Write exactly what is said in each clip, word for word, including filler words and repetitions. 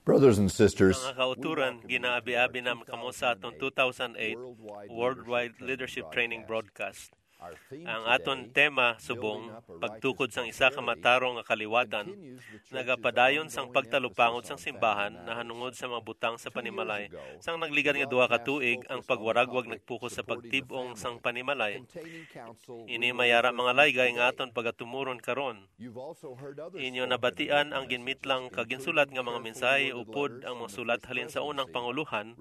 Brothers and sisters, Mga kauturan, ginaabi-abi naman kamo sa aton two thousand eight Worldwide Leadership Training Broadcast. Ang aton tema subong, pagtukod sang isa ka matarong nga kaliwatan, nagapadayon sang pagtalupangod sang simbahan nahanungod sa mga butang sa panimalay. Sang nagligan nga duha ka tuig, ang pagwaragwag nagpokus sa pagtib-ong sang panimalay. Ini may ara mga laygay nga aton pagatumuron karon. Inyo nabatian ang ginmitlang kag ginsulat nga mga mensahe upod ang mga sulat halin sa unang pangulohan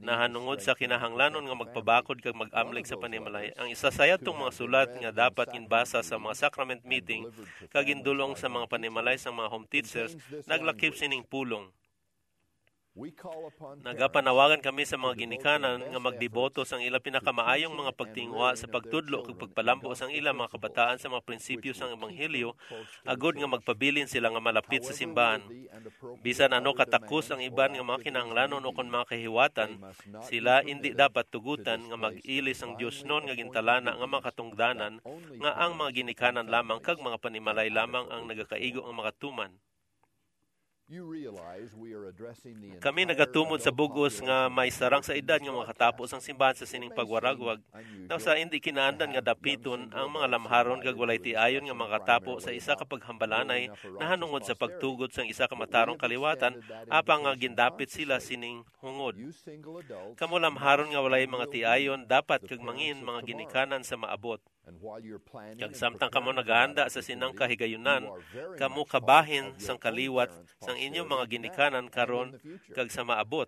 nahanungod sa kinahanglanon nga magpabakod kag mag-amlig sa panimalay. Ang isa sa yadtong mga sulat nga dapat ginbasa sa mga sacrament meeting kag gindul-ong sa mga panimalay sang mga home teachers naglakip sining pulong. Nagapanawagan kami sa mga ginikanan nga magdeboto sang ilang pinakamaayong mga pagtinguha sa pagtudlo kag pagpalambo sang ilang mga kabataan sa mga prinsipyo sang ebanghelyo, agod nga magpabilin sila nga malapit sa simbahan. Bisan ano katakos ang iban nga mga kinahanglanon o kon mga kahiwatan, sila indi dapat tugutan nga mag-ili sang diosnon nga gintalana nga mga katungdanan nga ang mga ginikanan lamang kag mga panimalay lamang ang nagakaigo nga makatuman. Kami nagatumod sa bug-os nga may sarang sa edad nga makatapo sang simbahan sa sining pagwaragwag. Nang sa indi kinaandan nga dapiton ang mga lamharon kag walay tiayon nga makatapo sa isa ka paghambalanay nahanungod sa pagtugot sang isa ka matarong kaliwatan, apang nga gindapit sila sining hungod. Kamo lamharon nga walay mga tiayon, dapat kag mangin mga ginikanan sa maabot. Kag samtang kamo naghahanda sa sinang kahigayunan, kamo kabahin sang kaliwat sang inyong mga ginikanan karon kag sa maabot.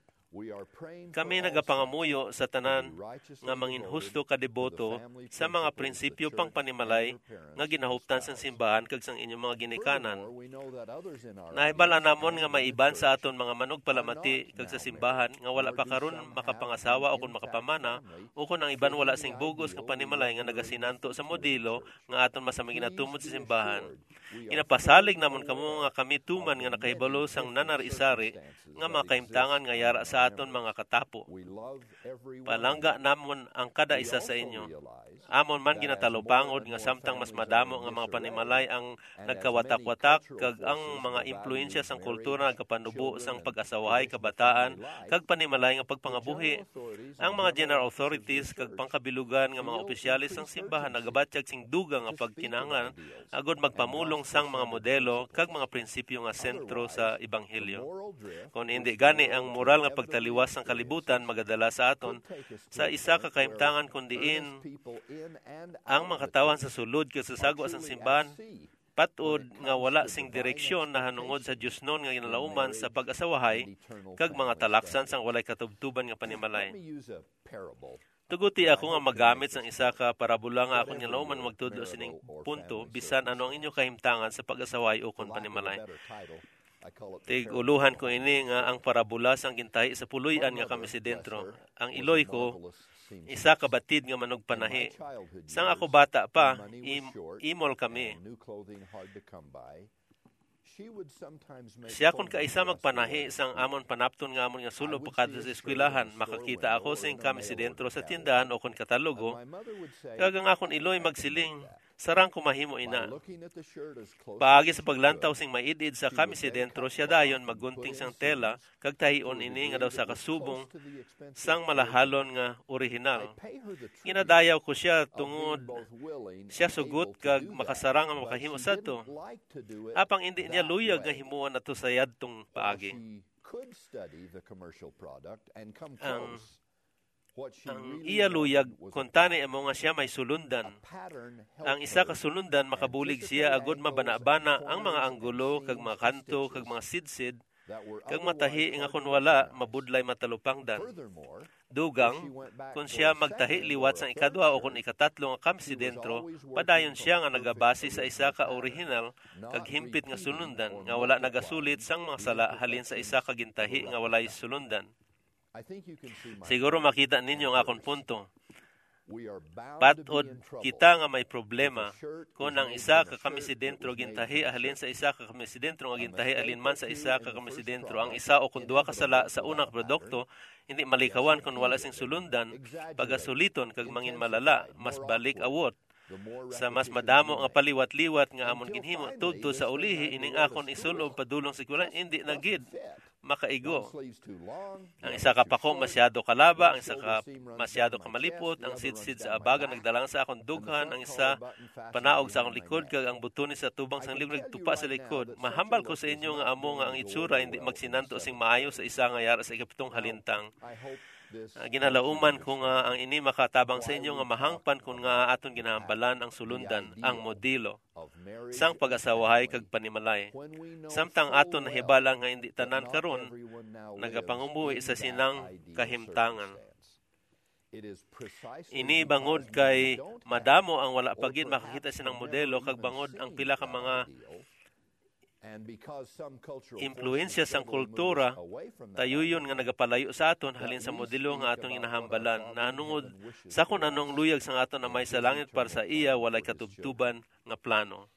Kami nagapangamuyo sa tanan nga manginhusto ka deboto sa mga prinsipyo pangpanimalay nga ginahuptan sang simbahan kag sang inyong mga ginikanan. Nahibal-an namon nga may iban sa aton mga manugpalamati kag sa simbahan nga wala pa karon makapangasawa o kon makapamana, ukon ang iban wala sing bug-os nga panimalay nga nagasinanto sa modelo nga aton masami ginatumod sa simbahan. Ginapasalig namon kamo nga kami tuman nga nakahibalo sang nanari-sari nga mga kahimtangan nga yara sa aton mga katapo. Palangga namon ang kada isa sa inyo. Amon man ginatalupangod nga samtang mas madamo nga mga panimalay ang nagkawatak-watak kag ang mga impluwensya sang kultura nagapanubo sang pag-asawahay, kabataan, kag panimalay nga pagpangabuhi. Ang mga general authorities kag pangkabilugan nga mga opisyales sang simbahan nagabatyag sing dugang nga pagkinahanglan agud magpamulong sang mga modelo kag mga prinsipyo nga sentro sa ebanghelyo. Kon hindi gani, ang moral nga pagtaliwas sang kalibutan magadala sa aton sa isa ka kahimtangan kon diin ang mga katawhan sa sulod kag sa sagwa sang simbahan patod nga wala sing direksyon nahanungod sa diosnon nga ginalauman sa pag-asawahay kag mga talaksan sang walay katubtuban nga panimalay. Tuguti ako nga magamit sang isa ka parabola nga akon ginalauman magtudlo sining punto, bisan ano ang inyo kahimtangan sa pag-asawahay ukon panimalay. Tig-ulohan ko ini nga ang parabola sang gintahi sa puloy-an nga kamisidentro. Ang iloy ko, isa ka batid nga manugpanahi. Sang ako bata pa, im- imol kami. Siya kon kaisa magpanahi sang amon panapton nga amon nga sul-ob pakadto sa eskwelahan. Makakita ako sing kamisidentro sa tindahan o kon katalogo, kag ang akon iloy magsiling, "Sarang ko mahimo ina." Paagi sa paglantaw sing maid-id sa kamisidentro, siya dayon maggunting sang tela kag tahion ini nga daw sa kasubong sang malahalon nga orihinal. Ginadayaw ko sia tungod siya sugot kag makasarang nga makahimo sadto. Apang indi niya luyag nga himuon ato sa yadtong paagi. Ang iya luyag, kuntani amo nga siya may sulundan. Ang isa ka sulundan, makabulig siya agud mabanabana ang mga anggulo kag mga kanto kag mga sidsid, kag matahi nga kon wala, mabudlay matalupangdan. Dugang, kon siya magtahi liwat sang ikadua o kon ikatatlo nga kamisidentro, padayon siya nga nagabase sa isa ka orihinal kag himpit nga sulundan nga wala nagasulit sang mga sala halin sa isa ka gintahi nga walay sulundan. Siguro makita ninyo ang akon punto. Patod kita nga may problema kon ang isa ka kamisidentro gintahi halin sa isa ka kamisidentro nga gintahi halin man sa isa ka kamisidentro. Ang isa o kon duha ka sala sa unang produkto, hindi malikawan kon wala sing sulundan, pagasuliton kag mangin malala, mas balik awot. Sa mas madamo nga paliwat-liwat nga amon ginhimo, tudto sa ulihi, ining akon isul-ob padulong sa eskwelahan, hindi na gid. makaigo. Ang isa ka pako masyado kalaba, ang isa ka masyado kamalipot, ang sidsid sa abaga nagdalang sa akon dughan, ang isa panaog sa akon likod, kag ang butones sa tubang sang libro nagtupa sa likod. Mahambal ko sa inyo nga amo nga ang itsura hindi magsinanto sing maayo sa isa nga yara sa ikapitong halintang. Ah, ginalauman ko nga ang ini makatabang sa inyo nga mahangpan kon nga aton ginahambalan ang sulundan, ang modelo sang pag-asawahay kag panimalay. Samtang aton nahibal-an nga indi tanan karon nagapangumuhi sa sinang kahimtangan. Ini bangod kay madamo ang wala pa gid makakita sinang modelo kag bangod ang pila ka mga impluwensya sang kultura, tayuyon nga nagapalayo sa aton halin sa modelo nga aton ginahambalan. Nahanungod sa kon ano ang luyag sang aton Amay sa Langit para sa iya, walay katubtuban nga plano.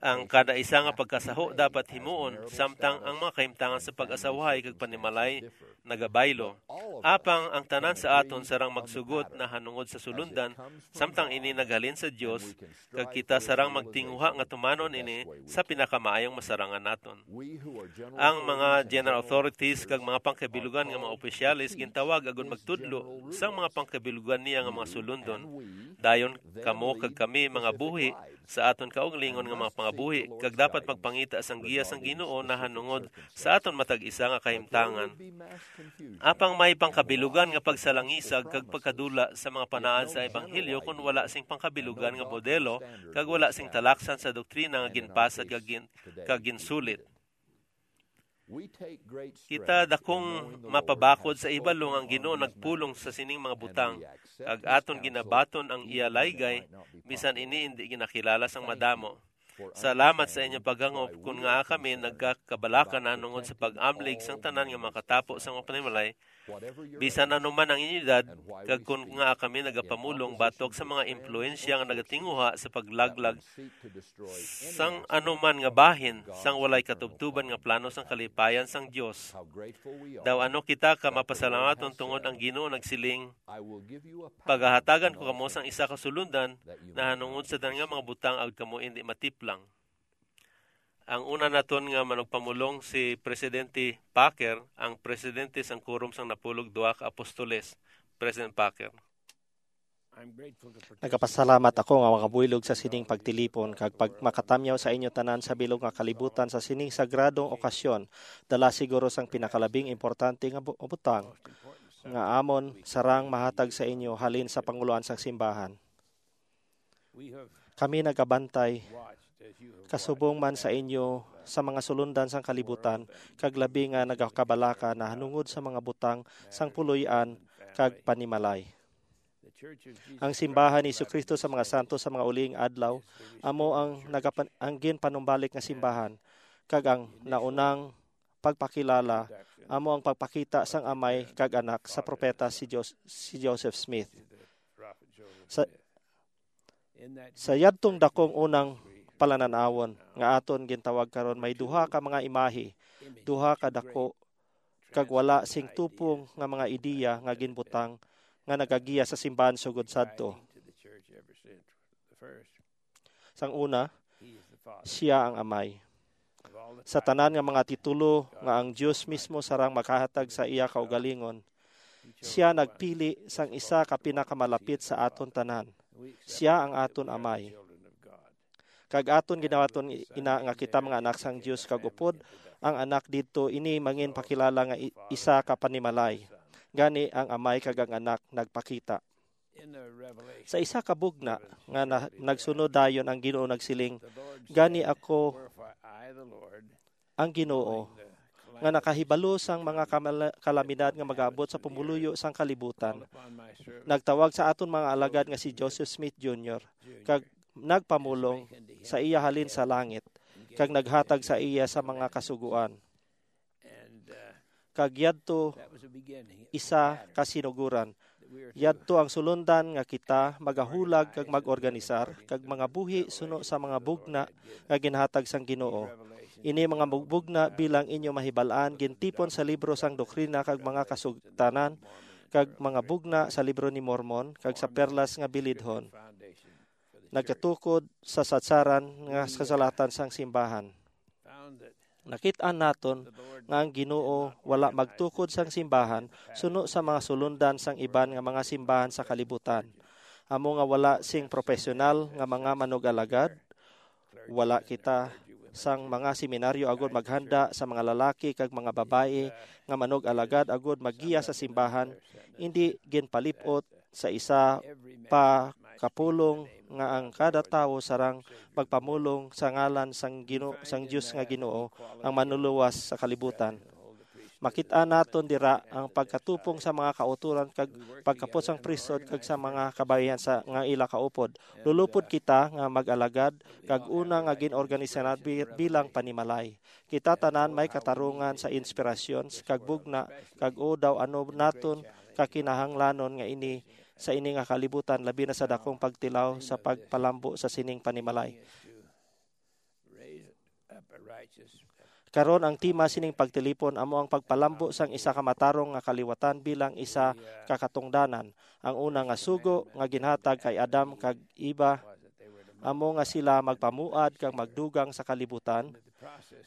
Ang kada isa nga pagkasaho dapat himuon, samtang ang mga kahimtangan sa pag-asawahay kag panimalay nagabaylo. Apang ang tanan sa aton sarang magsugot nahanungod sa sulundan, samtang ini naghalin sa Dios, kag kita sarang magtinguha nga tumanon ini sa pinakamaayong masarangan naton. Ang mga general authorities kag mga pangkabilugan nga mga opisyales gintawag agud magtudlo sang mga pangkabilugan niya nga mga sulundon. Dayon kamo kag kami mga buhi sa aton kaugalingon nga mga pangabuhi, kag dapat magpangita sang giya sang Ginoo nahanungod sa aton matag isa nga kahimtangan. Apang may pangkabilugan nga pagsalangisag kag pagkadula sa mga panaad sa ebanghelyo kon wala sing pangkabilugan nga modelo kag wala sing talaksan sa doktrina nga ginpasad kag gin-, kag ginsulit. Kita dakong mapabakod sa ibalo nga ang Ginoo nagpulong sa sining mga butang, kag aton ginabaton ang iya laygay, bisan ini indi ginakilala sang madamo. Salamat sa inyo paghangop kon ngaa kami nagakabalaka nahanungod sa pag-amlig sang tanan nga makatapo sa mga panimalay, bisan ano man ang inyo edad, kag kon ngaa kami nagapamulong batok sa mga impluwensya nga nagatinguha sa paglaglag sang ano man nga bahin sang walay katubtuban nga plano sang kalipayan sang Dios. Daw ano kita ka mapasalamaton tungod ang Ginoo nagsiling, "Pagahatagan ko kamo sang isa ka sulundan nahanungod sa tanan nga mga butang agod kamo indi matiplang." Ang una naton nga manugpamulong si Presidente Packer, ang presidente sang Quorum sang Napulog Duha ka Apostoles. President Packer. Nagapasalamat ako nga makabuylog sa sining pagtilipon kag pag makatamyaw sa inyo tanan sa bilog nga kalibutan sa sining sagradong okasyon, dala siguro sang pinakalabing importante nga bu-, butang nga amon sarang mahatag sa inyo halin sa panguloan sang simbahan. Kami nagabantay kasubong man sa inyo sa mga sulundan sang kalibutan, kag labi nga nagakabalaka nahanungod sa mga butang sang puloy-an kag panimalay. Ang simbahan ni Jesu-Cristo sa mga santos sa mga uliing adlaw amo ang nagapan-, ang ginpanumbalik nga simbahan, kag ang naunang pagpakilala amo ang pagpakita sang Amay kag Anak sa propeta si Jos-, si Joseph Smith. Sa, sa yadtong dakong unang palanan-awon nga aton gintawag karon, may duha ka mga imahe, duha ka dako kag wala sing tupong nga mga ideya nga ginbutang nga nagagiya sa simbahan sugod sadto. Sang una, sia ang Amay. Sa tanan nga mga titulo nga ang Dios mismo sarang makahatag sa iya kaugalingon, sia nagpili sang isa ka pinakamalapit sa aton tanan. Sia ang aton Amay. Kag aton ginawaton ina nga kita mga anak sang Dios, kag upod ang Anak didto, ini manginpakilala nga i-, isa ka panimalay. Gani ang Amay kag ang Anak nagpakita. Sa isa ka bugna nga na, nagsunod dayon, ang Ginoo nagsiling, "Gani ako ang Ginoo, nga nakahibalo sang mga kamala-, kalamidad nga mag-abot sa pumuluyo sang kalibutan. Nagtawag sa aton mga alagad nga si Joseph Smith Junior, kag nagpamulong sa iya halin sa langit, kag naghatag sa iya sa mga kasugoan." Kag yadto isa ka sinugoran. Yadto ang sulundan nga kita magahulag kag mag-organisar kag mga buhi suno sa mga bugna nga ginhatag sang Ginoo. Ini mga bug-, bugna, bilang inyo mahibal-an, gintipon sa libro sang Doktrina kag mga Kasugtanan kag mga bugna sa Libro ni Mormon kag sa Perlas nga Bilidhon. Nagkatukod sa sadsaran nga kasulatan sang simbahan. Nakit-an naton nga ang Ginoo wala magtukod sang simbahan suno sa mga sulundan sang iban nga mga simbahan sa kalibutan. Amo nga wala sing profesional nga mga manug-alagad, wala kita sang mga seminaryo agud maghanda sa mga lalaki kag mga babayi nga manug-alagad agud maggiya sa simbahan, indi ginpalip-ot sa isa pa kapulong nga ang kada tawo sarang magpamulong sa ngalan sang Gino-, sang Dios nga Ginoo, ang manluluwas sa kalibutan. Makit-an naton dira ang pagkatupong sa mga kautoran kag pagkapot sang priesthood kag sa mga kababayan sa nga ila kaupod. Lulupod kita nga mag-alagad kag una nga gin-organisa na bi-, bilang panimalay. Kita tanan may katarungan sa inspirasyon kag bugna kag o daw ano naton kakinahanglanon nga ini sa ini nga kalibutan, labi na sa dakong pagtilaw sa pagpalambo sa sining panimalay. Karon, ang tema sining pagtilipon amo ang pagpalambo sang isa ka matarong nga kaliwatan bilang isa ka katungdanan. Ang una nga sugo nga ginhatag kay Adam kag Eva amo nga sila magpamuad kag magdugang sa kalibutan,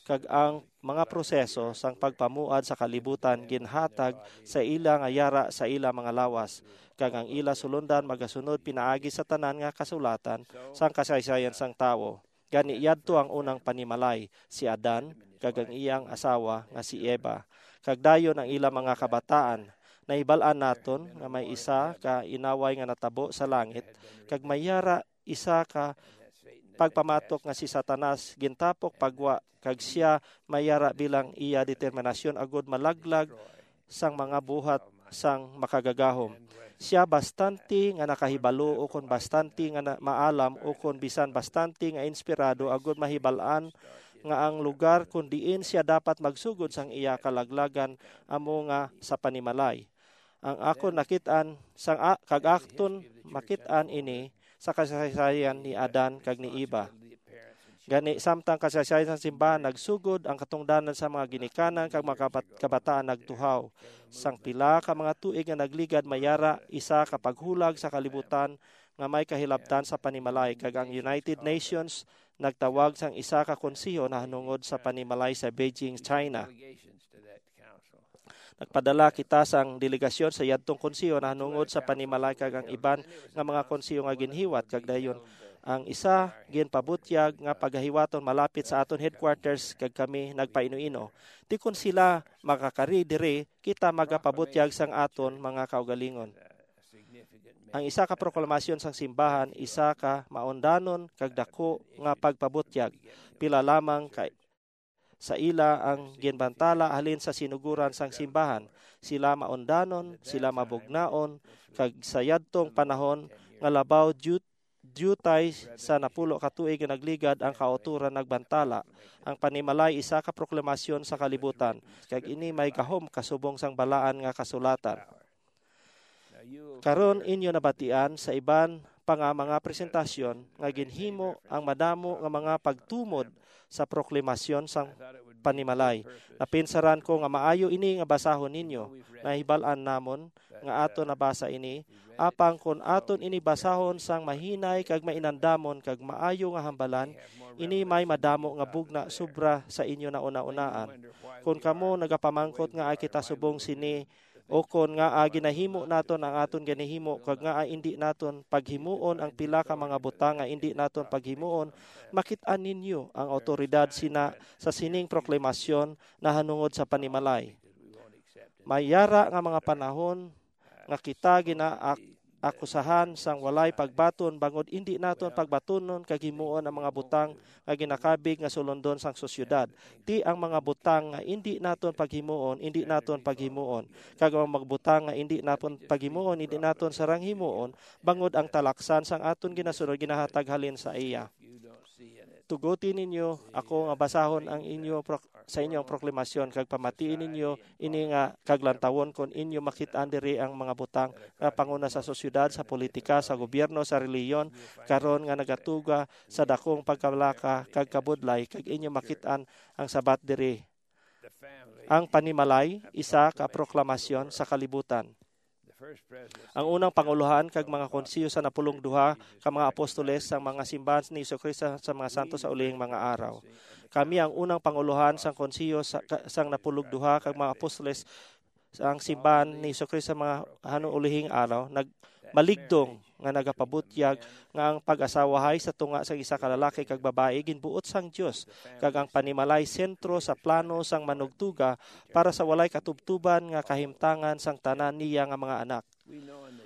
kag ang mga proseso sang pagpamuad sa kalibutan ginhatag sa ila nga yara sa ila mga lawas, kag ang ila sulundan magasunod pinaagi sa tanan nga kasulatan sang kasaysayan sang tawo. Gani, yadto ang unang panimalay, si Adan kag ang iyang asawa nga si Eva, kag dayon ang ila mga kabataan. Nahibal-an naton nga may isa ka inaway nga natabo sa langit, kag may yara isa ka pagpamatok nga si Satanas gintapok pa gwa, kag sia may yara bilang iya determinasyon agud malaglag sang mga buhat sang makagagahom. Sia bastante nga nakahibalo ukon bastante nga na-, maalam ukon bisan bastante nga inspirado agud mahibal-an nga ang lugar kon diin sia dapat magsugod sang iya kalaglagan amo nga sa panimalay. Ang akon nakit-an sang a-, kag akton makit-an ini sa kasaysayan ni Adan kag ni Eva. Gani, samtang kasaysayan sang simbahan nagsugod, ang katungdanan sa mga ginikanan kag mga kabat-, kabataan nagtuhaw. Sang pila ka mga tuig nga nagligad, may yara isa ka paghulag sa kalibutan nga may kahilabtan sa panimalay, kag ang United Nations nagtawag sang isa ka konseho nahanungod sa panimalay sa Beijing, China. Nagpadala kita sang delegasyon sa yadtong konseho nahanungod sa panimalay kag ang iban nga mga konseho nga ginhiwat, kag dayon ang isa ginpabutyag nga pagahiwaton malapit sa aton headquarters, kag kami nagpaino-ino. Ti kon sila makakari diri, kita magapabutyag sang aton mga kaugalingon. Ang isa ka proklamasyon sang simbahan, isa ka maundanon kag daku nga pagpabutyag. Pila lamang ka sa ila ang ginbantala halin sa sinugoran sang simbahan. Sila maundanon, sila mabugnaon, kag sa yadtong panahon nga labaw diyu-, diyutay sa napulo ka tuig nga nagligad ang kautoran nagbantala. Ang panimalay isa ka proklamasyon sa kalibutan, kag ini may gahom kasubong sang balaan nga kasulatan. Karon inyo nabatian sa iban pa nga mga presentasyon nga ginhimo ang madamo nga mga pagtumod sa proklamasyon sang panimalay. Napinsaran ko nga maayo ini nga basahon ninyo. Nahibal-an namon nga aton nabasa ini, apang kon aton ini basahon sang mahinay kag mainandamon kag maayo nga hambalan, ini may madamo nga bugna sobra sa inyo nauna-unaan. Kon kamo nagapamangkot nga ay kita subong sini, o kon ngaa ginahimo naton ang aton ginahimo kag ngaa indi naton paghimuon ang pila ka mga butang nga indi naton paghimuon, makit-an ninyo ang awtoridad sina sa sining proklamasyon nahanungod sa panimalay. May yara nga mga panahon nga kita ginaakusahan sang walay pagbaton bangod indi naton pagbatunon kag himuon ang mga butang nga ginakabig nga sulondon sang sosyedad. Ti ang mga butang nga indi naton paghimuon, indi naton paghimuon, kag ang mga butang nga indi naton paghimuon, indi naton sarang himuon, bangod ang talaksan sang aton ginasunod ginahatag halin sa iya. Tuguti ninyo ako nga basahon ang inyo pro-, sa inyo ang proklamasyon, kag pamatii ninyo ini nga, kag lantawon kon inyo makit-an diri ang mga butang nga panguna sa sosyedad, sa politika, sa gobyerno, sa relihiyon, karon nga nagatuga sa dakong pagkabalaka kag kabudlay, kag inyo makit-an ang sabat diri. Ang panimalay, isa ka proklamasyon sa kalibutan. Ang unang pangulohan kag mga konseho sa napulong duha ka mga apostoles sang mga simbahan ni Jesu-Cristo sa mga santos sa ulihing mga araw. Kami ang unang pangulohan sang konseho sa, ka- sang napulog duha ka mga apostoles sang simbahan ni Jesu-Cristo sa mga hanong ulihing araw, nagmaligdong nga nagapabutyag nga ang pag-asawahay sa tunga sang isa ka lalaki kag babayi ginbuot sang Dios, kag ang panimalay sentro sa plano sang manugtuga para sa walay katubtuban nga kahimtangan sang tanan niya nga mga anak.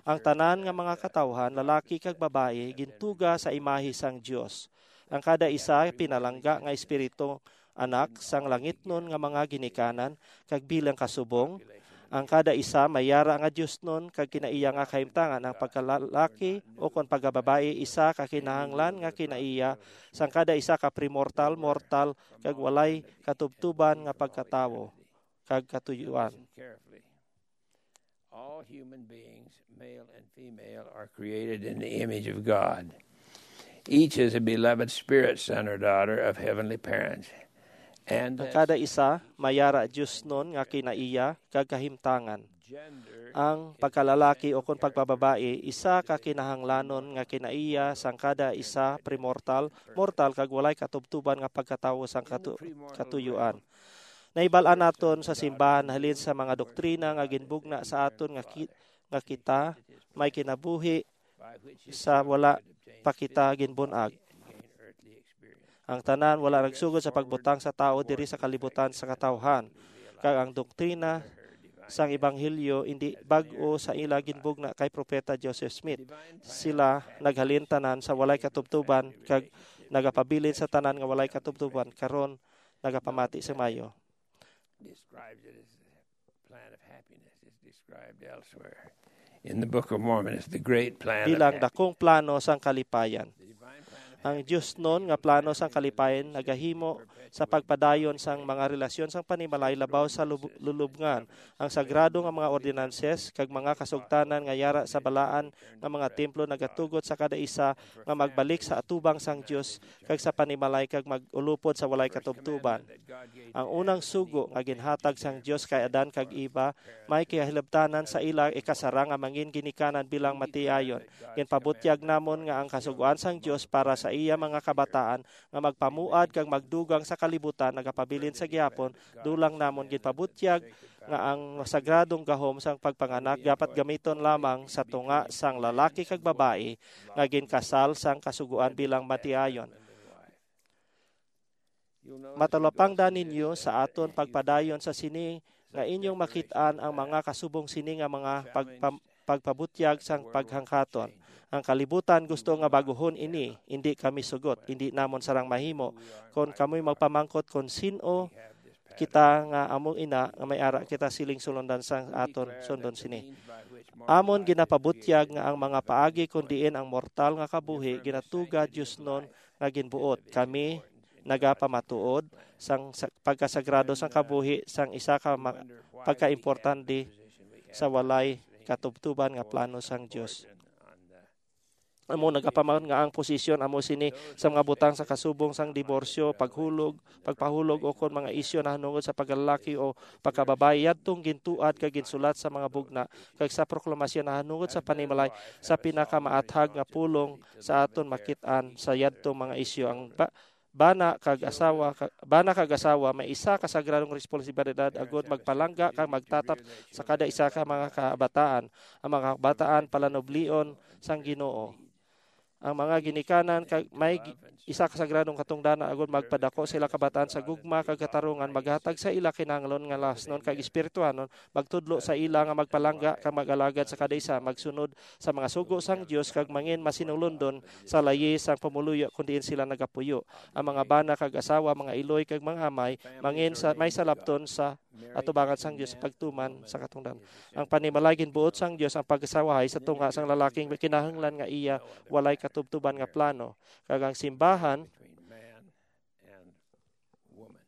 Ang tanan nga mga katawhan, lalaki kag babayi, gintuga sa imahe sang Dios. Ang kada isa pinalangga nga espiritu, anak sang langitnon nga mga ginikanan, kag bilang kasubong, ang kada isa may yara nga diosnon kag kinaiya nga kahimtangan. Ang pagkalalaki ukon pagkababayi isa ka kinahanglan nga kinaiya sang kada isa ka primortal, mortal, kag walay katubtuban nga pagkatawo kag katuyuan. All human beings, male and female, are created in the image of God. Each is a beloved spirit son or daughter of heavenly parents. And Ang kada isa may yara diosnon nga kinaiya kag kahimtangan. Ang pagkalalaki ukon pagpababayi isa ka kinahanglanon nga kinaiya sang kada isa primortal, mortal kag walay katubtuban nga pagkatawo sang katu- katuyuan. Nahibal-an naton sa simbahan halin sa mga doktrina nga ginbugna sa aton nga, ki- nga kita may kinabuhi sa wala pa kita ginbun-ag. Ang tanan wala nagsugod sa pagbutang sa tawo diri sa kalibutan sa katawhan, kag ang doktrina sang ebanghelyo indi bag-o sa ila ginbugna kay Propeta Joseph Smith. Sila naghalin tanan sa walay katubtuban kag nagapabilin sa tanan nga walay katubtuban, karon nagapamati sa mayo. Describes it as a plan of happiness. It's described elsewhere. In the Book of Mormon, it's the great plan of Bilang happiness. Dakong plano sang kalipayan. The divine plan of Ang diosnon nga plano sang kalipayan nagahimo sa pagpadayon sang mga relasyon sang panimalay labaw sa lub- lulubngan. Ang sagrado nga mga ordinances kag mga kasugtanan nga yara sa balaan nga mga templo nagatugot sa kada isa nga magbalik sa atubang sang Dios kag sa panimalay kag mag-ulupod sa walay katubtuban. Ang unang sugo nga ginhatag sang Dios kay Adan kag Eva may kahilabtanan sa ila ikasara nga mangin ginikanan bilang matiayon. Ginpabutyag namon nga ang kasugoan sang Dios para sa iya mga kabataan nga magpamuad kag magdugang sa kalibutan nagapabilin sa gihapon. Dulang namon ginpabutyag nga ang sagradong gahom sang pagpanganak dapat gamiton lamang sa tunga sang lalaki kag babayi nga ginkasal sang kasugoan bilang matiayon. Matalapangdan ninyo sa aton pagpadayon sa sini nga inyong makit-an ang mga kasubong sini nga mga pagpam- pagpabutyag sang paghangkaton. Ang kalibutan gusto nga baguhon ini, indi kami sugot, indi namon sarang mahimo. Kon kamoy magpamangkot kon sin-o kita nga amo ina nga may ara kita siling sulundan sang aton sundon sini. Amon ginapabutyag nga ang mga paagi kon diin ang mortal nga kabuhi ginatuga diosnon nga ginbuot. Kami nagapamatuod sang sa- pagkasagrado sang kabuhi sang isa ka ma- pagkaimportante sa walay katubtuban nga plano sang Dios. Amo nagapamahon nga ang posisyon amo sini sa mga butang sa kasubong sang diborsyo, paghulog, pagpahulog, o kon mga isyu nahanungod sa paglalaki o pagkababayi yadtong gintuad kag ginsulat sa mga bugna kag sa proklamasyon nahanungod sa panimalay sa pinakamaathag nga pulong sa aton makit-an sa yadtong mga isyu. Ang ba- bana kag asawa ka- bana kag asawa may isa ka sagradong responsibilidad agud magpalangga kag magtatap sa kada isa ka mga kabataan. Ang mga kabataan palanublion sang Ginoo. Ang mga ginikanan kag may gi- isa ka sagradong katungdanan agud magpadako sa ila kabataan sa gugma kag katarungan, maghatag sa ila kinahanglan nga lasnon kag espirituhanon, magtudlo sa ila nga magpalangga kag mag-alagad sa kada isa, magsunod sa mga sugo sang Dios kag mangin masinulundon sa layi sang pumuluyo kon diin sila nagapuyo. Ang mga bana kag asawa, mga iloy kag mga amay, mangin sa may salabton sa atubangan sang Dios sa pagtuman sa katungdanan. Ang panimalay ginbuot sang Dios ang pag-asawahay sa tunga sang lalaking kinahanglan nga iya walay katubtuban nga plano, kag ang simbahan Between man and woman.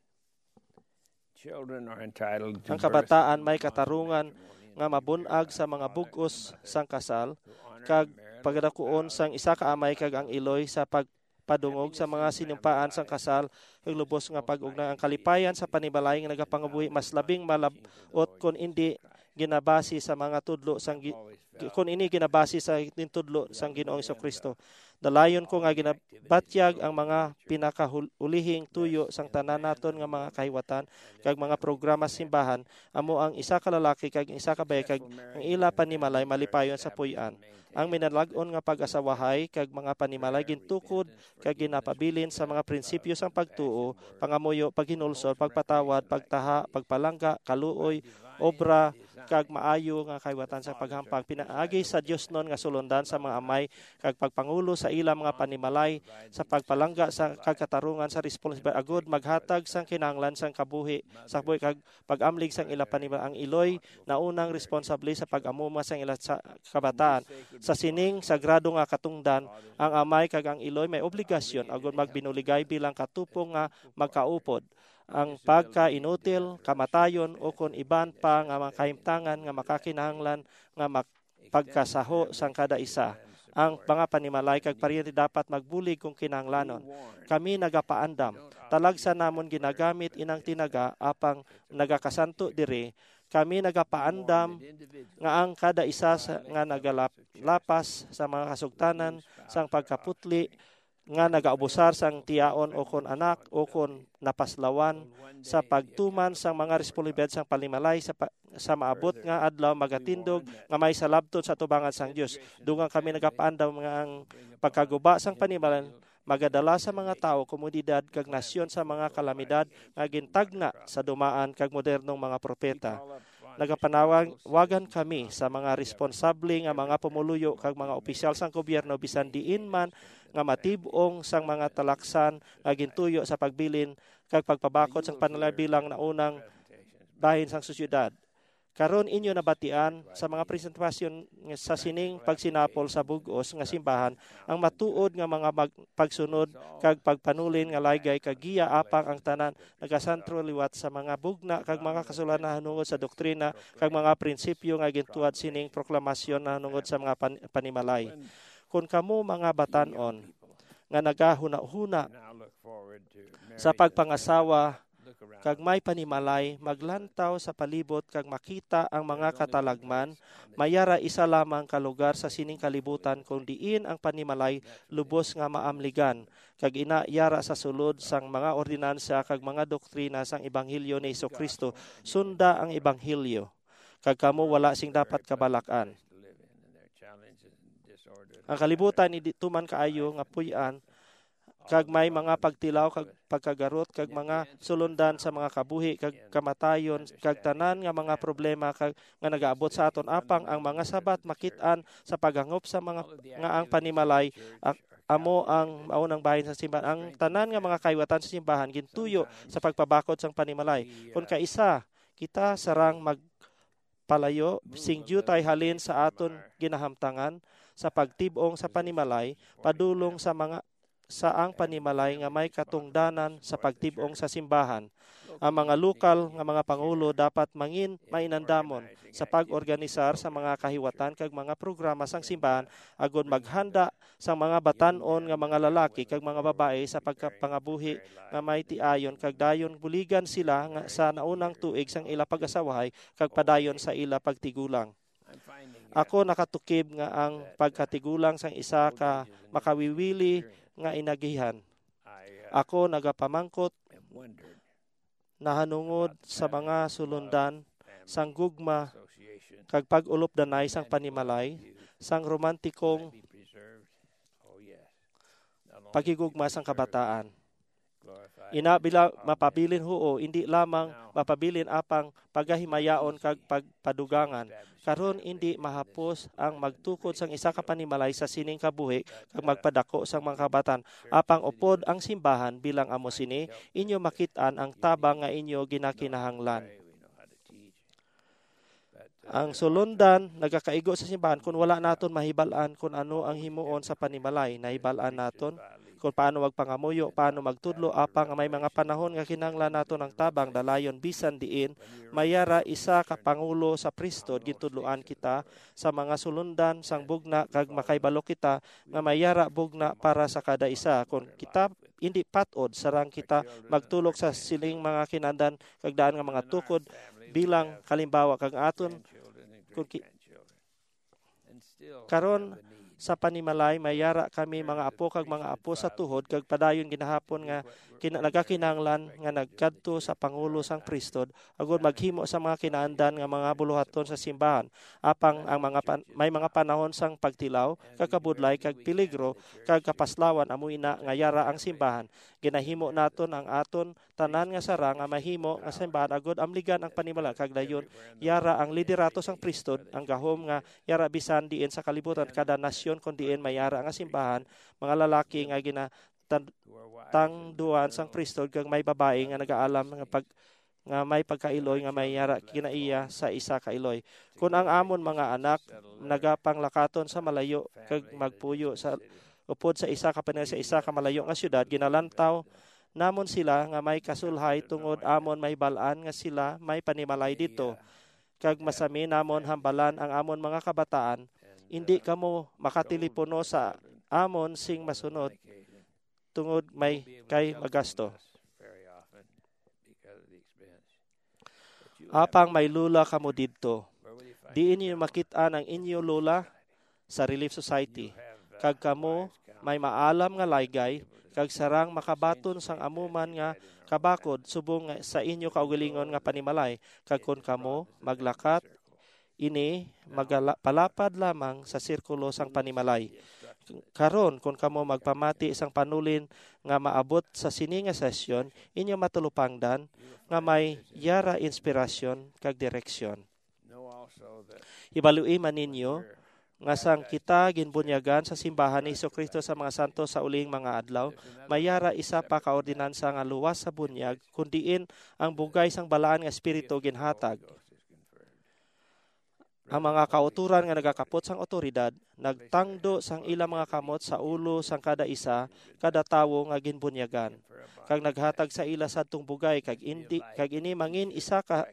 Children are entitled to Ang kabataan may katarungan nga mabun-ag sa mga bug-os sang kasal kag pagdakuon sang isa ka amay kag ang iloy sa pagpadungog sa mga sinumpaan sang kasal kag lubos nga pag-ugnay. Ang kalipayan sa panimalay nga nagapangabuhi mas labing malab-ot kon indi ginabase sa mga tudlo sang gi-, kon ini ginabase sa ginatudlo sang Ginoong Jesu-Cristo. Dalayon ko nga ginabatyag ang mga pinakaulihing tuyo sang tanan naton nga mga kahiwatan kag mga programa sa simbahan, amo ang isa ka lalaki kag isa ka bayi, kag ang ila panimalay malipayon sa puy-an. Ang minalag-on nga pag-asawahay kag mga panimalay gintukod kag ginapabilin sa mga prinsipyo sang pagtuo, pangamuyo, paghinulsol, pagpatawad, pagtaha, pagpalangga, kaluoy, obra, kag maayo nga kahiwatan sa paghampang. Pinaagi sa diosnon nga sulondan sa mga amay kag pagpangulo sa ila mga panimalay sa pagpalangga sa kag katarungan sa responsibilidad agud maghatag sang kinahanglan sang kabuhi sa kabuhi kag pag-amlig sang ila panimalay. Ang iloy naunang responsable sa pag-amuma sang ila sa kabataan. Sa sining sagrado nga katungdan, ang amay kag ang iloy may obligasyon agud magbinuligay bilang katupong nga magkaupod. Ang pagkainutil, kamatayon, o kon iban pa nga mga kahimtangan nga makakinahanglan nga mak-, pagkasaho sang kada isa. Ang mga panimalay kag paryente dapat magbulig kung kinahanglanon. Kami nagapaandam. Talagsa namon ginagamit inang tinaga apang nagakasanto diri. Kami nagapaandam nga ang kada isa sa, nga nagalapas sa mga kasugtanan sang pagkaputli nga nagaabusar sang tiyaon o kon anak o kon napaslawan sa pagtuman sang mga responsibilidad sang panimalay sa pa-, sa maabot nga adlaw magatindog nga may salabton sa atubangan sang Dios. Dugang kami nagapaandam nga ang pagkaguba sang panimalay magadala sa mga tawo, komunidad, kag nasyon sa mga kalamidad nga gintagna sa dumaan kag modernong mga propeta. Nagapanawagan kami sa mga responsable nga mga pumuluyo kag mga opisyal sang gobyerno bisan diin man nga matib-ong sang mga talaksan nga gintuyo sa pagbilin kag pagpabakod sang panimalay bilang naunang bahin sang sosyedad. Karon inyo nabatian sa mga presentasyon nga sa sining pagsinapol sa bug-os nga simbahan ang matuod nga mga mag-, pagsunod kag pagpanulin nga laygay kag giya apang ang tanan nagasentro liwat sa mga bugna kag mga kasulatan nahanungod sa doktrina kag mga prinsipyo nga gintuwad sining proklamasyon nahanungod sa mga pan-, panimalay. Kon kamo mga batan-on nga nagahunahuna sa pagpangasawa kag may panimalay, maglantaw sa palibot kag makita ang mga katalagman, may yara isa lamang ka lugar sa sining kalibutan kon diin ang panimalay lubos nga maamligan, kag ina yara sa sulod sang mga ordinansa kag mga doktrina sang ebanghelyo ni Jesu-Cristo. Sunda ang ebanghelyo, kag kamo wala sing dapat kabalak-an. Ang kalibutan hindi tuman kaayo nga puy-an, kag may mga pagtilaw kag pagkagarot kag mga sulondan sa mga kabuhi kag kamatayon kag tanan nga mga problema kag nga nagaabot sa aton, apang ang mga sabat makit-an sa paghangop sa mga nga ang panimalay ak-, amo ang maunang bahin sa simbahan. Ang tanan nga mga kahiwatan sa simbahan gintuyo sa pagpabakod sang panimalay. Kon kaisa kita sarang magpalayo sing diutay halin sa aton ginahamtangan sa pagtib-ong sa panimalay padulong sa mga sa ang panimalay nga may katungdanan sa pagtib-ong sa simbahan. Ang mga lokal nga mga pangulo dapat mangin mainandamon sa pag-organisar sa mga kahiwatan kag mga programa sang simbahan agod maghanda sang mga batan-on nga mga lalaki kag mga babayi sa pagkapangabuhi nga may tiayon, kag dayon buligan sila nga sa naunang tuig sang ila pag-asawahay kag padayon sa ila pagtigulang. Ako nakatukib nga ang pagkatigulang sang isa ka makawiwili nga inagihan. Ako nagapamangkot nahanungod sa mga sulundan sang gugma kag pag-ulopdanay sang panimalay sang romantikong paghigugma sang kabataan. Ina, bila mapabilin, huo, indi lamang mapabilin apang pagahimayaon kag pagpadugangan. Karon indi mahapos ang magtukod sang isa ka panimalay sa sining kabuhi kag magpadako sang mga kabatan. Apang upod ang simbahan bilang amo sini, inyo makit-an ang tabang nga inyo ginakinahanglan. Ang sulundan nagakaigo sa simbahan kon wala naton mahibal-an kon ano ang himuon sa panimalay. Nahibal-an naton kon paano magpangamuyo, paano magtudlo, apang may mga panahon nga kinahanglan naton ang tabang dalayon bisan diin. May yara isa ka pangulo sa priesthood, gintudloan kita sa mga sulundan sang bugna, kag makahibalo kita nga may yara bugna para sa kada isa. Kon kita hindi pat-od, sarang kita magtulok sa sining mga kinahanglan kag daan nga mga tukod bilang kalimbawa, kag aton Kun ki-, karon, sa panimalay, may yara kami mga apo kag mga apo sa tuhod, kag padayon ginahapon nga kina-, nagakinahanglan nga nagkadto sa pangulo sang priesthood, agud maghimo sa mga kinaandan nga mga buluhaton sa simbahan. Apang ang mga pan-, may mga panahon sang pagtilaw, kakabudlay, kag peligro, kag kapaslawan, amo ina nga yara ang simbahan. Ginahimo naton ang aton tanan nga sarang nga mahimo nga simbahan, agud amligan ang panimalay, kag dayon yara ang liderato sang priesthood, ang gahom nga yara bisan diin sa kalibutan, kada nasyon kon diin may yara nga simbahan, mga lalaki nga ginatangduan sang priesthood, kag may babayi nga nagaalam nga pag-, nga may pagkailoy nga may yara kinaiya sa isa ka iloy. Kun ang amon mga anak nagapanglakaton sa malayo kag magpuyo sa upod sa isa ka panimalay sa isa ka malayo nga siyudad, ginalantaw namon sila nga may kasulhay tungod amon mahibal-an nga sila may panimalay didto, kag masami namon hambalan ang amon mga kabataan, indi kamo makatilipono sa amon sing masunod tungod may kay magasto. Apang may lola kamo didto. Diin ninyo makit-an ang inyo lola? Sa Relief Society. Kag kamo may maalam nga laygay, kag sarang makabaton sang amo man nga kabakod subong nga sa inyo kaugalingon nga panimalay, kag kon kamo maglakat ini, magala-, palapad lamang sa sirkulo sang panimalay. Karon, kon kamo magpamati sang panulin nga maabot sa sini nga sesyon, inyo matulupangdan nga may yara inspirasyon kag direksyon. Hibaloi man ninyo nga sang kita ginbunyagan sa simbahan ni Jesu-Cristo sa mga santos sa uling mga adlaw, may yara isa pa ka ordinansa nga luwas sa bunyag, kun diin ang bugay sang Balaan nga Espiritu ginhatag. Ang mga kautoran nga nagakapot sang awtoridad nagtangdo sang ila mga kamot sa ulo sang kada isa, kada tawo nga ginbunyagan, kag naghatag sa ila sadtong bugay, kag indi, kag ini mangin isa ka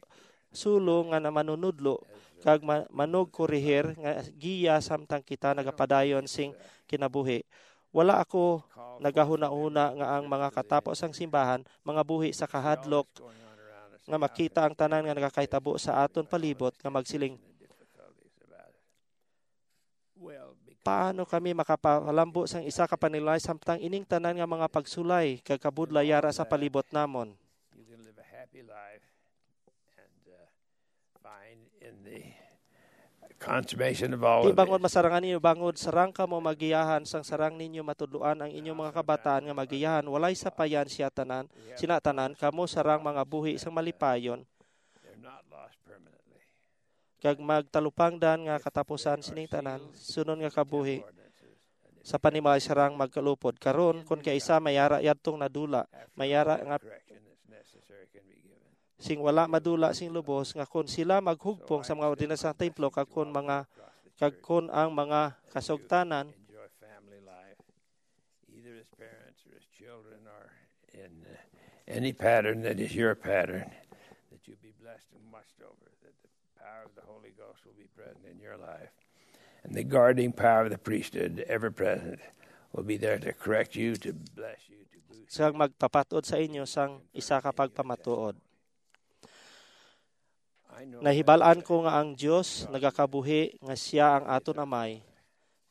sulo nga namanunudlo kag ma-, manugkorihir nga giya samtang kita nagapadayon sing kinabuhi. Wala ako nagahunahuna nga ang mga katapo sang simbahan mangabuhi sa kahadlok nga makita ang tanan nga nagakahitabo sa aton palibot nga magsiling, "Paano kami makapalambo sang isa ka panimalay samtang ining tanan nga mga pagsulay kag kabudlay yara sa palibot namon?" You can live a happy life and, uh, find in the consummation of all of Ti bangon it. Masarangan ninyo, bangon sarang kamo magiyahan sang sarang ninyo matudloan ang inyong mga kabataan nga magiyahan, walay sapayan siya tanan, sina tanan, kamo sarang mga buhi sang malipayon, They're not lost permanently. Kag magtalupangdan nga katapusan sining tanan, sunod nga kabuhi sa panimalay sarang magkalupod. Karon, kon kaisa may ara yadtong nadula, may ara nga sing wala madula sing lubos, nga kon sila maghugpong sa mga ordinansa sa templo, kag kon mga, kag kon ang mga kasugtanan, either as parents or as children or in, uh, any pattern that is your pattern, that you be blessed and watched over, that the power of the Holy Ghost will be present in your life, and the guarding power of the priesthood, ever present, will be there to correct you, to bless you, to boost you. Sang magpapatod sa inyo sang isa ka pagpamatuod. Nahibal-an ko nga ang Dios nagakabuhi, nga sia ang aton Amay,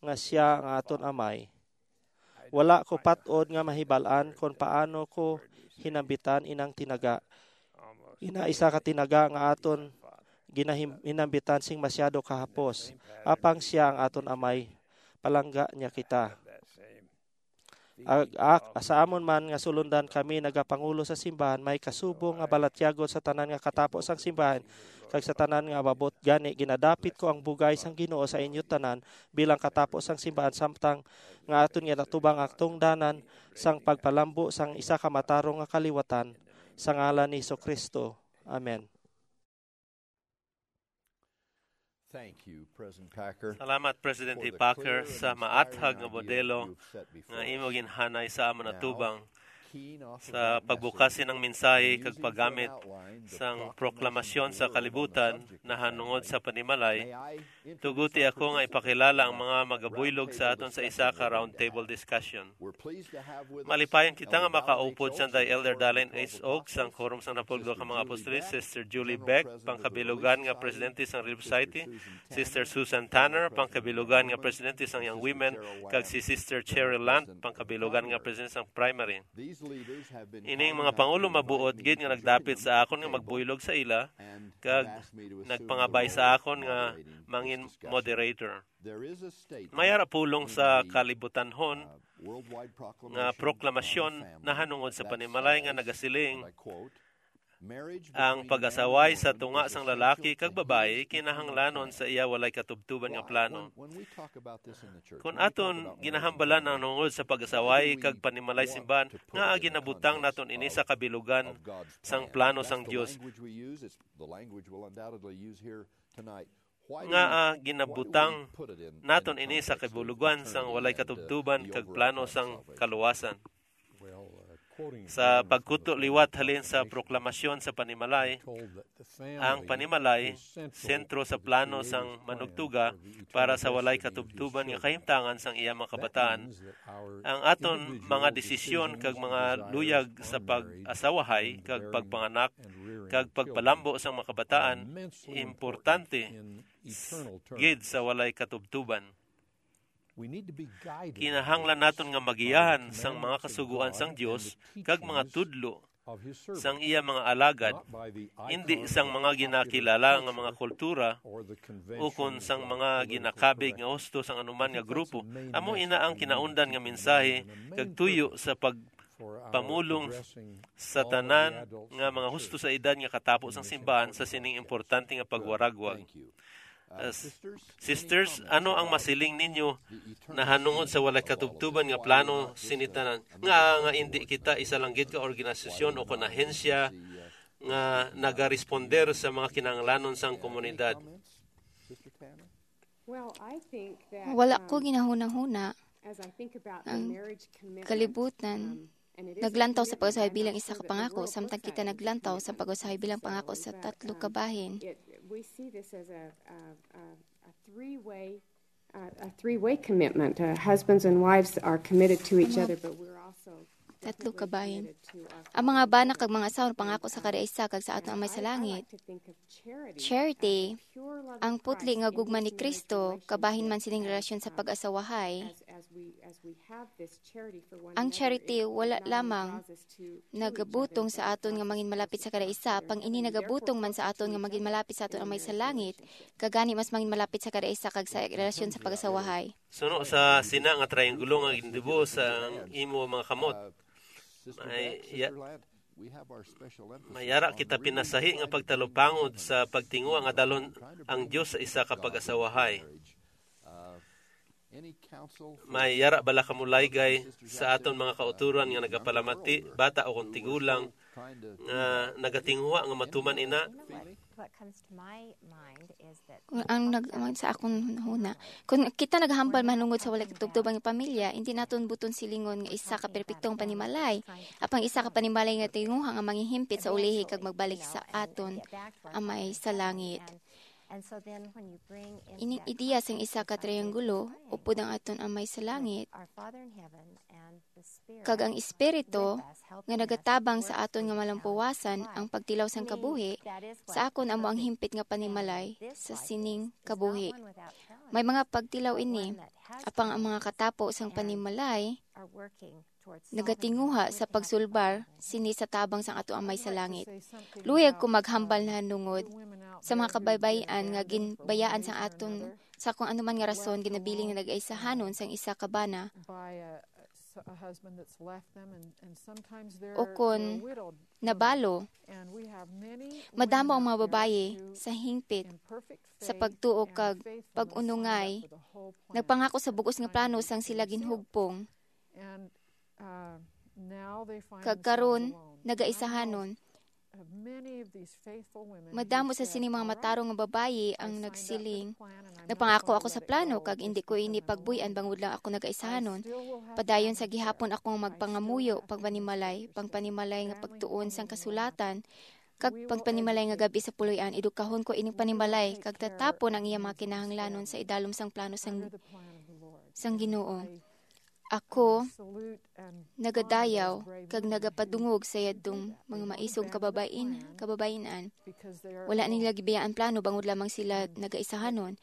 nga sia ang aton Amay. Wala ko pat-od nga mahibal-an kon paano ko hinambitan inang tinaga. Ina isa ka tinaga nga aton ginahim-, hinambitan sing masyado kahapos. Apang sia ang aton Amay, palangga niya kita. Ag-, ak-, sa amon man nga sulundan kami nagapangulo sa simbahan, may kasubong nga balatyagon sa tanan nga katapo sang simbahan, kag sa tanan nga ababot. Gani, ginadapit ko ang bugay sang Ginoo sa inyo tanan bilang katapo sang simbahan, samtang nga aton ginatubang ang tungdanan sang pagpalambo sang isa ka matarong nga kaliwatan, sa ngalan ni Jesu-Cristo. Amen. Thank you, President Packer, Salamat, Presidente for the Packer, clear and sa inspiring maathag nga idea modelo you've set before nga imo us. Ginhanay sa amon Now, atubang. Sa pagbukas sining mensahe kag paggamit sang proklamasyon sa kalibutan nahanungod sa panimalay, tuguti ako nga ipakilala ang mga magabuylog sa aton sa isa ka roundtable discussion. Malipayon kita nga makaupod sanday Elder Dallin H. Oaks, sang Quorum sang Napulog ka mga Apostoles, Sister Julie Beck, pangkabilugan nga presidente sang Relief Society, Sister Susan Tanner, pangkabilugan nga presidente sang Young Women, kag si Sister Cheryl Lant, pangkabilugan nga presidente sang Primary. Ining mga pangulo mabuot gid nga nagdapit sa akon nga magbuylog sa ila, kag nagpangabay sa akon nga mangin moderator. May ara pulong sa kalibutanhon nga proklamasyon nahanungod sa panimalay nga nagasiling, "Ang pag-asaway sa tunga sang lalaki kag babayi kinahanglanon sa iya walay katubtuban nga plano." Kon aton ginahambalan ang nungod sa pag-asaway kag panimalay simbahan, nga ginabutang naton ini sa kabilugan sang plano sang Dios? Nga, ah, ginabutang naton ini sa kabulugan sang walay katubtuban kag plano sang kaluwasan. Sa pagkutlo liwat halin sa proklamasyon sa panimalay, ang panimalay sentro sa plano sang manugtuga para sa walay katubtuban nga kahimtangan sang iya mga kabataan. Ang aton mga desisyon kag mga luyag sa pag-asawahay kag pagpanganak kag pagpalambo sang mga kabataan importante gid sa walay katubtuban. Kinahanglan naton nga magiyahan sang mga kasugoan sang Dios kag mga tudlo sang iya mga alagad, indi sang mga ginakilala nga mga kultura ukon sang mga ginakabig nga husto sang anuman nga grupo. Amo ina ang kinaundan nga mensahe kag tuyo sa pagpamulong sa tanan nga mga husto sa edad nga katapo sang simbahan sa sining importante nga pagwaragwag. Uh, s-, sisters, ano ang masiling ninyo nahanungod sa walay katubtuban nga plano sini tanan? Nga, nga indi kita isa lang gid ka organisasyon o kon ahensya nga nagaresponder sa mga kinahanglanon sang komunidad? Wala ko ginahunahuna ang kalibutan. Naglantaw sa pag-usahay bilang isa ka pangako, samtang kita naglantaw sa pag-usahay bilang pangako sa tatlo ka bahin. We see this as a, a, a, a three-way, uh, a three-way commitment. Uh, husbands and wives are committed to each other, but we're also tatlo ka bahin. Ang mga bana kag mga asawa pangako sa kada isa kag sa aton Amay sa langit. Charity, ang putli nga gugma ni Kristo, kabahin man sining relasyon sa pag-asawahay. Ang charity wala lamang nagabutong sa aton nga mangin malapit sa kada isa, apang ini nagabutong man sa aton nga mangin malapit sa aton Amay sa langit, kag gani mas mangin malapit sa kada isa kag sa relasyon sa pag-asawahay. Suno sa sina nga triangulo nga gindibo sa imo mga kamot, may ya-, may ara kita pinasahi nga pagtalupangod sa pagtinguha nga dalhon ang Dios sa isa ka pag-asawahay. May yara bala kamo laygay sa aton mga kautoran nga nagapalamati, bata o kon tigulang, nga nagatinguha nga matuman ina? What comes to my mind is that Ang nag ang sa akon huna, kung kita naghambal manungod sa walay katubtoban nga pamilya, hindi naton buton silingon nga isa ka perpektong panimalay, apang isa ka panimalay nga tinguha nga mangihimpit sa ulihi kag magbalik sa aton Amay sa langit. Ining ideya sang isa ka triangulo, upod ang aton Amay sa langit, kag ang Espiritu nga nagatabang sa aton nga malampuwasan ang pagtilaw sang kabuhi, sa akon amo ang himpit nga panimalay sa sining kabuhi. May mga pagtilaw ini, apang ang mga katapo sang panimalay nagatinguha sa pagsulbar sini sa tabang sang ato Amay sa langit. Luyag ko maghambal nahanungod sa mga kabaybay-an nga ginbayaan sang aton sa kung anuman nga rason ginabiling nga nag-aisahanon sang isa ka bana. O kon nabalo, madamo ang mga babayi sa hingpit sa pagtuo kag pag-unungay. Nagpangako sa bugos nga plano sang sila ginhugpong. Kag karon, nagaisahanon. Madamo sa sini mga matarong nga babayi ang nagsiling, "Nagpangako ako sa plano, kag hindi ko ini pagbuy-an bangod lang ako nagaisahanon. Padayon sa gihapon akong magpangamuyo, pagpanimalay, pagpanimalay nga pagtuon sang kasulatan, kag pagpanimalay nga gab-i sa puloy-an. Edukahon ko ining panimalay, kag tatapon ang iya mga kinahanglanon sa idalom sang plano sang, sang Ginoo." Ako nagadayaw kag nagapadungog sa yadtong mga maisog kababain, kababain-an. Wala nila gibiyaan plano bangod lamang sila nagaisahanon.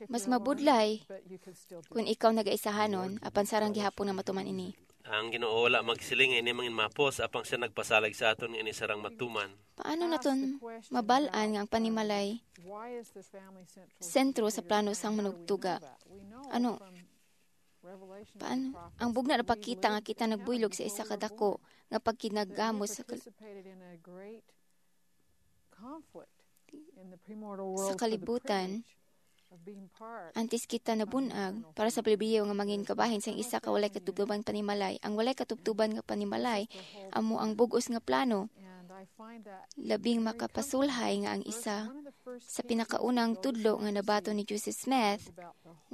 Mas mabudlay kung ikaw nagaisahanon, apan sarang gihapon nga matuman ini. Ang Ginoo wala magsiling nga ini mangin mapos, apang siya nagpasalig sa aton nga ini sarang matuman. Paano naton mabal-an nga ang panimalay sentro sa plano sang manugtuga? Ano? Paano? Ang bugna napakita nga kita nagbuylog sa isa ka dako nga pagkinagamos sa kal-, sa kalibutan, antes kita nabun-ag para sa pribilehiyo nga mangin kabahin sang isa ka walay katubtuban panimalay. Ang walay katubtuban nga panimalay amo ang bug-os nga plano. Labing makapasulhay nga ang isa sa pinakaunang tudlo nga nabaton ni Joseph Smith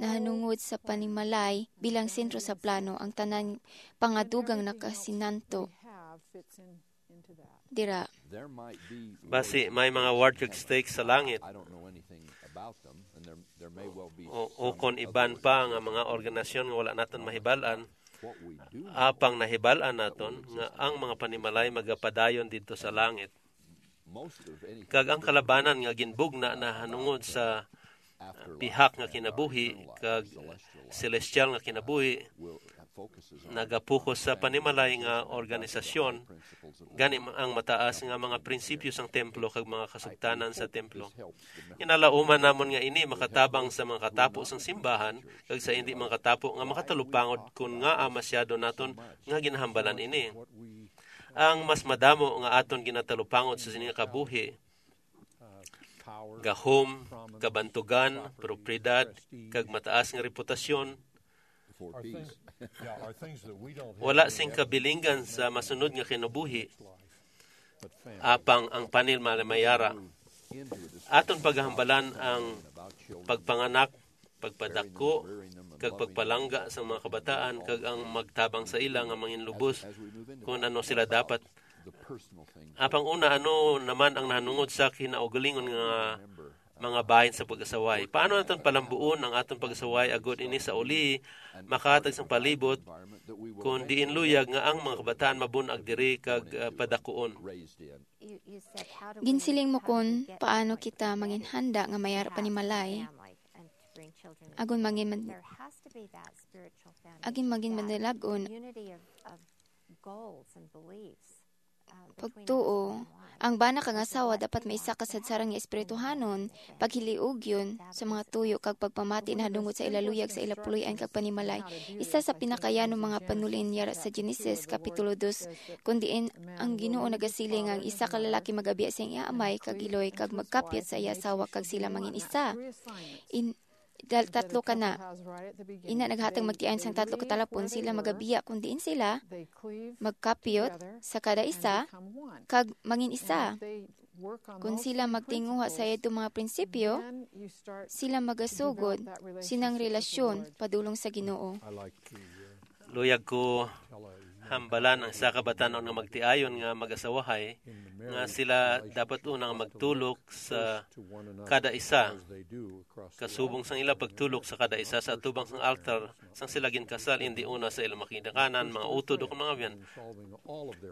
nahanungod sa panimalay bilang sentro sa plano, ang tanan pangadugang nakasinanto dira. Basi may mga ward kag stake sa langit, o ukon iban pa nga mga organisasyon nga wala naton mahibal-an, apang nahibal-an naton nga ang mga panimalay magapadayon didto sa langit. Kag ang kalabanan nga ginbugna nahanungod sa pihak nga kinabuhi kag celestial nga kinabuhi nagapokus sa panimalay nga organisasyon, gani ang mataas nga mga prinsipyo sang templo kag mga kasugtanan sa templo. Ginalauman namon nga ini makatabang sa mga katapo sang simbahan kag sa indi makatapo nga makatalupangod kon ngaa masyado naton nga ginahambalan ini. Ang mas madamo nga aton ginatalupangod sa sini nga kabuhi, gahom, kabantugan, propiedad, kag mataas nga reputasyon, wala sing kabilinggan sa masunod nga kinabuhi, apang ang panil malamayara. Aton paghambalan ang pagpanganak, pagpadako, kag pagpalangga sa mga kabataan, kag ang magtabang sa ila nga manginlubos kung ano sila dapat. Apang una, ano naman ang nahanungod sa kinaugalingon nga mga bahin sa pag-asaway? Paano naton palambuon ang aton pag-asaway agod ini sa uli makahatag sang palibot, kun diin luyag nga ang mga kabataan mabun-ag diri kag, ah, padakuon? Ginsiling mo kon paano kita manginhanda nga mayara panimalay, agon mangin man-, agin mangin madalag-on. Pagtuo, ang bana kag asawa dapat may isa ka sadsaran nga espirituhanon, paghiliugyon sa mga tuyo kag pagpamati nahanungod sa ila luyag, sa ila puloy-an kag panimalay. Isa sa pinakayanong mga panulin yara sa Genesis, Kapitulo dos, kun diin ang Ginoo nagasiling nga ang isa ka lalaki magabiya sa iya amay kag iloy kag magkapyot sa iya asawa kag sila mangin isa. In, dal-, tatlo ka na. Ina naghatag magtiayon sang tatlo ka talapon, sila magabiya kun diin sila magkapyot sa kada isa kag mangin isa. Kun sila magtinguha sa yadto mga prinsipyo, sila magasugod sinang relasyon padulong sa Ginoo. Luyag ko hambalan ang isa ka batan-on nga magtiayon nga mag-asawahay nga sila dapat una nga magtulok sa kada isa, kasubong sang ila pagtulok sa kada isa sa atubang sang altar sang sila ginkasal, indi una sa ilang mga ginikanan, mga utod, o mga biyan.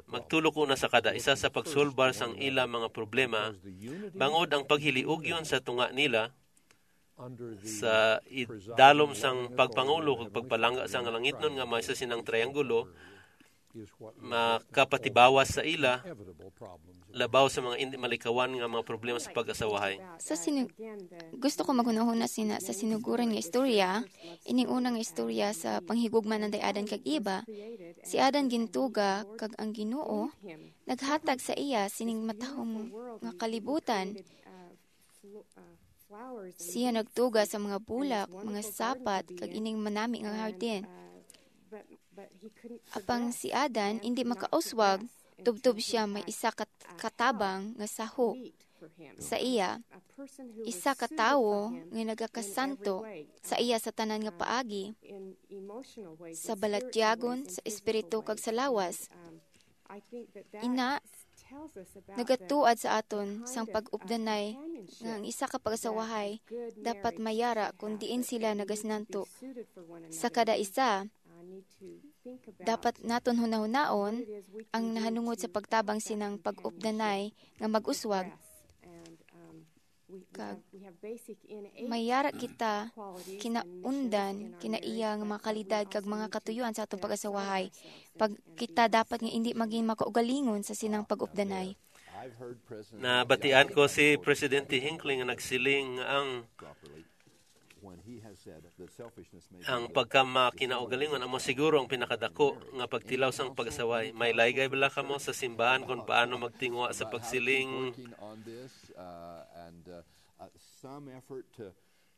Magtulok una sa kada isa sa pagsulbar sang ila mga problema, bangod ang paghiliugyon sa tunga nila sa idalom sang pagpangulo kag pagpalangga sang langitnon nga may sa sinang triangulo makapatibawas sa ila labaw sa mga indi malikawan nga mga problema sa pag-asawahay. Sa sinu-, gusto ko maghunahuna sina sa sinuguran nga istorya, ining una nga istorya sa panghigugma ni Adan kag Eva. Si Adan gintuga, kag ang Ginoo naghatag sa iya sining matahom nga kalibutan. Siya nagtuga sa mga bulak, mga sapat, kag ining manami nga hardin. Apang si Adan indi makauswag Tubtob siya may isa ka katabang nga saho sa iya, isa ka tawo nga nagakasanto sa iya sa tanan nga paagi, sa balatyagon, sa espiritu, kag sa lawas. Ina, nagatuad sa aton sang pag-updanay nga ang isa ka pag-asawahay dapat mayara kon diin sila nagasinanto. Sa kada isa, dapat naton hunahunaon ang nahanungod sa pagtabang sinang pag-updanay nga mag-uswag. Kag mayara kita kinaundan kinaiya nga mga kalidad kag mga katuyoan sa atong pag-asawahay. Pag kita dapat nga indi maging makaugalingon sa sinang pag-updanay. Nabatian ko si Presidente Hinckley nga nagsiling nga ang ang pagkamakinaugalingon amo siguro ang pinakadako nga pagtilaw sang pag-asaway. May laygay bala kamo sa simbahan kung paano magtinguha sa pagsiling? Some effort to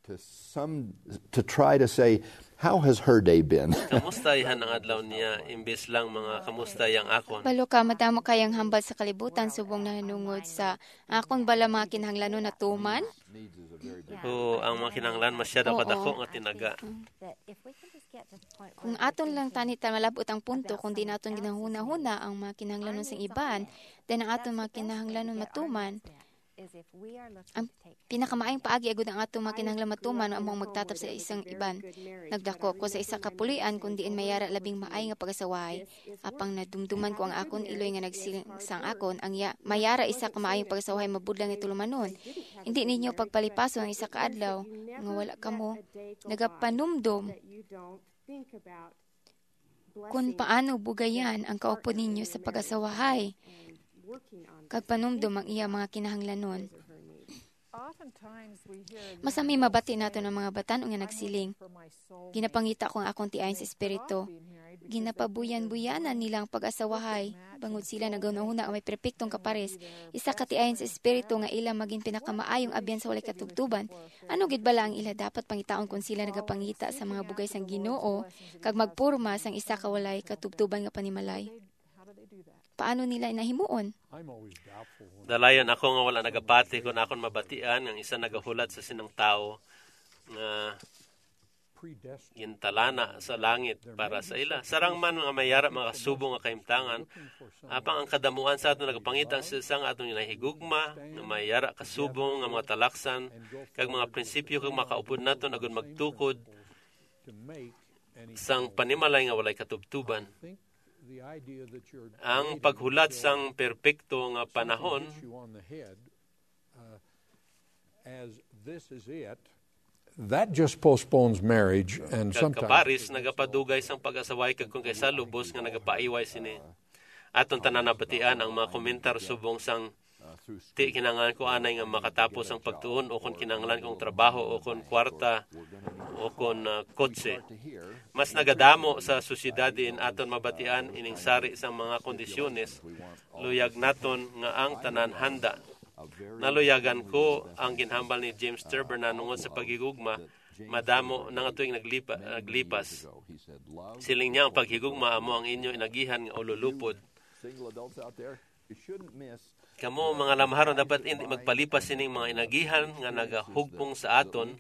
to some to try to say, "How has her day been?" Kamusta ihan ang adlaw niya, imbes lang mga kamusta yang akon? Balo ka, madamo kayang hambal sa kalibutan subong nahanungod sa akon bala mga kinahanglanon natuman. O ang mga kinahanglan masyado Oo. Kadako nga tinaga. Kung aton lang tani ta malabot ang punto, kung di naton ginahuna-huna ang mga kinahanglanon sang iban, then ang aton mga kinahanglanon matuman, ang pinakamaayong paagi agud ang ato mga kinahanglan matuman amo ang magtatap sa isang iban. Nagdako ko sa isa ka pulian kun diin mayara labing maay nga pag-asawahay. Apang nadumduman ko ang akon iloy nga nagsiling sang akon, ang ya, mayara isa ka maayong pag-asawahay mabudlay nga tulumanon. Hindi ninyo pagpalipason ang isa ka adlaw nga wala kamo nagapanumdom kon paano bugayan ang kaupod ninyo sa pag-asawahay kag panumdom ang iya mga kinahanglanon. Masami mabati naton ang mga batan-on nga nagsiling, "Ginapangita ko ang akon tiayon sa espiritu." Ginapabuyan-buyanan nila ang pag-asawahay, bangod sila naghunahuna nga may perpektong kapares, isa ka tiayon sa espiritu nga ila magin pinakamaayong abyan sa walay katubtuban. Ano gid bala ang ila dapat pangitaon kon sila nagapangita sa mga bugay sang Ginoo kag magporma sang isa ka walay katubtuban nga panimalay? Paano nila ina himuon? Dalayon ako nga wala nagapati kon akon mabatian nga ang isa nagahulat sa sinang tawo nga gintalana sa langit para sa ila. Sarang man nga mayara makasubo nga kahimtangan, apang ang kadamuan sa aton nagapangita sa isa nga aton ginahigugma nga mayara kasubo nga mga talaksan kag mga prinsipyo kag makaupod naton agud magtukod sang panimalay nga walay katubtuban. Ang paghulat sang perpekto nga panahon as this is it, that just postpones marriage and kag sometimes kaparis nagapadugay sang pag-asaway kag kung kaysa lubos nga nagapaiway sini. Aton tanan nabatian ang mga komentar subong sang ti kinahanglan ko anay nga makatapos ang pagtuon o kon kinahanglan kong trabaho o kon kwarta o kon ah, kotse. Mas nagadamo sa sosyedad diin aton mabatian ining sari sang mga kondisyones. Luyag naton nga ang tanan handa. Naluyagan ko ang ginhambal ni James Turber nanungod sa paghigugma madamo na nga tuig naglipa, naglipas. Siling niya, ang paghigugma amo ang inyo inagihan nga ululupod. Kamo mga lamharon dapat hindi magpalipas sining mga inagihan nga nagahugpong sa aton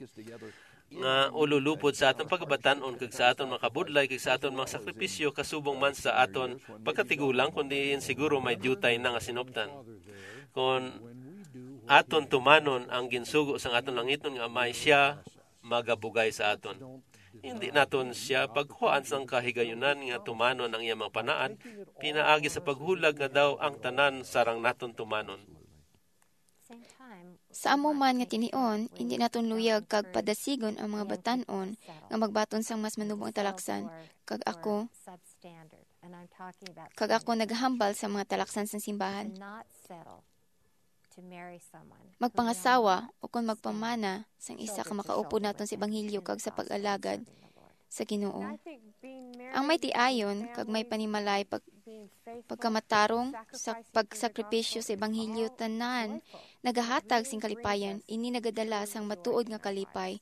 nga ululupod sa aton pagabatan-on kag sa aton mga kabudlay kag sa aton mga sakripisyo kasubong man sa aton pagkatigulang, kundi siguro may diutay na nga sinuptan. Kon aton tumanon ang ginsugo sang aton langitnon nga Amay, siya magabugay sa aton. Hindi naton siya pagkuhaan sang kahigayunan nga tumanon ang iyang mga panaan, pinaagi sa paghulag nga daw ang tanan sarang naton tumanon. Sa amo man nga tinion, hindi naton luyag kag padasigon ang mga batan-on nga magbaton sang mas manubong nga talaksan, kag ako, kag ako naghambal sa mga talaksan sang simbahan. Magpangasawa o kon magpamana sang isa ka makaupod naton sa ebanghelyo kag sa pag-alagad sa Ginoo. Ang may tiayon kag may panimalay pag pagkamatarong sa pagsakripisyo sa ebanghelyo tanan nagahatag sing kalipayan. Ini nagadala sang matuod nga kalipay.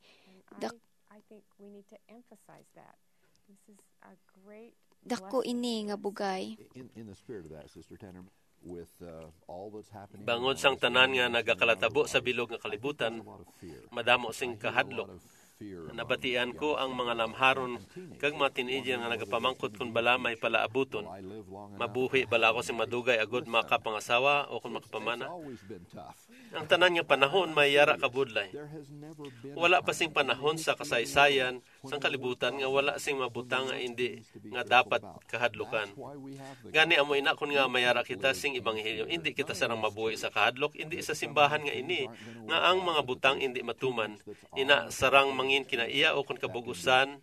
Dak- I think we need to emphasize that. This is a great Dako ini nga bugay. In, in the spirit of that, Sister Tanner, with, uh, all that's happening Bangod around sang us, tanan nga nagakalatabo sa bilog nga kalibutan, madamo sing kahadlok. Nabatian ko ang mga lamharon kag mga teenager nga nagapamangkot kung bala may palaabuton. Mabuhi bala ako sing madugay agud makapangasawa o kung makapamana? Ang tanan nga panahon may yara kabudlay. Wala pa sing panahon sa kasaysayan sang kalibutan nga wala sing mabutang nga indi nga dapat kahadlukan. Gani amo ina, kun nga mayara kita sing ebanghelyo, indi kita sarang mabuhi sa kahadlok, indi sa simbahan nga ini nga ang mga butang indi matuman. Ina sarang mangin kinaiya o kun kabug-usan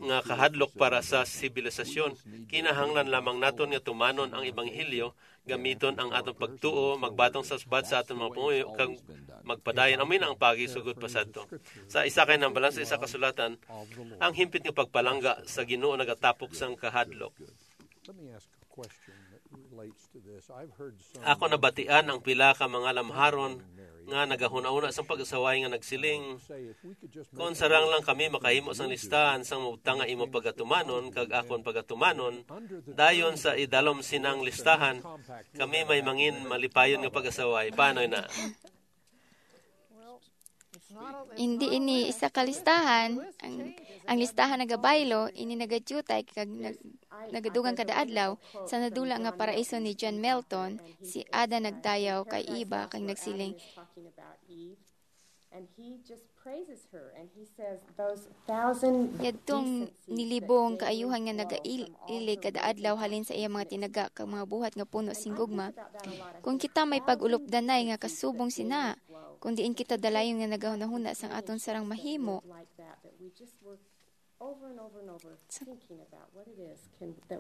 nga kahadlok para sa sibilisasyon. Kinahanglan lamang naton nga tumanon ang ebanghelyo, gamiton ang atong pagtuo, magbatong sa subad sa atong mga panguyo, kag magpadayon. Amo na ang paagi sugod pa sadto. Sa isa ka hinambalan sa isa ka sulatan, ang himpit nga pagpalangga sa Ginoo nagatapok sang kahadlok. Let me ask a question that relates to this. I've heard some Ako nabatian ang pila ka mga lamharon nga nagahuna-una sang pag-asaway nga nagsiling, "Kon sarang lang kami makahimo sang listahan sang mga butang nga imo pagatumanon kag akon pagatumanon, dayon sa idalom sinang listahan, kami may mangin malipayon nga pag-asaway." Paano na? Hindi ini isa ka listahan. Ang, ang listahan nagabaylo, ini nagadiyutay kag nag, nagadugang kada adlaw. Sa nadula nga paraiso ni John Milton, si Ada nagdayaw kay Eva kag nagsiling, And he just praises her and he says those thousand Yadtong nilibong kaayuhan nga nagailig kada adlaw halin sa iya mga tinaga kag mga buhat nga puno sing gugma. Kung kita may pag-ulupdanay nga kasubong sina, kung diin kita dalayon nga nagahunahuna sang aton sarang mahimo,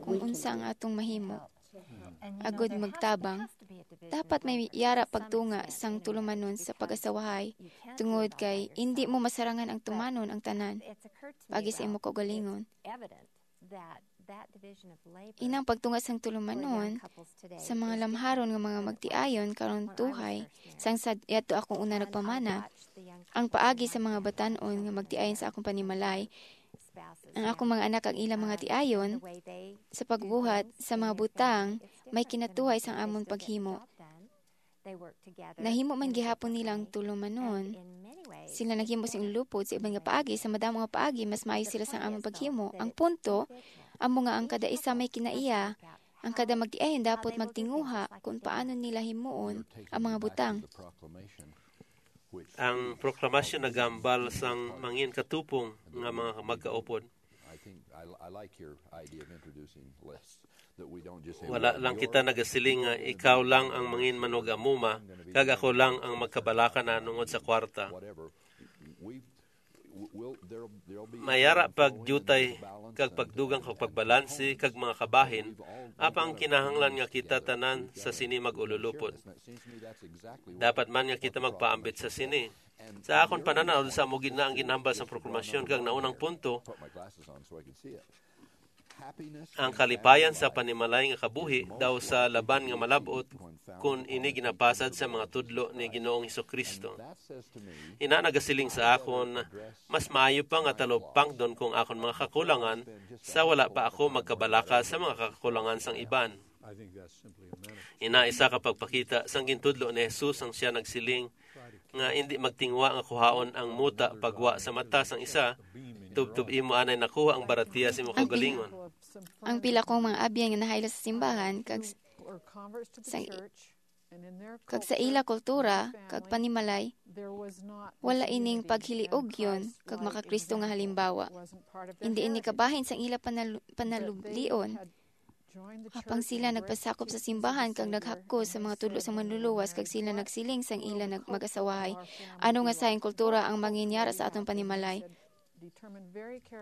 kung unsa ang atong mahimo agod magtabang, dapat may yara pagtunga sang tulumanon sa pag-asawahay, tungod kay indi mo masarangan ang tumanon ang tanan pagi sa imo kaugalingon. Inang pagtunga sang tulumanon sa mga lamharon nga mga magtiayon karon tuhay sang sa yadto akong una nagpamana, ang paagi sa mga batan-on nga magtiayon sa akong panimalay, ang akong mga anak ang ilang mga tiayon sa pagbuhat sa mga butang may kinatuhay sang amon paghimo. Nahimo man gihapon nila ang tulumanon. Sila naghimo sing lupod sa iban nga paagi, sa madamo nga paagi mas maayo sila sang amon paghimo. Ang punto amo nga ang kada isa may kinaiya. Ang kada magtiayon dapat magtinguha kung paano nila himuon ang mga butang. Ang proklamasyon nagambal sang mangin katupong nga mga magkaupod. I think I, I like your idea of introducing lists. Wala lang kita nagasiling nga ikaw lang ang mangin manugamuma kag ako lang ang magkabalaka na nungod sa kwarta. Mayara pag diutay kag pagdugang kag pagbalansi kag mga kabahin, apang kinahanglan nga kita tanan sa sini mag-ululupod. Dapat man nga kita magpaambit sa sini. Sa akon pananaw, sa amo gid na ang ginhambal sang proklamasyon kag naunang punto, ang kalipayan sa panimalay nga kabuhi daw sa laban nga malab-ot kon ini ginapasad sa mga tudlo ni Ginoong Jesu-Cristo. Ina nagasiling sa akon, mas maayo pa nga talupangdon kong akon mga kakulangan sa wala pa ako magkabalaka sa mga kakulangan sang iban. Ina isa ka pagpakita sang gintudlo ni Jesus ang siya nagsiling nga indi magtingwa nga kuhaon ang muta pagwa sa mata sang isa, tubtob imo anay nakuha ang baratiya sa imo kaugalingon. Ang pila kong mga abyan nga nahaylo sa simbahan kag sa, kag sa ila kultura kag panimalay, wala ining paghiliugyon kag maka-Kristo nga halimbawa. Indi ini kabahin sang ila panal- panalublion. Apang sila nagpasakop sa simbahan kag naghakos sa mga tudlo sang Manluluwas, kag sila nagsiling sang ila nag- mag-asawahay, "Ano nga sayang kultura ang manginyara sa aton panimalay?"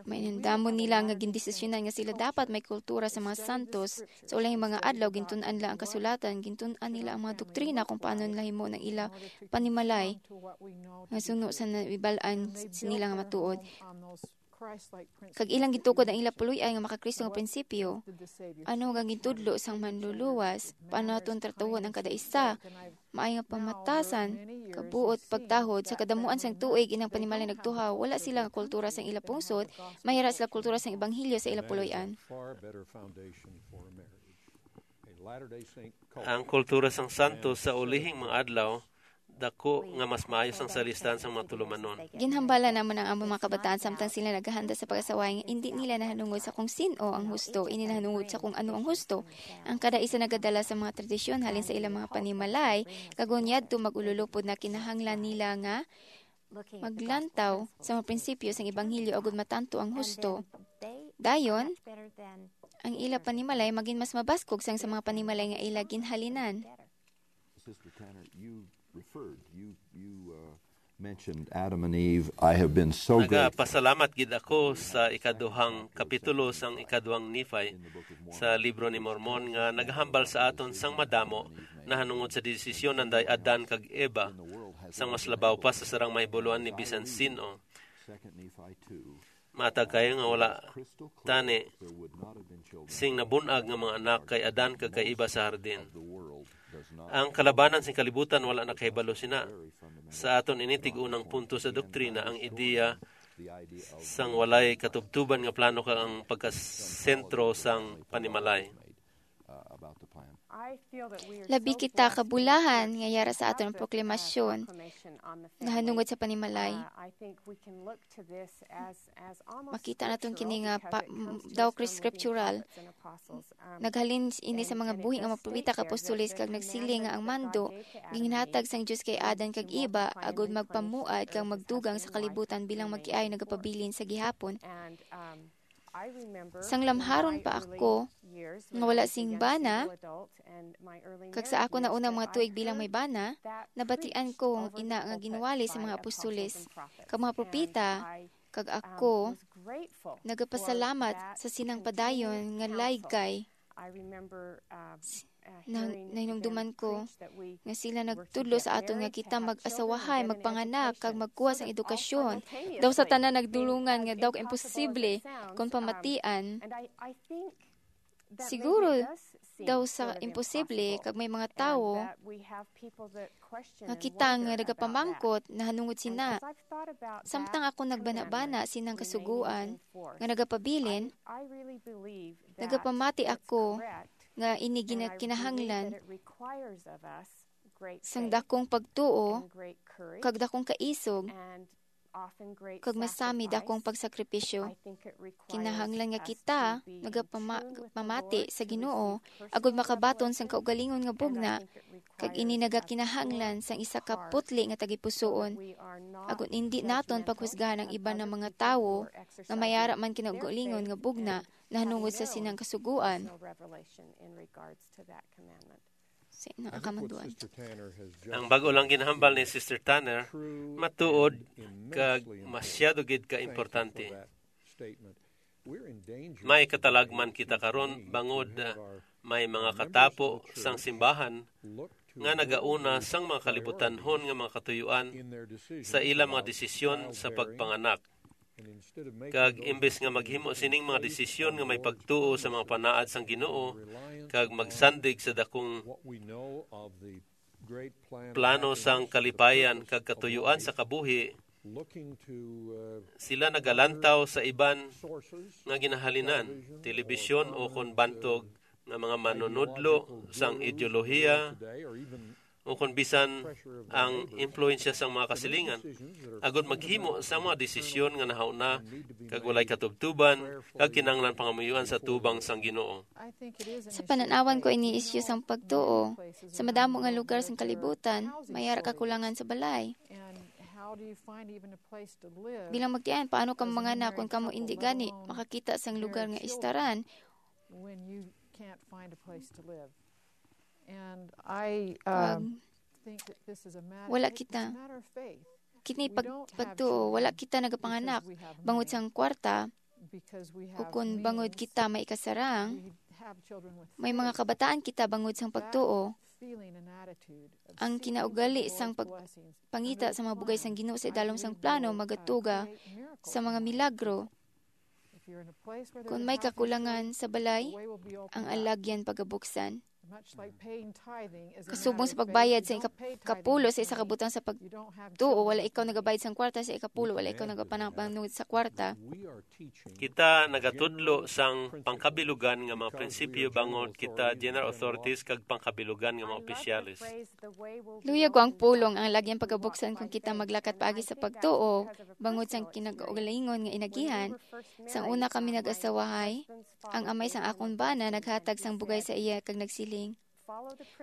Mainandamon nila nga gindesisyonan nga sila dapat may kultura sa mga santos. Sa ulahing mga adlaw, gintun-an nila ang kasulatan, gintun-an nila ang mga doktrina kung paano nila himuon ang ila panimalay nga suno sa nabibal-an sa nila nga matuod. Kag ilang gitukod ang ila puloy-an nga makakristo nga prinsipyo. Ano nga gintudlo sang manluluwas? Paano naton tratuhon ang kada isa? Maay nga pamatasan, kabuot, pagtahod, sa kadamuan sang tuig inang panimalay nagtuhaw, wala sila nga kultura sang ila pungsod, may ara sila kultura sang ebanghelyo sa ila puloy-an. Ang kultura sang santos sa ulihing mga adlaw, dako nga mas maayo sang sa listahan sang mga tulumanon. Ginhambala namon ang among mga kabataan samtang sila naghahanda sa pag-asaway nga indi nila nahanungod sa kung sin-o ang husto, ini nahanungod sa kung ano ang husto. Ang kada isa nagadala sa mga tradisyon halin sa ilang mga panimalay, kag kon yadto mag-ululupod na kinahanglan nila nga maglantaw sa mga prinsipyo sang ebanghelyo agud matanto ang husto. Dayon, ang ila panimalay magin mas mabaskog sang sa mga panimalay nga ila ginhalinan. Sister Tanner, you referred, you you uh, mentioned Adam and Eve. I have been so grateful. Nagapasalamat gid ako sa ikaduhang kapitulo sang ikaduhang Nephi sa Libro ni Mormon nga nagahambal sa aton sang madamo nahanungod sa desisyon nanday Adan kag Eva, sang mas labaw pa sa sarang mahibuloan ni bisan sin-o. Second Nephi two. Matag kayo nga wala tani sing nabunag nga mga anak kay Adan kag kay Eva sa hardin. Ang kalabanan sing kalibutan wala nakahibalo sina. Sa aton ini tig-unang punto sa doktrina, ang ideya sang walay katubtuban nga plano kag ang pagkasentro sang panimalay. Labi kita kabulahan nga yara sa aton proklamasyon nahanungod sa panimalay. Makita naton kini nga pa, daw scriptural. Naghalin ini sa mga buhi nga mga propeta kag apostoles kag nagsiling nga ang mando ginhatag sang Dios kay Adan kag Eva agud magpamuad kag magdugang sa kalibutan bilang magkiay nagapabilin sa gihapon. Sang lamharon pa ako nga wala sing bana, kag sa ako na unang mga tuig bilang may bana, nabatian ko ang ina nga ginwali sa mga apostoles kag mga propeta, kag ako nagapasalamat sa sinang padayon nga laygay na, nahinumduman ko nga sila nagtudlo sa aton nga kita mag-asawahay, magpanganak, kag magkuha sang edukasyon. Daw sa tanan nagdulungan nga daw imposible kon pamatian. Siguro daw sa imposible kag may mga tawo nga kita nga nagapamangkot nahanungod sina. Samtang ako nagbanabana sinang kasugoan nga nagapabilin, nagapamati ako nga ini gina-, kinahanglan sang dakong pagtuo kag dakong kaisog kag masami dakong pagsakripisyo. Kinahanglan nga kita nagapama-, pamati sa Ginoo agud makabaton sang kaugalingon nga bugna, kag ini nagakinahanglan sang isa ka putli nga tagipusoon. Agud indi naton paghusgahan ang iban nga mga tawo nga may ara man kinaugalingon nga bugna nahanungod sa sinang kasugoan. Sa ina ang kamanduan. Ang bag-o lang ginhambal ni Sister Tanner matuod kag masyado gid ka importante. May katalagman kita karon bangod, ah, may mga katapo sang simbahan nga nagauna sang mga kalibutanhon nga mga katuyuan sa ila mga desisyon sa pagpanganak. Kag imbes nga maghimo sining mga desisyon nga may pagtuo sa mga panaad sang Ginoo kag magsandig sa dakong plano sang kalipayan kag katuyuan sa kabuhi, sila nagalantaw sa iban nga ginahalinan, telebisyon, o kon bantog nga mga manunudlo sang ideolohiya, o kon bisan ang impluwensya sang mga kasilingan, agud maghimo sang mga desisyon nga nahauna kag walay katubtuban kag kinahanglan pangamuyoan sa tubang sang Ginoo. Sa panan-awan ko, ini isyu sang pagtuo. Sa madamo nga lugar sang kalibutan, may ara kakulangan sa balay. Bilang magtian, paano ka manganak kon kamo indi gani makakita sang lugar nga istaran? And I, Kag um, think that this is a matter, wala it's a kita. Matter of faith. Kini We pag, don't have pagtuo, children wala kita nagapanganak because we have bangod money, sang kwarta, because we have ukon bangod means. Kita may ikasarang. We have children with May mga faith. Kabataan kita bangod sang That pagtuo. Feeling and attitude of Ang seeking kinaugali the sang Lord's pag-, blessings pangita sa mga bugay sang Ginoo sa idalom sang plano magatuga sa mga milagro. Kung may kakulangan sa balay, ang alagyan pagabuksan. Kasubong sa pagbayad sa ikap-, kapulo sa isa ka butang sa pagtuo, wala ikaw nagabayad sang kwarta sa ikapulo, wala ikaw nagapanabangnud sa kwarta. Kita nagatudlo sang pangkabilugan nga mga prinsipyo bangod kita general authorities kag pangkabilugan nga mga opisyales. Luyag ko ang pulong ang lagyan pagabuksan kung kita maglakat paagi sa pagtuo, bangod sang kinagaugalingon nga inagihan, sang una kami nag-asawahay, ang amay sang akon bana naghatag sang bugay sa iya kag nagsiling,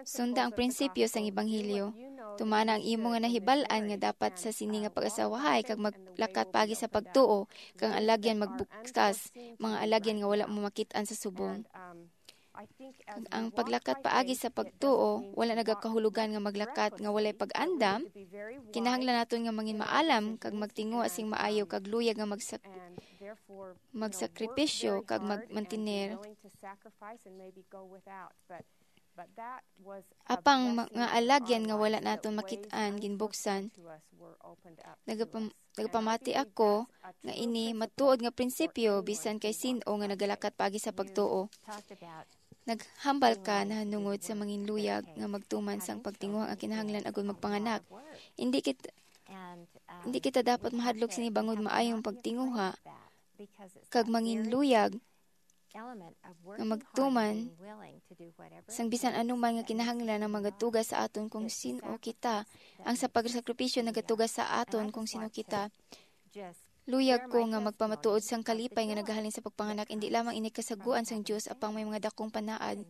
"Sunda ang prinsipyo sang Ebanghelyo. Tumana ang imo nga nahibal-an nga dapat sa sini nga pag-asawahay kag maglakat paagi sa pagtuo, kag ang alagyan magbukas, mga alagyan nga wala mo makit-an sa subong." Kag ang paglakat paagi sa pagtuo, wala nagakahulugan nga maglakat nga walay pag-andam. Kinahanglan naton nga mangin maalam kag magtinguha sing maayo kag luyag nga magsak-, magsakripisyo kag magmantiner. Apang mga alagyan nga wala naton makit-an ginbuksan, nagapam-, nagapamati ako nga ini matuod nga prinsipyo bisan kay sin-o nga nagalakat paagi sa pagtuo. Naghambal ka nahanungod sa manginluyag nga magtuman sang pagtinguha nga kinahanglan agud magpanganak. Hindi kit-, hindi kita dapat mahadlok sini bangod maayong pagtinguha kag manginluyag nga magtuman sang bisan anuman nga kinahanglan ang magatuga sa aton kung sin-o kita. Ang sa pagsakripisyo nagatuga sa aton kung sin-o kita. Luyag ko nga magpamatuod sang kalipay nga nagahalin sa pagpanganak, indi lamang ini kasaguan sang Dios, apang may mga dakong panaad.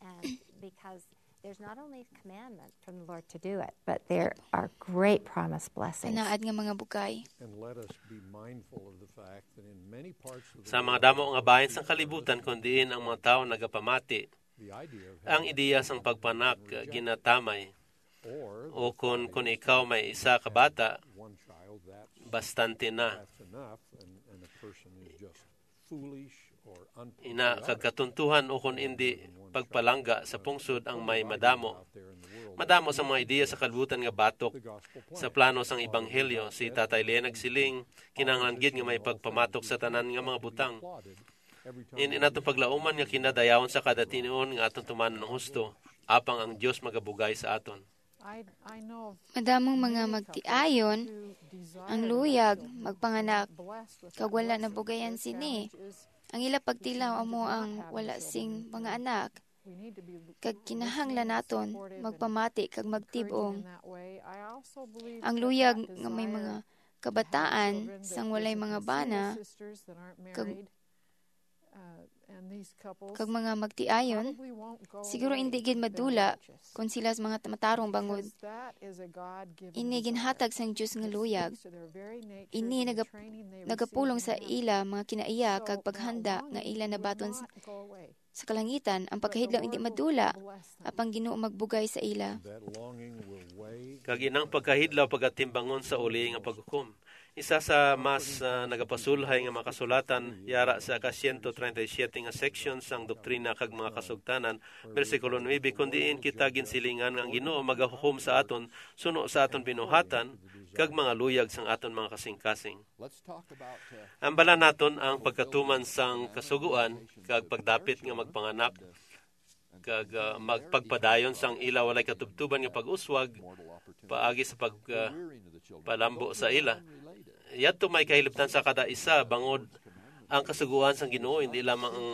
And because there's not only a commandment from the Lord to do it, but there are great promised blessings. Panaad nga mga bugay. And let us be mindful of the fact that in many parts of the Sa mga world, damo nga bahin sang kalibutan, kun diin ang mga tawo nagapamati, the idea of ang having ideya sang pagpanak, uh, ginatamay. or O kun, kun ikaw may isa ka bata, one child, that bastante na. That's enough, and, and a person is just foolish or Ina, kag unpatriotic. Katuntuhan o kun indi, pagpalangga sa pungsod ang may madamo. Madamo sa mga ideya sa kalibutan nga batok sa plano sang Ebanghelyo. Si Tatay Lee nagsiling, kinahanglan gid nga may pagpamatok sa tanan nga mga butang. Ini naton paglauman nga kinadayawon sa kada tinion nga aton tumanon ang husto, apang ang Dios magabugay sa aton. Madamong mga magtiayon ang luyag magpanganak, kag wala nabugayan sini. Ang ila pagtilaw amo ang wala sing mga anak, kag kinahanglan naton magpamati kag magtib-ong. Ang luyag nga may mga kabataan sang walay mga bana, kag, kag mga magtiayon, siguro hindi gid madula kon sila sa mga matarong bangod. Ini ginhatag sang Dios nga luyag. Ini nagap-, nagapulong sa ila mga kinaiya kag paghanda nga ila nabaton s-, sa kalangitan. Ang pagkahidlaw hindi madula, apang Ginoo magbugay sa ila. That longing will weigh Kag inang pagkahidlaw pagatimbangon sa uli nga paghukom. Isa sa mas, ah, nagapasulhay nga mga kasulatan yara sa ka siyento treinta y siete nga section sang Doktrina kag mga Kasugtanan, bersikulo nuebe, kun diin kita ginsilingan nga ang Ginoo magahukom sa aton suno sa aton binuhatan kag mga luyag sang aton mga kasingkasing. Ambalan naton ang pagkatuman sang kasugoan kag pagdapit nga magpanganak kag, ah, magpagpadayon sang ila walay katubtuban nga pag-uswag paagi sa pag, ah, palambo sa ila. Yadto may kahilabtan sa kada isa bangod ang kasugoan sang Ginoo hindi lamang ang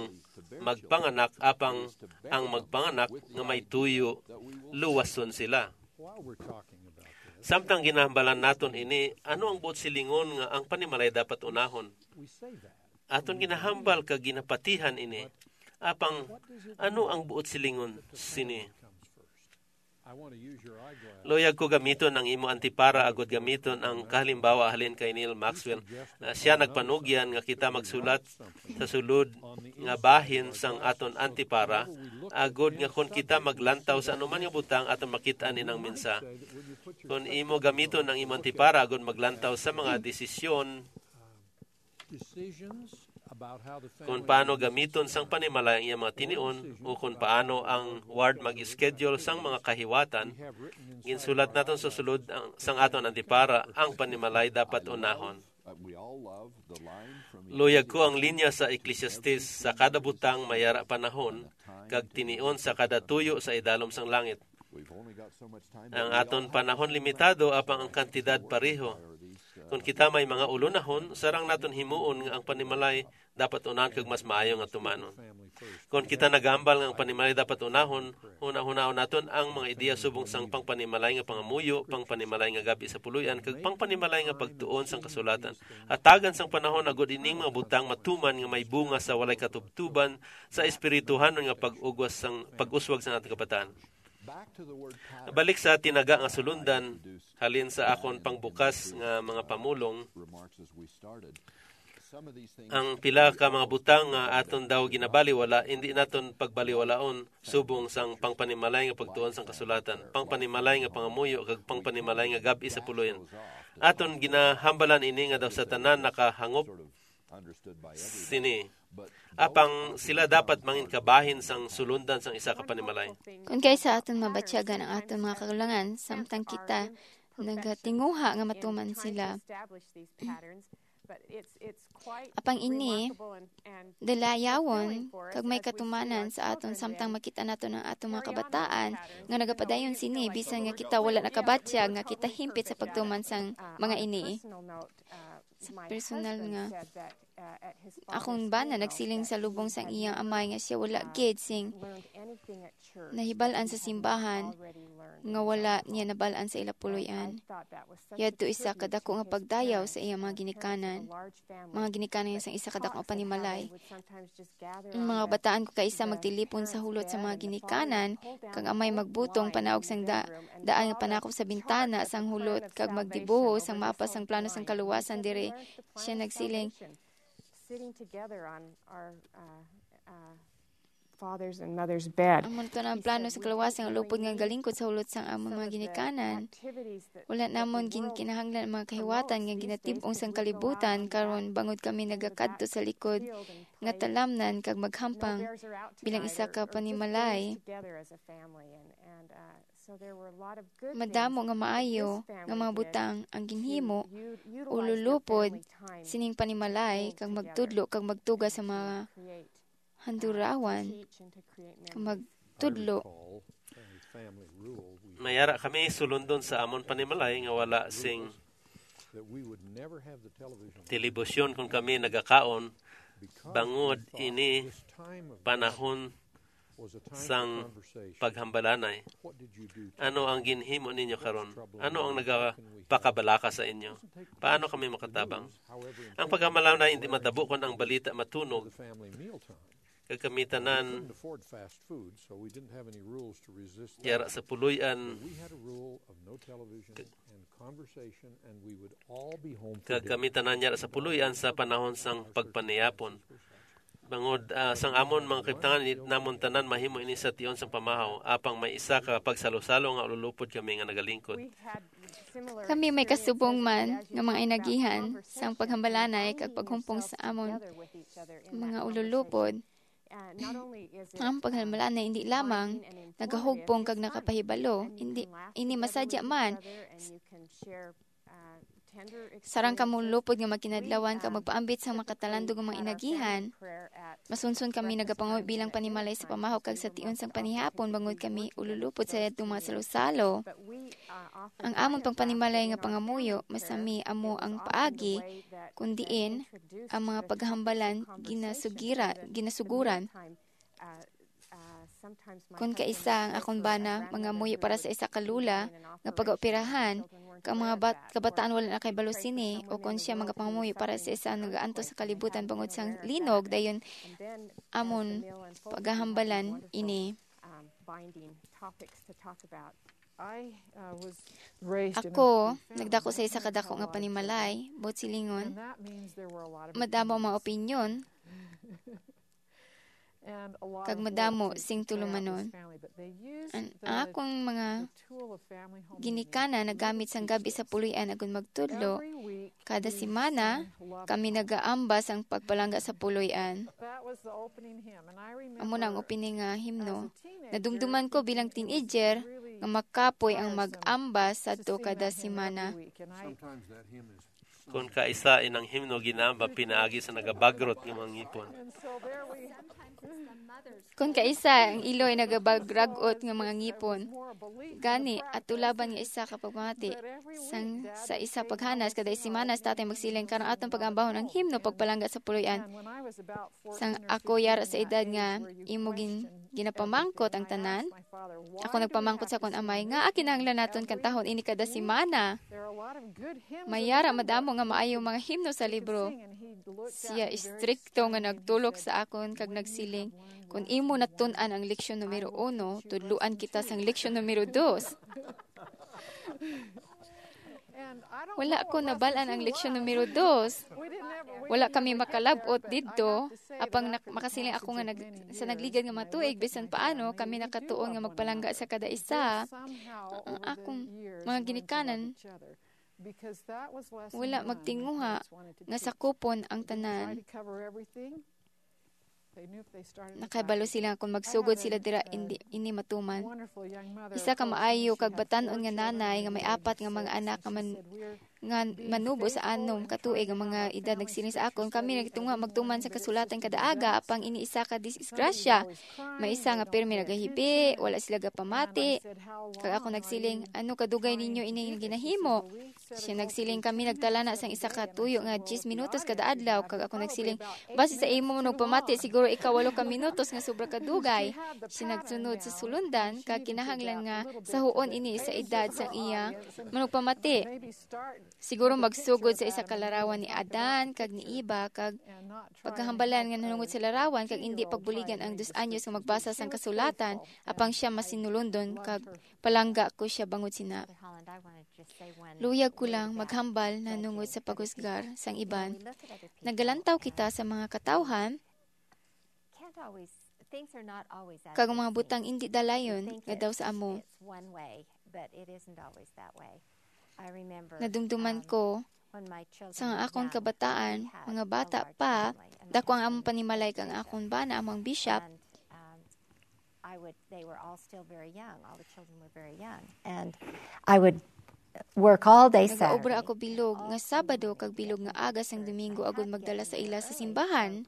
magpanganak, apang ang magpanganak nga may tuyo luwason sila. while we're talking about this. Samtang ginahambalan naton ini, ano ang buot silingon nga ang panimalay dapat unahon? We say that. Aton ginahambal kag ginapatihan ini. Apang ano ang buot silingon sini? I want to use your eyeglass. Luyag ko gamiton ang imo antipara agud gamiton ang kahalimbawa halin kay Neil Maxwell. Ah, siya nagpanugyan nga kita magsulat sa sulod nga bahin sang aton antipara, agud nga kon kita maglantaw sa anuman nga butang aton makit-an inang mensahe. Kon imo gamiton ang imo antipara agud maglantaw sa mga desisyon Decisions about how the kung family paano gamiton sang panimalay ang iyang mga tinion o kung paano ang ward mag-schedule sang mga kahiwatan, ginsulat naton sa sulod ang, sang aton antipara ang panimalay dapat unahon. Luyag ko ang linya sa Ecclesiastes: "Sa kada butang may ara panahon, kag tinion sa kada tuyo sa idalom sang langit." Ang aton panahon limitado, apang ang kantidad pareho. Kon kita may mga ulonahon, sarang naton himuon nga ang panimalay dapat unahan kag mas maayo nga tumanon. Kon kita nagahambal nga ang panimalay dapat unahon, hunahunaon naton ang mga ideya subong sang pangpanimalay nga pangamuyo, pangpanimalay nga gab-i sa puloy-an, kag pangpanimalay nga pagtuon sang kasulatan. Hatagan sang panahon agod ining mga butang matuman nga may bunga sa walay katubtuban sa espirituhanon nga pag-ugwas sang pag-uswag sang aton kabataan. Balik sa tinaga nga sulundan, halin sa akon pangbukas nga mga pamulong, ang pila ka mga butang nga aton daw ginabaliwala, hindi naton pagbaliwalaon subong sang pangpanimalay nga pagtuon sang kasulatan, pangpanimalay nga pangamuyo, kag pangpanimalay nga gab-i sa puloy-an. Aton ginahambalan ini nga daw sa tanan nakahangop sini. Apang sila dapat mangin kabahin sang sulundan sang isa ka panimalay. Kon kaisa aton mabatyagan ang aton mga kakulangan, samtang kita nagatinguha nga matuman sila. Apang ini dalayawon kag may katumanan sa aton samtang makita naton ang aton mga kabataan nga nagapadayon sini, bisan nga kita wala nakabatyag nga kita himpit sa pagtuman sang mga ini. Sa personal nga, akon bana nagsiling sa lubong sang iyang amay nga siya wala gid sing nahibal-an sa simbahan nga wala niya nabal-an sa ila puloy-an. Yadto isa ka dako nga pagdayaw sa iyang mga ginikanan, mga ginikanan sang isa ka dako nga panimalay. Ang mga bataan ko kaisa magtilipon sa hulot sa mga ginikanan, kag amay magbutong panaog sang da-, daan nga panakop sa bintana sang hulot, kag magdibuho sang mapa sang plano sang kaluwasan diri. Siya nagsiling, sitting together on our, uh, uh, father's and mother's bed. Amon to na ang plano sa kalawasan nga lupod nga galingkod sa hulot sang amon mga ginikanan. Wala namon gin kinahanglan ang mga kahiwatan nga ginatib-ong sang kalibutan karon, bangod kami nagakadto sa likod nga talamnan kag maghampang bilang isa ka panimalay. Madamo nga maayo nga mga butang ang ginhimo o lulupod sining panimalay kag magtudlo kag magtuga sa mga handurawan kag magtudlo. May ara kami sulundon sa amon panimalay nga wala sing telebisyon kon kami nagakaon, bangod ini panahon sang paghambalanay. Ano ang ginhimo ninyo karon? Ano ang nagapakabalaka sa inyo? Paano kami makatabang? Ang paghambalanay hindi matabo kon ang balita matunog. Kag kami tanan yara sa puloy-an, kag kami tanan yara sa puloy-an sa panahon sang pagpanihapon. Bangod, ah, sang amon mga kabtangan, di namon tanan mahimo ini sa tion sang pamahaw, apang may isa ka pagsalosalo nga ululupod kami nga nagalingkod. Kami may kasubong man nga mga inagihan sang paghambalanay kag paghumpong sa amon mga ululupod. Ang paghambalanay hindi lamang nagahugpong kag nakapahibalo, hindi ini masadya man. Sarang kamo lupod nga magkinadlawan kag magpaambit sang makatalandog nga mga inagihan. Masunson kami nagapangayo bilang panimalay sa pamahaw kag sa tion sang panihapon, bangod kami ululupod sa yadtong mga salusalo. Ang amon pang panimalay nga pangamuyo, masami amo ang paagi, kun diin ang mga paghambalan ginasugira, ginasuguran. Kon kaisa ang akon bana mangamuyo para sa isa ka lula nga pagaoperahan, kag mga bat-, kabataan wala nakahibalo sini, o kon sia magapangamuyo para sa isa nga nagaantos sa kalibutan bangod sang linog, dayon amon pagahambalan ini. Ako, nagdako sa isa ka dako nga panimalay, buot silingon, madamo ang mga opinyon, kag madamo sing tulumanon. An, ang akong mga ginikanan nagamit sang gab-i sa puloy-an agud magtudlo. Kada semana, kami nagaambas sang pagpalangga sa puloy-an. Amo na ang opening nga himno. Nadumduman ko bilang teenager nga makapoy ang mag-ambas sadto kada semana. Kon kaisa, inang himno ginaamba pinaagi sa nagabagrot nga mga ngipon. Kon kaisa, ang iloy nagabagragot nga mga ngipon. Gani, ato laban nga isa ka pagpamati. Sang, sa isa paghanas, kada semana sa tatay magsiling, "Karon aton pag-ambahon ang himno pagpalangga sa puloy-an." Sang ako yara sa edad nga imo gin-, ginapamangkot ang tanan, ako nagpamangkot sa akon amay, "Ngaa kinahanglan naton kantahon ini kada semana?" May yara madamo nga maayo mga himno sa libro. Siya istrikto nga nagtulok sa akon kag nagsiling, "Kon imo natun-an ang leksyon numero uno, tudloan kita sang leksyon numero dos." Wala ko nabal-an ang leksyon numero dos. Wala kami makalab-ot didto. Apang nak-, makasiling ako nga nag-, sa nagligad nga mga tuig, bisan paano, kami nakatuon nga magpalangga sa kada isa. Ang akong mga ginikanan, wala magtinguha nga sakupon ang tanan. Nakabalo sila kung magsugod sila dira, indi, ini matuman. Isa ka maayo kag batan-on nga nanay nga may apat nga mga anak nga man-, nga manubo sa anom ka tuig ang mga edad nagsiling sa akon, "Kami nagtunga magtuman sa kasulatan kada aga, apang ini isa ka disgrasya. May isa nga pirmi nagahibi, wala sila gapamati." Kag ako nagsiling, "Ano kadugay ninyo ini nga ginahimo?" Siya nagsiling, "Kami nagtala na sang isa ka tuyo nga diyes minutos kada adlaw." Kag ako nagsiling, "Basi sa imo manugpamati, siguro ika walo ka minutos nga sobra kadugay." Siya nagsunod sa sulundan, kag kinahanglan nga sahuon ini sa edad sang iya manugpamati. Siguro magsugod sa isa ka larawan ni Adan kag ni Eva, kag pagkahambalan nga nanungod sa larawan, kag indi pagbuligan ang dos anyos nga magbasa sang kasulatan, apang siya masinulundon, kag palangga ko siya bangod sina. Luyag ko lang maghambal nanungod sa paghusgar sang iban. Nagalantaw kita sa mga katawhan, kag ang mga butang indi dalayon nga daw sa amo. Nadumduman ko, sa nga akon kabataan, mga bata pa, dako ang among panimalay kag ang akon bana amo ang bishop. I would, they were all still very young. All the children were very young. And I would work all day Saturday. Nagaobra ako bilog nga Sabado kag bilog nga aga sang Domingo agud magdala sa ila sa simbahan.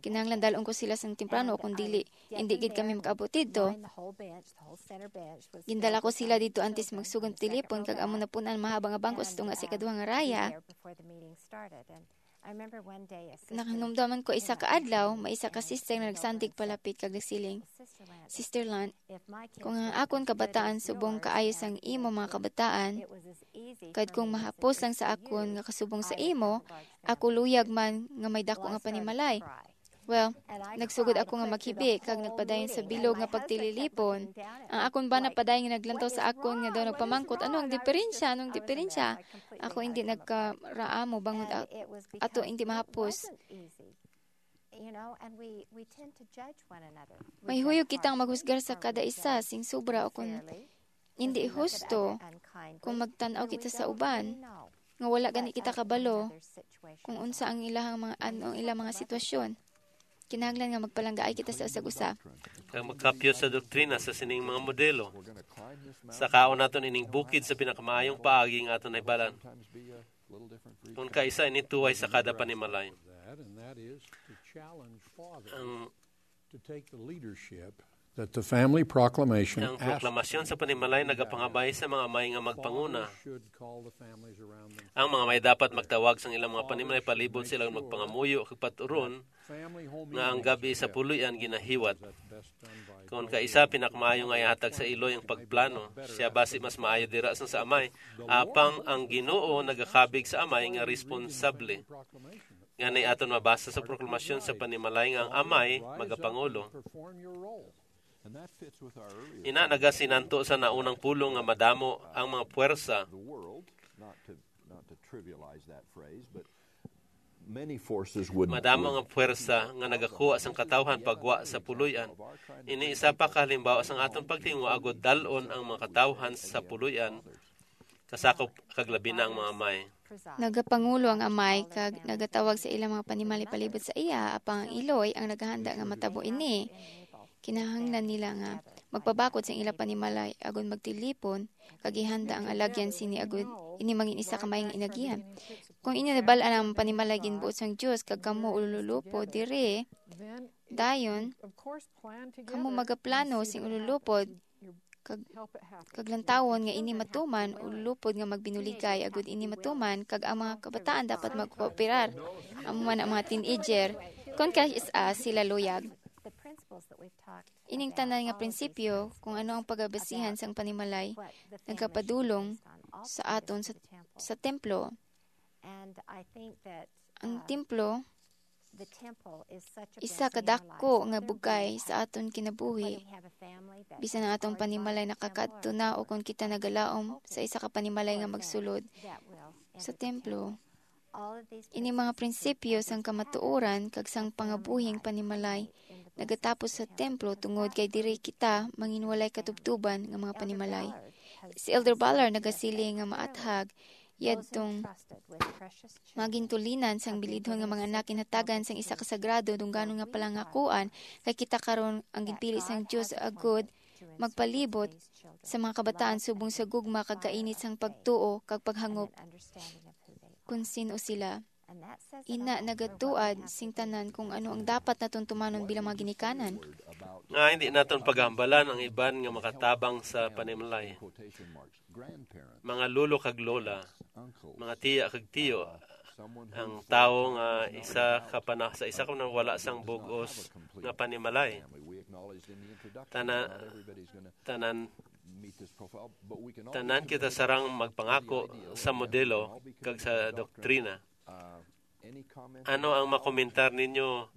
Kinahanglan dal-on ko sila sang temprano, kung dili, hindi gid kami makaabot didto. Gindala ko sila didto antes magsugod ang tilipon, kag amo napun-an mahaba nga bangko sa tunga sa ikaduha nga raya. Nakahinumdom man ko isa ka adlaw, may isa ka sister nga nagsandig palapit kag nagsiling, "Sister Lan, kung ang akon kabataan subong kaayo sang imo mga kabataan, kag kung mahapos lang sa akon nga kasubong sa imo, ako luyag man nga may dako nga panimalay." Well, nagsugod ako nga maghibi kag nagpadayon sa bilog nga pagtililipon. Ang akon bana padayon nga naglantaw sa akon nga daw nagpamangkot, "Ano ang diferensya? Anong diferensya?" Ako hindi nagkaraamo bangod a-, ato hindi mahapos. May huyog kitang maghusgar sa kada isa sing sobra o kung hindi husto kung magtan-aw kita sa uban nga wala gani kita kabalo kung unsa ang ilahang mga, ano ang ilang mga sitwasyon. Kinahanglan nga magpalanggaay kita sa usag-usa. Kag magkapyot sa doktrina sa sining mga modelo. Sakaon naton ining bukid sa pinakamaayong paagi nga aton nahibalan. Kung kaisa ini tuway sa kada panimalay. Ang, To take the leadership that the family proclamation ang proklamasyon sa panimalay nagapangabay sa mga amay nga magpanguna. Ang mga may dapat magtawag sang ilang mga panimalay palibot sila magpangamuyo kag paturon nga ang gab-i sa puloy-an ginahiwat. Kon kaisa, pinakamaayo nga ihatag sa iloy ang pagplano. Siya basi mas maayo dira sang sa amay. Apang ang Ginoo nagakabig sa amay nga responsable. Nga nay aton mabasa sa proklamasyon sa panimalay nga ang amay magapangulo. Ina nagasinanto sa naunang pulong nga madamo ang mga puwersa. Madamo nga puwersa nga nagakuha sang katawhan pagwa sa puloy-an. Ini isa pa ka halimbawa sang aton pagtinguha agud dal-on ang mga katawhan sa puloy-an, kasakop kag labi na ang mga amay. Nagapangulo ang amay kag nagatawag sa ilang mga panimalay palibot sa iya, apang ang iloy ang nagahanda nga matabo ini. Kinahanglan nila nga magpabakod sa ila panimalay, agud magtilipon, kag ihanda ang alagyan sini agud ini mangin isa ka maayong inagihan. Kung inyo nabal-an ang panimalay ginbuot sang Dios, kag kamo ululupod diri, dayon kamo magaplano sing ululupod, kag, kag lantawon nga ini matuman, ululupod nga magbinuligay, agud ini matuman, kag ang mga kabataan dapat magkooperar. Amo man ang mga teenager, kon kas-a sila luyag. Ining tanan nga prinsipyo, kung ano ang pagabasihan sang panimalay, nagapadulong sa aton sa, sa templo. Ang templo, isa ka dako nga bugay sa aton kinabuhi. Bisan ang atong panimalay nakakadto na o kon kita nagalaom sa isa ka panimalay nga magsulod sa templo. Ini mga prinsipyo sang kamatuoran kag sang pangabuhing panimalay nagatapos sa templo, tungod kay diri kita manginwalay katubtuban nga mga panimalay. Si Elder Ballard nagasiling nga maathag yadtong mga gintulinan sang bilidhon nga mga anak ginhatagan sang isa ka sagrado, dungganon nga palangakuan, kay kita karon ang ginpili sang Dios agud magpalibot sa mga kabataan subong sa gugma kag kainit sang pagtuo kag paghangop kon sin-o sila. Ina nagatuad sing tanan kung ano ang dapat naton tumanon bilang mga ginikanan. Nga hindi naton paghambalan ang iban nga makatabang sa panimalay. Mga lolo kag lola, mga tiya kag tiyo, ang tawo nga isa ka pana-, sa isa ka wala sang bug-os nga panimalay. Tana-, tanan, tanan kita sarang magpangako sa modelo kag sa doktrina. Ano ang makomentar ninyo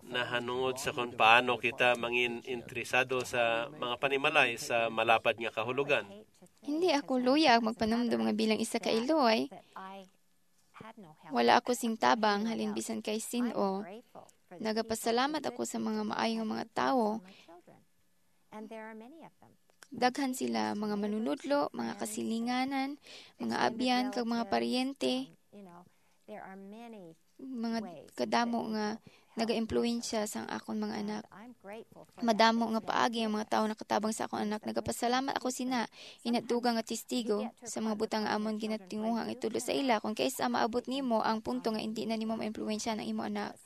nahanungod sa kung paano kita mangin interesado sa mga panimalay sa malapad nga kahulogan? Hindi ako luyag magpanumdom nga bilang isa ka iloy, wala ako sing tabang halin bisan kay sin-o. Nagapasalamat ako sa mga maayo nga mga tawo. Daghan sila, mga manunudlo, mga kasilinganan, mga abyan, kag mga paryente. Mga kadamo nga nagaimpluwensya sang akon mga anak. Madamo nga paagi ang mga tawo nakatabang sa akon anak. Nagapasalamat ako sina, ina dugang nga testigo sa mga butang nga amon ginatinguha nga itudlo sa ila. Kung kaisa maabot nimo ang punto nga indi na nimo maimpluwensyahan ang imo anak,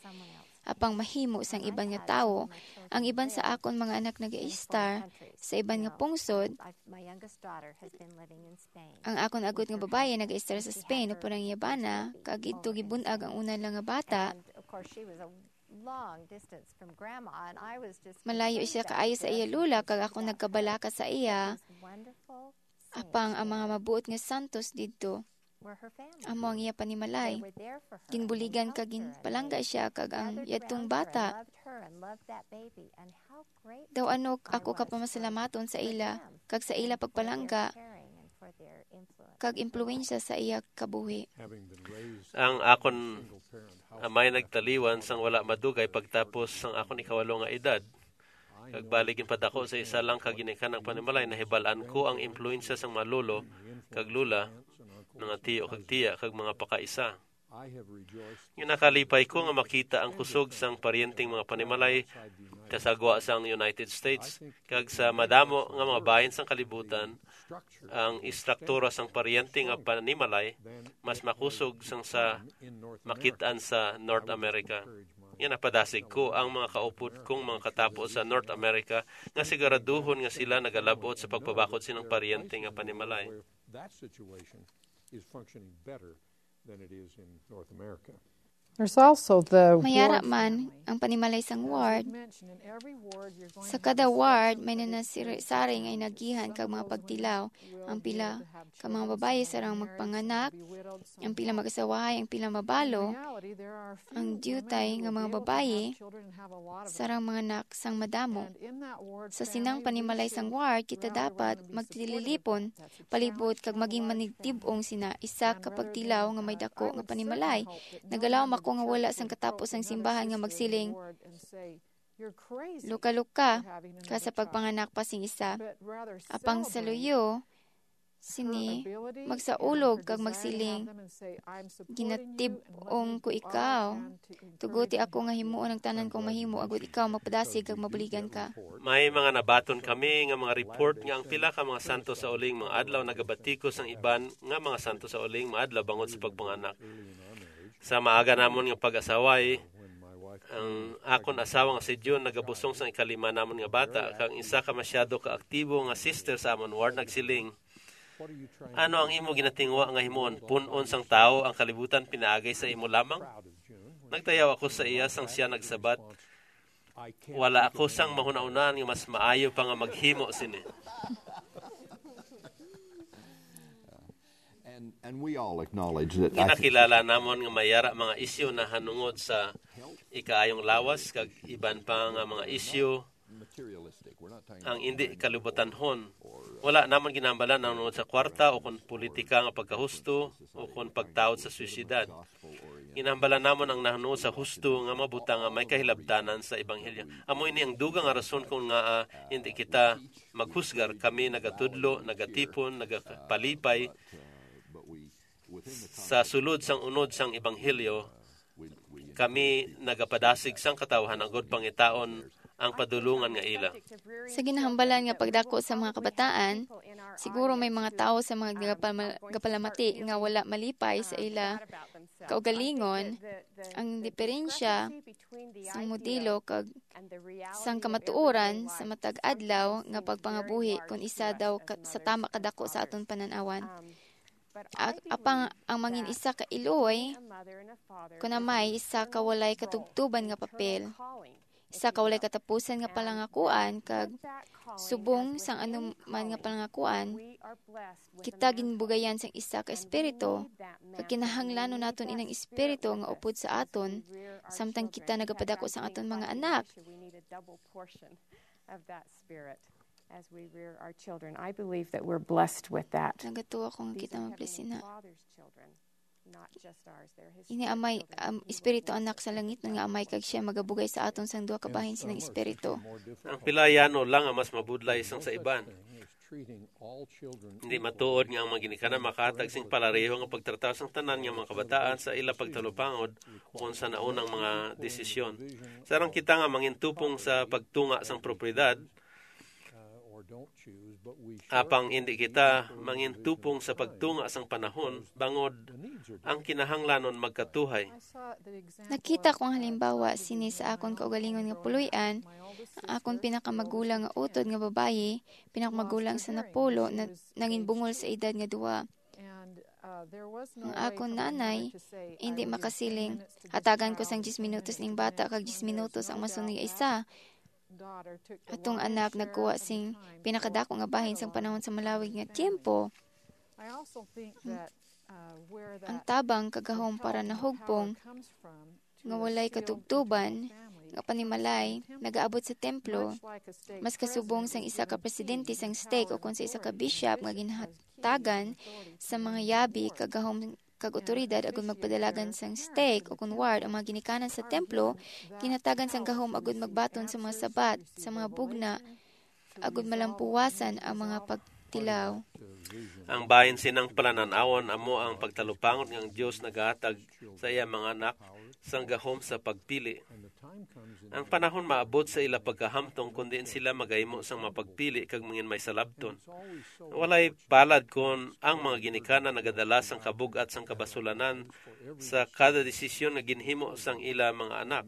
apang mahimo sang iban nga tawo. Ang iban sa akon mga anak nagaistar sa iban nga pungsod. Ang akon agot nga babayi nagaistar sa Spain upod ang iya bana, kag didto gibun-ag ang una nila nga bata. Malayo siya kaayo sa iya lola, kag ako nagkabalaka sa iya. Apang ang mga mabuot nga santos didto, amo ang iya panimalay. Ginbuligan kag ginpalangga siya kag ang yadtong bata. Daw ano ako kapamasalamaton sa ila kag sa ila pagpalangga kag impluwensya sa iya kabuhi. Ang akon amay nagtaliwan sang wala madugay pagtapos sang akon ikawalo nga edad. Kag bali ginpadako sa isa lang ka ginikanang panimalay, nahibal-an ko ang impluwensya sang mga lolo kag lola, mga tiyo kag tiya, kag mga pakaisa. Nga nakalipay ko nga makita ang kusog sang paryenteng mga panimalay sa sagwa sang United States kag sa madamo nga mga bahin sang kalibutan. Ang istruktura sang paryente nga panimalay mas makusog sang sa makit-an sa North America. Nga napadasig ko ang mga kaupod kong mga katapo sa North America nga siguraduhon nga sila nagalab-ot sa pagpabakod sining paryente nga panimalay. That situation is functioning better than it is in North America. There's also the Mayara man ang panimalay sang ward. Sa kada ward, may nanasari-sari nga inagihan kag mga pagtilaw. Ang pila ka mga babayi sarang magpanganak, ang pila mag-asawahay, ang pila mabalo. Ang diutay nga mga babayi sarang mga anak sang madamo. Sa sinang panimalay sang ward, kita dapat magtililipon palibot kag maging manigtib-ong sina isa ka pagtilaw nga may dako nga panimalay. Nagalaom ako nga wala sang katapos ang simbahan nga magsiling, "Luka-luka ka sa pagpanganak pa sing isa." Apang sa luyo, sini, magsaulog kag magsiling, "Ginatib-ong ko ikaw. Tuguti ako nga himuon ang tanan kong mahimo, agod ikaw magpadasig kag mabuligan ka." May mga nabaton kami nga mga report nga ang pila ka mga santo sa uling mga adlaw nagabatikos ang iban nga mga santo sa uling mga adlaw bangod sa pagpanganak. Sa maaga namon nga pag-asaway, ang akon asawa nga si June nagabusong sang ikalima namon nga bata, kag ang isa ka masyado ka aktibo nga sister sa amon ward nagsiling, "Ano ang imo ginatingwa nga himuon? Pun-on sang tawo ang kalibutan pinaagi sa imo lamang?" Nagtayaw ako sa iya sang siya nagsabat, "Wala ako sang mahunahunaan nga mas maayo pa nga maghimo sini." And, and we all acknowledge that I think Ginakilala namon nga may ara mga isyu na hanungod sa ikaayong lawas kag iban pa nga mga isyu materialistic. We're not talking ang indi kalibutanhon. Wala namon ginambalan ang hanungod sa kwarta o kon politika nga pagkahusto o kon pagtaod sa swisidad. Ginambalan namon ang nahanungod sa husto nga mabutang nga may kahilabtanan sa ebanghelyo. Amo ini ang dugang nga rason kon ngaa, ah, hindi kita maghusgar. Kami nagatudlo, nagatipon, nagapalipay sa sulod sang unod sang ebanghelyo. Kami nagapadasig sang katawhan agod pangitaon ang padulungan nga ila. Sa ginahambalan nga pagdako sa mga kabataan, siguro may mga tawo sa mga gapal- gapalamati nga wala malipay sa ila kaugalingon. Ang diferensya sang modelo kag sang kamatuoran sa matag adlaw nga pagpangabuhi kon isa daw ka, sa tama kadako sa aton panan-awan. A- apang ang mangin isa ka iloy, kun amay isa ka walay katubtuban nga papel, isa ka walay katapusan nga palangakuan, kag subong sang anuman nga palangakuan, kita ginbugayan sang isa ka espiritu, kag kinahanglanon naton inang espiritu nga upod sa aton samtang kita nagapadako sang aton mga anak. Of that spirit as we rear our children. I believe that we're blessed with that. Nagatuo ako nga kita mablessina. Father's children, not just ours. They're his Ini amay, um, espiritu anak sa langit nga amay, kag siya magabugay sa aton sang duha ka bahin sining espiritu. Ang pila yano lang ang mas mabudlay sang sa iban. Hindi matuod nga ang mga ginikanan makahatag sing palareho nga pagtrata sang tanan nga mga kabataan sa ila pagtalupangod o sa naunang mga desisyon. Sarang kita nga mangintupong sa pagtunga sang propiedad, apang hindi kita mangintupong sa pagtunga sang panahon, bangod ang kinahanglanon magkatuhay. Nakita ko ang halimbawa sini sa akon kaugalingon nga puloy-an. Ang akon pinakamagulang nga utod nga babayi, pinakamagulang sa napulo, na nanginbungol sa edad nga duwa. Ang akon nanay hindi makasiling, "Hatagan ko sang diyes minutos ning bata kag diyes minutos ang masunod nga isa." Atong anak nagkuha sing pinakadako nga bahin sang panahon sa malawig nga tiyempo. Ang tabang kagahom para nahugpong nga walay katubtuban nga panimalay nagaabot sa templo, mas kasubong sang isa ka presidente sang stake o kon sa isa ka bishop nga ginhatagan sa mga yabi kagahom kag otoridad agud magpadalagan sang stake o kon ward. Ang mga ginikanan sa templo ginhatagan sang gahom agud magbaton sa mga sabat, sa mga bugna, agud malampuwasan ang mga pagtilaw. Ang bahin sinang palanan-awon amo ang pagtalupangon nga ang Dios nagahatag sa iya mga anak sang gahom sa pagpili. Ang panahon maabot sa ila pagkahamtong kon diin sila magahimo sang mapagpili kag mangin may salabton. Walay palad kon ang mga ginikanan nagadala sang kabug-at sang kabasulanan sa kada desisyon nga ginhimo sang ila mga anak.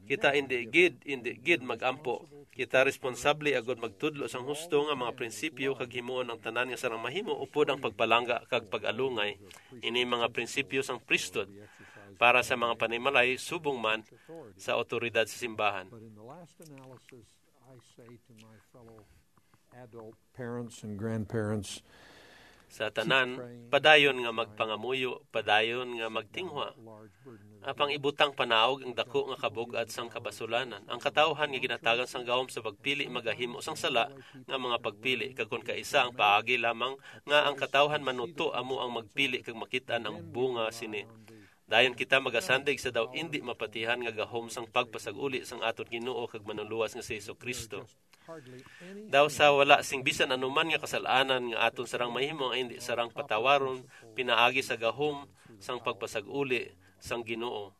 Kita indi gid, indi gid mag-ampo. Kita responsable agud magtudlo sang husto nga mga prinsipyo kag himuon ang tanan nga sarang mahimo upod ang pagpalangga kag pag-alungay. Ini mga prinsipyo sang priesthood para sa mga panimalay subong man sa awtoridad sa simbahan. But in the last analysis, I say to my fellow adult parents and grandparents, Sa tanan, padayon nga magpangamuyo, padayon nga magtinghwa. Apang ibutang panaog ang dako nga kabug-at sang kabasulanan. Ang katawhan nga ginatagan sang gahom sa pagpili magahimo sang sala nga mga pagpili, kag kon kaisa ang paagi lamang nga ang katawhan manuto amo ang magpili kag makit-an ang bunga sini. Dayon kita magasandig sa daw indi mapatihan nga gahom sang pagpasag-uli sang aton Ginoo kag Manlulowas nga si Jesu-Cristo. Daw sa wala sing bisan anuman nga kasalanan nga aton sarang mahimo nga hindi sarang patawaron pinaagi sa gahom sang pagpasag-uli sang Ginoo.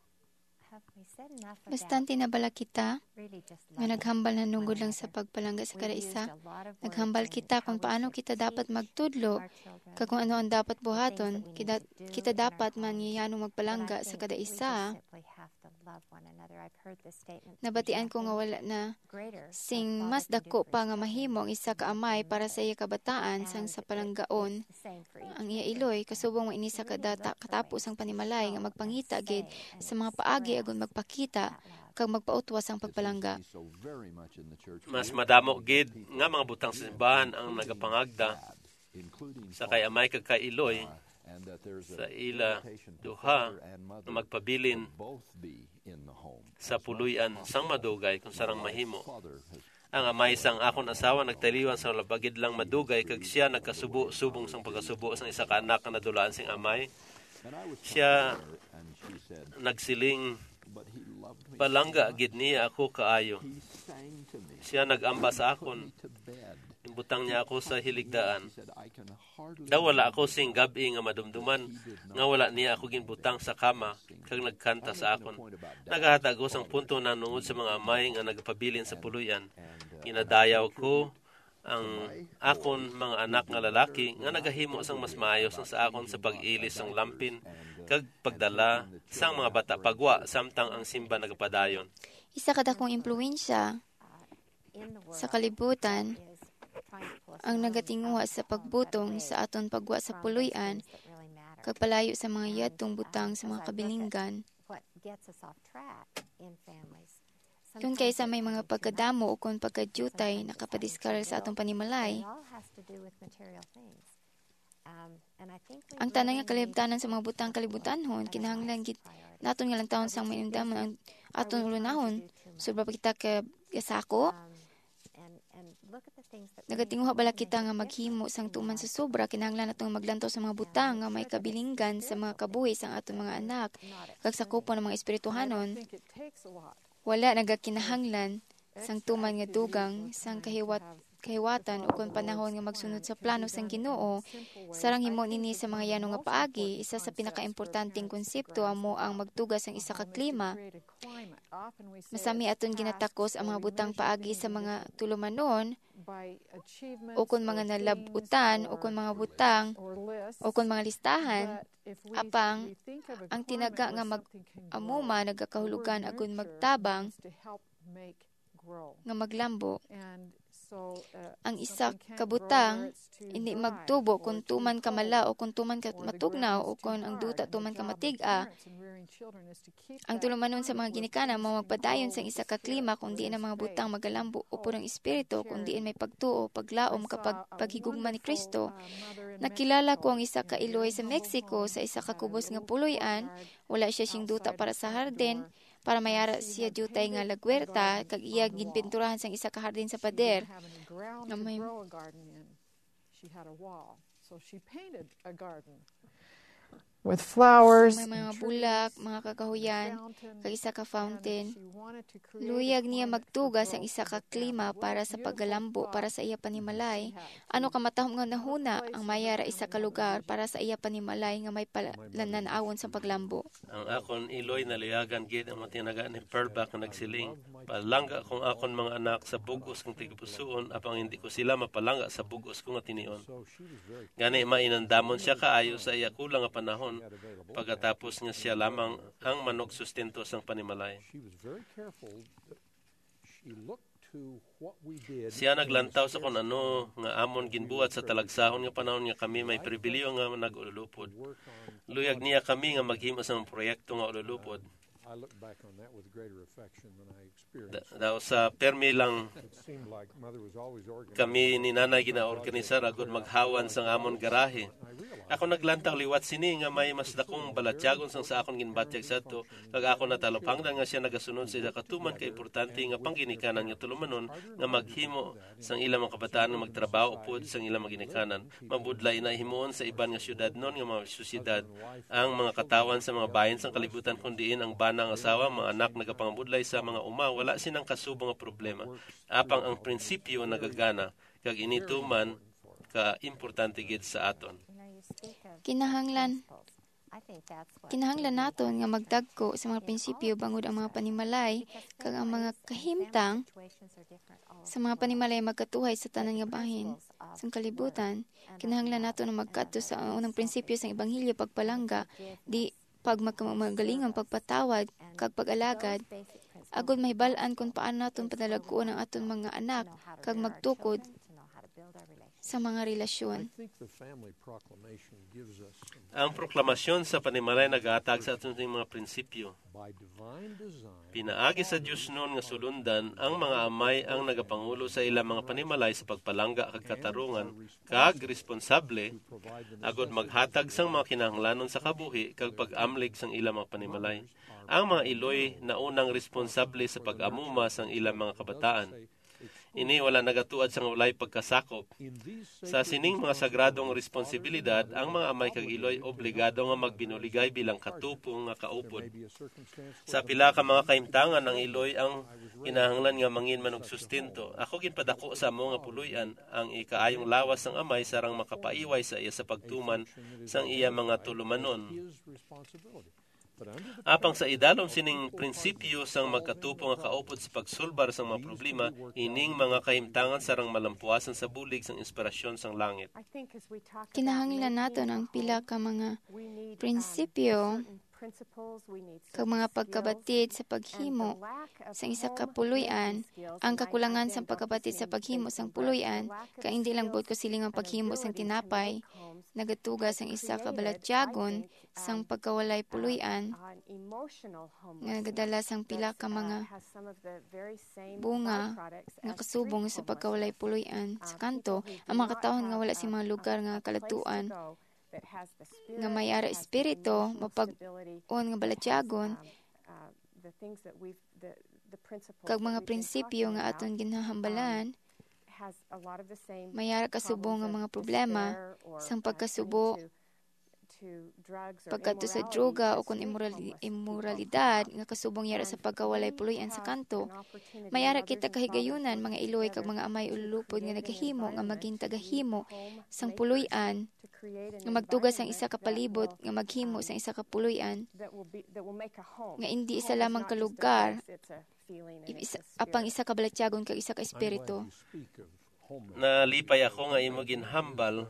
Bastante na bala kita nga naghambal na nungod lang sa pagpalangga sa kada isa? Naghambal kita kung paano kita dapat magtudlo kag kung ano ang dapat buhaton. Kita, kita dapat man ngiyano magpalangga sa kada isa. Nabatian ko nga wala na sing mas dako pa nga mahimo ang isa ka amay para sa iya kabataan sang sa palanggaon ang iya iloy, kasubong mo ini sa kadata, katapo sang panimalay nga magpangita gid sa mga paagi agon magpakita kag magpautwas ang pagpalangga. Mas madamo gid nga mga butang sa simbahan ang nagapangagda sa kay amay kag kay iloy sa ila duha nga magpabilin sa puloy-an sang madugay kung sarang mahimo. Ang amay sang akon asawa nagtaliwan sa labagid lang madugay, kag sia nagkasubo subong sang pagkasubo sang isa ka anak nga nadulaan sing amay. Sia nagsiling, "Palangga gid niya ako kaayo." Sia nag-amba sa akon. Inbutang niya ako sa hiligdaan. Daw wala ako sing gab-i nga madumduman nga wala niya ako ginbutang sa kama kag nagkanta sa akon. Nagahatag ko sang punto na nungod sa mga amay nga nagapabilin sa puloy-an. Ginadayaw ko ang akon mga anak nga lalaki nga nagahimo sang mas maayo sang sa akon sa pag-ilis sang lampin kag pagdala sang mga bata pagwa samtang ang simba nagapadayon. Isa ka dakong impluwensya sa kalibutan ang nagatinguha sa pagbutong sa aton pagwa sa puloy-an kag palayo sa mga yadtong butang sa mga kabilinggan. Tungkay sa may mga pagkadamo o kon pagkadiyutay nakapadiskaril sa atong panimalay. Ang tanan nga kalibtanan sa mga butang kalibutanhon kinahanglan gid naton nga lantawon sang mainumdaman ang aton ulonahon. Sobra ba kita ka gasako? Nagatinguha bala kita nga maghimo sang tuman sa sobra? Kinahanglan naton maglantaw sa mga butang nga may kabilinggan sa mga kabuhi sang aton mga anak kag sakupon ang mga espirituhanon. Wala nagakinahanglan sang tuman nga dugang sang kahiwat kahiwatan ukon panahon nga magsunod sa plano sang Ginoo. Sarang himo nini sa mga yano nga paagi. Isa sa pinakaimportanteng konsepto amo ang magtuga sang isa ka klima. Masami aton ginatakos ang mga butang paagi sa mga tulumanon ukon mga nalab-utan ukon mga butang ukon mga listahan. Apang ang tinaga nga mag-amuma nagakahulugan agon magtabang nga maglambo. Ang isa ka butang hindi magtubo kon tuman ka mala o kon tuman ka matugnaw o kon ang duta tuman ka matig-a. Ang tulumanon sa mga ginikanan mao magpadayon sang isa ka klima kon diin ang mga butang magalambo upod ang espiritu, kon diin may pagtuo, paglaom, kag pag-, paghigugma ni Kristo. Nakilala ko ang isa ka iloy sa Mexico sa isa ka kubos nga puloy-an. Wala siya sing duta para sa hardin, para may ara siya diutay nga lagwerta, kag iya ginpinturahan sang isa ka hardin sa pader nga may She had a wall, so she painted a garden with flowers. May mga bulak, mga kakahuyan, kag isa ka fountain. Luyag niya magtuga sang isa ka klima para sa paggalambo para sa iya panimalay. Ano ka matahom nga nahuna ang may ara isa ka lugar para sa iya panimalay nga may palanan-awon sa paglambo? Ang akon iloy naluyagan gid ang mga tinaga ni Pearlback nga nagsiling, "Palangga kong akon mga anak sa bug-os kang tigipusuon, apang hindi ko sila mapalangga sa bug-os ko nga tinion." Gani, mainandamon siya kaayo sa iya kulang nga panahon, pagkatapos nga siya lamang ang manugsustento sang panimalay. Siya naglantaw sa kon ano nga amon ginbuhat sa talagsahon nga panahon nga kami may pribilehiyo nga nag-ululupod. Luyag niya kami nga maghimo sa mga proyekto nga ululupod. Da-, daw sa permi lang kami ni Nanay ginaorganisar agud maghawan sang amon garahe. Ako naglantaw liwat sini nga may mas dakong balatyagon sang sa akon ginbatyag sadto, kag ako natalupangdan nga sia nagasunod sa isa ka tuman ka importante nga pangginikanan nga tulumanon nga maghimo sang ilang mga kabataan nga magtrabaho upod sang ilang mga ginikanan. Mabudlay na himuon sa iban nga syudadnon nga mga syudad ang mga katawan sa mga bahin sang kalibutan, kun diin ang bana nga asawa, mga anak nagapangabudlay sa mga uma, wala sinang kasubo nga problema. Apang ang prinsipyo nagagana, kag ini tuman ka importante gid sa aton. Kinahanglan, kinahanglan naton nga magdagko sa mga prinsipyo bangod ang mga panimalay kag ang mga kahimtang sa mga panimalay magkatuhay sa tanan nga bahin sang kalibutan. Kinahanglan naton nga magkadto sa unang prinsipyo sang ebanghelyo, pagpalangga, di pagmakamagalingon, pagpatawad, kag pag-alagad, agod mahibal-an kon paano naton padalagkuon ang aton mga anak kag magtukod sa mga relasyon. Ang proklamasyon sa panimalay naghatag sa aton sing mga prinsipyo. Pinaagi sa Dios nun nga sulundan, ang mga amay ang nagapangulo sa ilang mga panimalay sa pagpalangga kag katarungan kag responsable, agud maghatag sang mga kinahanglanon sa kabuhi kag pag-amlig sang ilang mga panimalay. Ang mga iloy naunang responsable sa pag-amuma sang ilang mga kabataan. Ini wala nagatuad sang walay pagkasakop. Sa sining mga sagradong responsibilidad, ang mga amay kag iloy obligado nga magbinuligay bilang katupong nga kaupod. Sa pila ka mga kahimtangan, ang iloy ang kinahanglan nga mangin man og sustento. Ako ginpadako sa amo nga puloy-an ang ikaayong lawas sang amay sarang makapaiway sa iya sa pagtuman sang iya mga tulumanon. Apang sa idalom sining prinsipyo sang magkatupo nga kaupod sa pagsulbar sang mga problema, ining mga kahimtangan sarang malampuasan sa bulig sang inspirasyon sang langit. Kinahanglan naton ang pila ka mga prinsipyo kag mga pagkabatid sa paghimo sang isa ka puloy-an. Ang kakulangan sang pagkabatid sa paghimo sang puloy-an, kay hindi lang buot kasiling ang paghimo sang tinapay, nagatuga sang isa ka balatyagon sang pagkawalay puloy-an nga nagadala sang pila ka mga bunga nga kasubong sa pagkawalay puloy-an sa kanto. Ang mga katawhan nga wala sing mga lugar nga kaladtuan nga may ara espiritu, mapag-on nga balatyagon, kag mga prinsipyo nga aton ginahambalan, may ara kasubong nga mga problema sang pagkasubo pagkadto sa droga o kon imorali-, imoralidad nga kasubong yara sa pagkawalay puloy-an sa kanto. May ara kita kahigayunan, mga iloy kag mga amay ululupod nga nagahimo nga maging tagahimo sang puloy-an, nga magtuga sang isa ka palibot nga maghimo sang isa ka puloy-an nga indi isa lamang ka lugar, isa, apang isa ka balatyagon kag isa ka espiritu. Nalipay ako nga imo ginhambal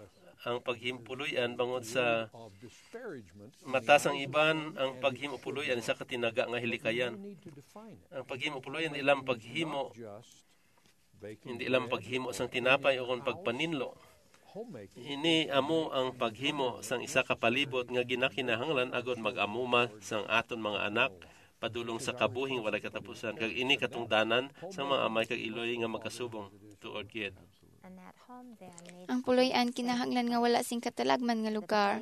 ang paghimo puloy-an, bangod sa mata sang iban ang paghimo puloy-an isa ka tinaga nga hilikayan. Ang paghimo puloy-an indi lang paghimo, hindi lang paghimo sang tinapay o kon pagpaninlo. Ini amo ang paghimo sang isa ka palibot nga ginakinahanglan agod mag-amuma sang aton mga anak padulong sa kabuhing walay katapusan, kag ini katungdanan sang mga amay kag iloy nga magkasubong tuod gid. Ang puloy-an kinahanglan nga wala sing katalagman nga lugar,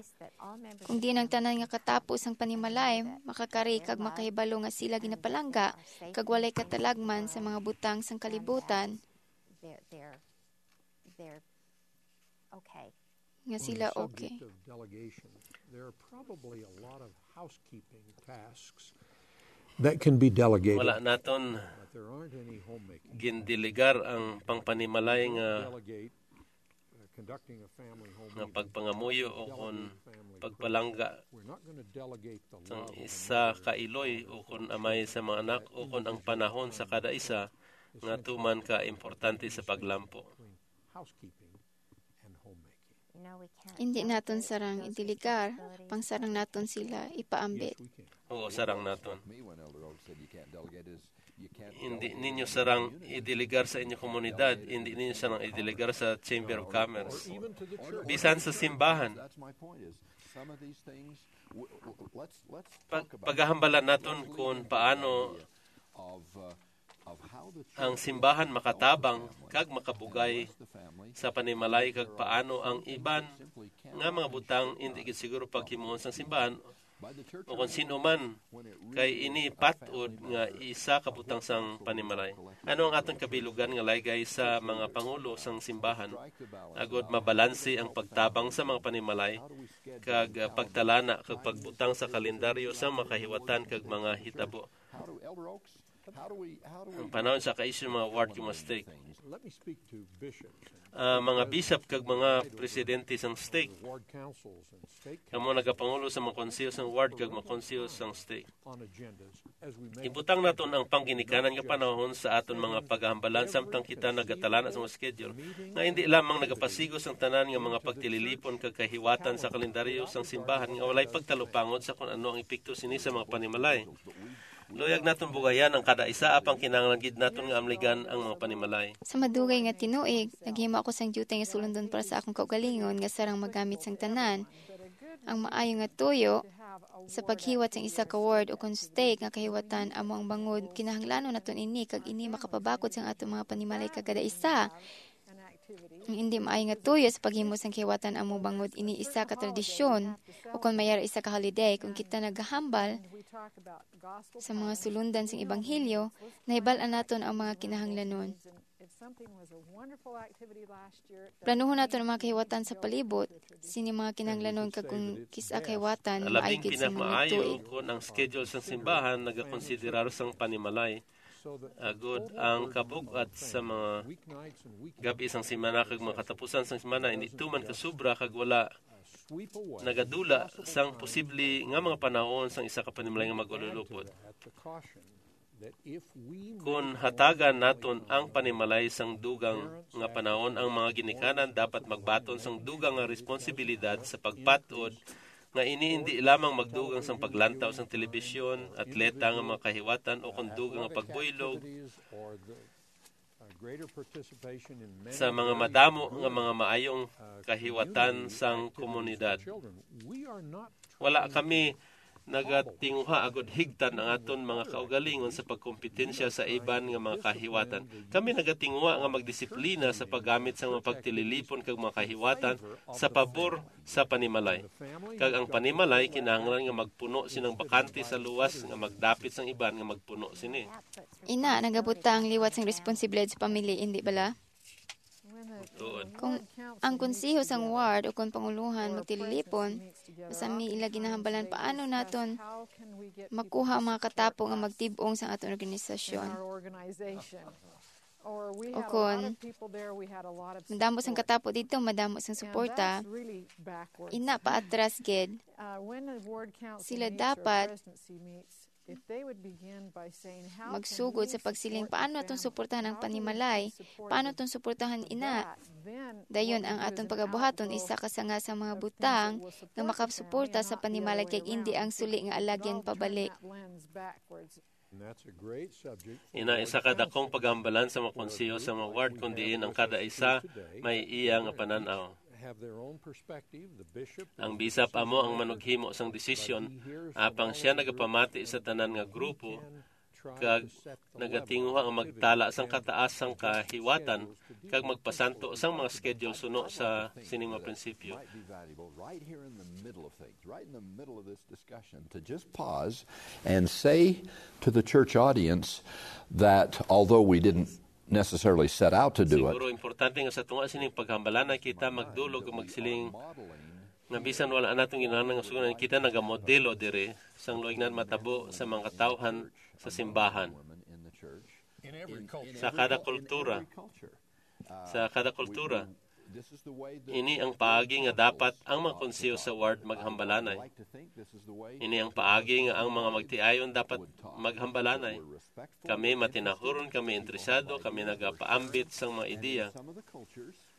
kung diin ang tanan nga katapo sang panimalay makakari kag makahibalo nga sila ginapalangga kag walay katalagman sa mga butang sang kalibutan. They're, they're, they're okay. Nga sila okay. On the subject of delegation, there are probably a lot of housekeeping tasks that can be delegated. Wala naton, but there aren't any homemaking, gindelegar ang pangpanimalay nga, delegate, uh, conducting a family home, nga meeting, pagpangamuyo o kon delegate family pagpalangga. We're not gonna delegate the sang love of isa another ka iloy o kon amay sa mga anak o kon ang panahon sa kada isa nga tuman ka importante sa paglampo. Housekeeping and homemaking. Hindi naton sarang idiligar, pang sarang naton sila ipaambit. Oo, sarang naton. Hindi ninyo sarang idiligar sa inyo komunidad, hindi ninyo sarang idiligar sa Chamber of Commerce. Bisan sa simbahan. Pag-, paghahambalan naton kung paano ang simbahan makatabang kag makabugay sa panimalay, kag paano ang iban nga mga butang indi gid siguro paghimuon sang simbahan o kon sin-o man, kay ini pat-od nga isa ka butang sang panimalay. Ano ang aton kabilugan nga laygay sa mga pangulo sang simbahan agod mabalanse ang pagtabang sa mga panimalay kag, ah, pagtalana kag pagbutang sa kalendaryo sang makahiwatan kag mga hitabo? Ang panahon sa kaisyu mga ward kag mga stake. Ah, mga bishop kag mga presidente sang stake. Kamo nagapangulo sa mga konseho sang ward kag mga konseho sang stake. Ibutang naton ang pangginikanan nga panahon sa aton mga paghambalan samtang kita nagatalana sa mga schedule nga hindi lamang nagapasigo sang tanan nga mga pagtililipon kag kahiwatan sa kalendaryo sang simbahan nga walay pagtalupangod sa kon ano ang epekto sini sa mga panimalay. Luyag naton bugayan ang kada isa, apang kinahanglan gid naton nga amligan ang mga panimalay. Sa madugay nga tinuig, naghimo ako sang diutay nga sulundon para sa akong kaugalingon nga sarang magamit sang tanan. Ang maayo nga tuyo sa paghiwat sang isa ka ward o kon stake nga kahiwatan amo ang bangod. Kinahanglanon naton ini, kag ini makapabakod sang aton mga panimalay kag kada isa. Ang indi maayo nga tuyo sa paghimo sang kahiwatan amo bangod ini isa ka tradisyon o kon mayara isa ka holiday. Kung kita nagahambal sa mga sulundan sang ebanghelyo, nahibal-an naton ang mga kinahanglanon. Planuhon naton ang mga kahiwatan sa palibot sini mga kinahanglanon, kag kung kis-a kahiwatan, maayo Labing gid sa mga pinamaayo tuig. Kon ang schedule sang simbahan nagakonsiderar sang panimalay, agod ang kabug-at sa mga gabi sang semana kag mga katapusan sang semana hindi tuman kasubra kag wala nagadula sang posible nga mga panahon sang isa ka panimalay nga mag-ululupod. Kon hatagan naton ang panimalay sang dugang nga panahon, ang mga ginikanan dapat magbaton sang dugang nga responsibilidad sa pagpat-od nga ini indi lamang magdugang sang paglantaw sang telebisyon, atleta nga mga kahiwatan, o kon dugang nga pagbuylog sa mga madamo nga mga maayong kahiwatan sang komunidad. Wala kami nagatinguha agud higtan ang aton mga kaugalingon sa pagkompetensya sa iban nga mga kahiwatan. Kami nagatinguha nga magdisiplina sa paggamit sa mga pagtililipon kag mga kahiwatan sa pabor sa panimalay. Kag ang panimalay kinahanglan nga magpuno sinang bakante sa luwas nga magdapit sang iban nga magpuno sini. Ina, nagabot ta ang liwat sang responsibilidad sa pamilya, indi bala? Tuod. Kung ang konseho sang ward o kon pangulohan magtililipon, masami ila ginahambalan, paano naton makuha ang mga katapo nga magtib-ong sang aton organisasyon? O kon madamo sang katapo dito, madamo sang suporta, ina paatras gid. Sila dapat magsugod sa pagsiling, "Paano naton suportahan ang panimalay? Paano naton suportahan ina?" Dayon ang aton pagabuhaton isa ka sanga sa mga butang nga makasuporta sa panimalay, kay indi ang suli nga alagyan pabalik. Ina isa ka dakong paghambalan sa mga konseho sa mga ward, kun diin ang kada isa may iya nga panan-aw. Ang bisap amo ang manughimo sang desisyon, apang sia nagapamati sa tanan nga grupo kag nagatinguha nga magtala sang kataas sang kahiwatan kag magpasanto sang mga schedule suno sa sining mga prinsipyo. Right here in the middle of things, right in the middle of this discussion, to just pause and say to the church audience that although we didn't necessarily set out to do it, Siguro importante nga sa tunga sining paghambalanay kita magdulog ug magsiling nga bisan wala naton ginahanglan nga sugunan, kita nagamodelo diri sang luoy nga matabo sa mga katawhan sa simbahan. Sa kada kultura, sa kada kultura, ini ang paagi nga dapat ang mga konseho sa ward maghambalanay. Ini ang paagi nga ang mga magtiayon dapat maghambalanay. Kami matinahuron, kami interesado, kami nagapaambit sang mga ideya.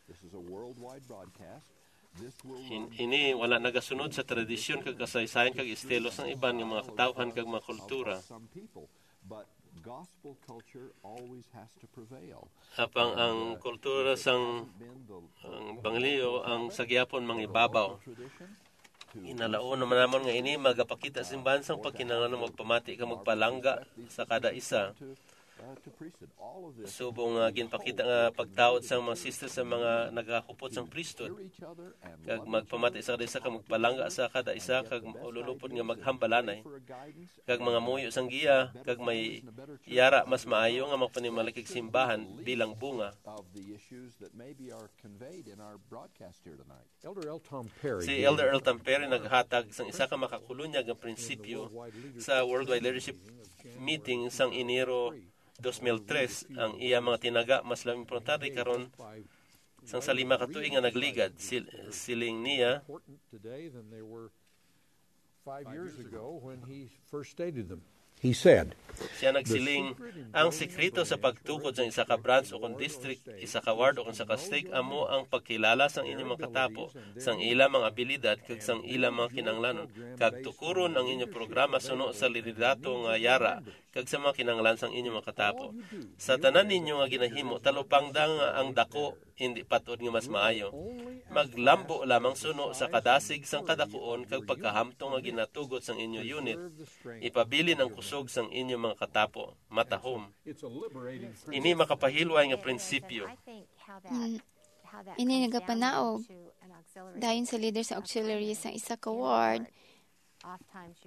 This is a worldwide broadcast. This will In, ini wala nagasunod sa tradisyon kag kasaysayan kag estilo sang iban nga mga katawhan kag mga kultura. Some people, but gospel culture always has to prevail. Apang ang kultura sang Been the ang Bangaliyo ang sa gihapon mangibabaw. Tradition. Inalaon naman namon nga ini magapakita sa simbahan sang pagkinahanglan nga magpamati kag magpalangga sa kada isa. Subong nga ginpakita nga pagtaod sang mga sister sa mga nagahupot sang priesthood, kag magpamati sa kada isa, kag magpalangga sa kada isa, kag ululupod nga maghambalanay, kag mga muyo sang giya, kag may yara mas maayo nga magpanimalay kag simbahan bilang bunga. Si Elder L. Tom Perry naghatag sang isa ka makakulunyag nga prinsipyo sa Worldwide Leadership Meeting sang Enero dos mil tres. Ang iya mga tinaga mas labi importante karon sang sa lima ka tuig nga nagligad. Sil-, siling niya, five years ago when he first stated them. He said, Siya nagsiling, "Ang sikreto sa pagtukod sa isa ka branch o kon district, isa ka ward o kon sa ka stake amo ang pagkilala sang inyong mga katapo, sang ila mga abilidad kag sang ila mga kinahanglanon, kag tukuron ang inyong programa suno sa liderato nga yara kag sa mga kinahanglan sang inyong mga katapo. Sa tanan ninyo nga ginahimo, talupangda nga ang dako indi patod nga mas maayo. Maglambo lamang suno sa kadasig sang kadakuon kag pagkahamtong nga ginatugot sang inyo unit. Ipabilin ang kusog sang inyo mga katapo." Matahom. Ini makapahilway nga prinsipyo. Mm. Ini nagapanaog dayon sa leader sa auxiliary sa isa ka ward.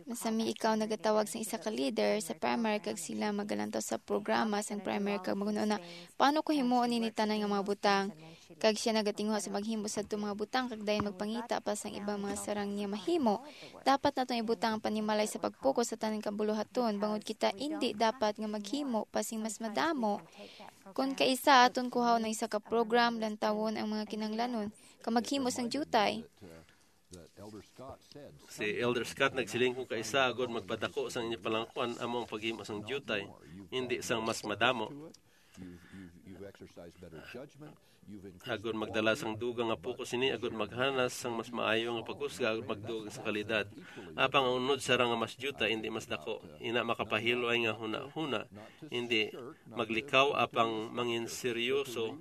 Masami ikaw nagatawag sa isa ka leader sa primary kag sila magalantaw sa programa sang primary kag maghunahuna, "Paano ko himuon ini tanan nga mga butang?" Kag siya nagatinguha sa maghimo sa mga butang kag dayon magpangita pa sang ibang mga sarang niya mahimo. Dapat naton ibutang ang panimalay sa pagpokus sa tanan kabuluhaton, bangod kita indi dapat nga maghimo pa sing mas madamo. Kon kaisa aton kuhaon ang isa ka program, lantawon ang mga kinahanglanon, kag maghimo sang diutay. Si Elder Scott nagsiling, "Kung kaisa agod magpadako sang inyo palangkuan amo ang paghimo sang diutay, hindi sang mas madamo. Agod magdala sang dugang nga pukos ini, agod maghanas sang mas maayo nga paghusga, agod magdugang sa kalidad. Apang ang unod sarang nga mas diutay, hindi mas dako. Ina makapahilway nga hunahuna, hindi maglikaw apang mangin seryoso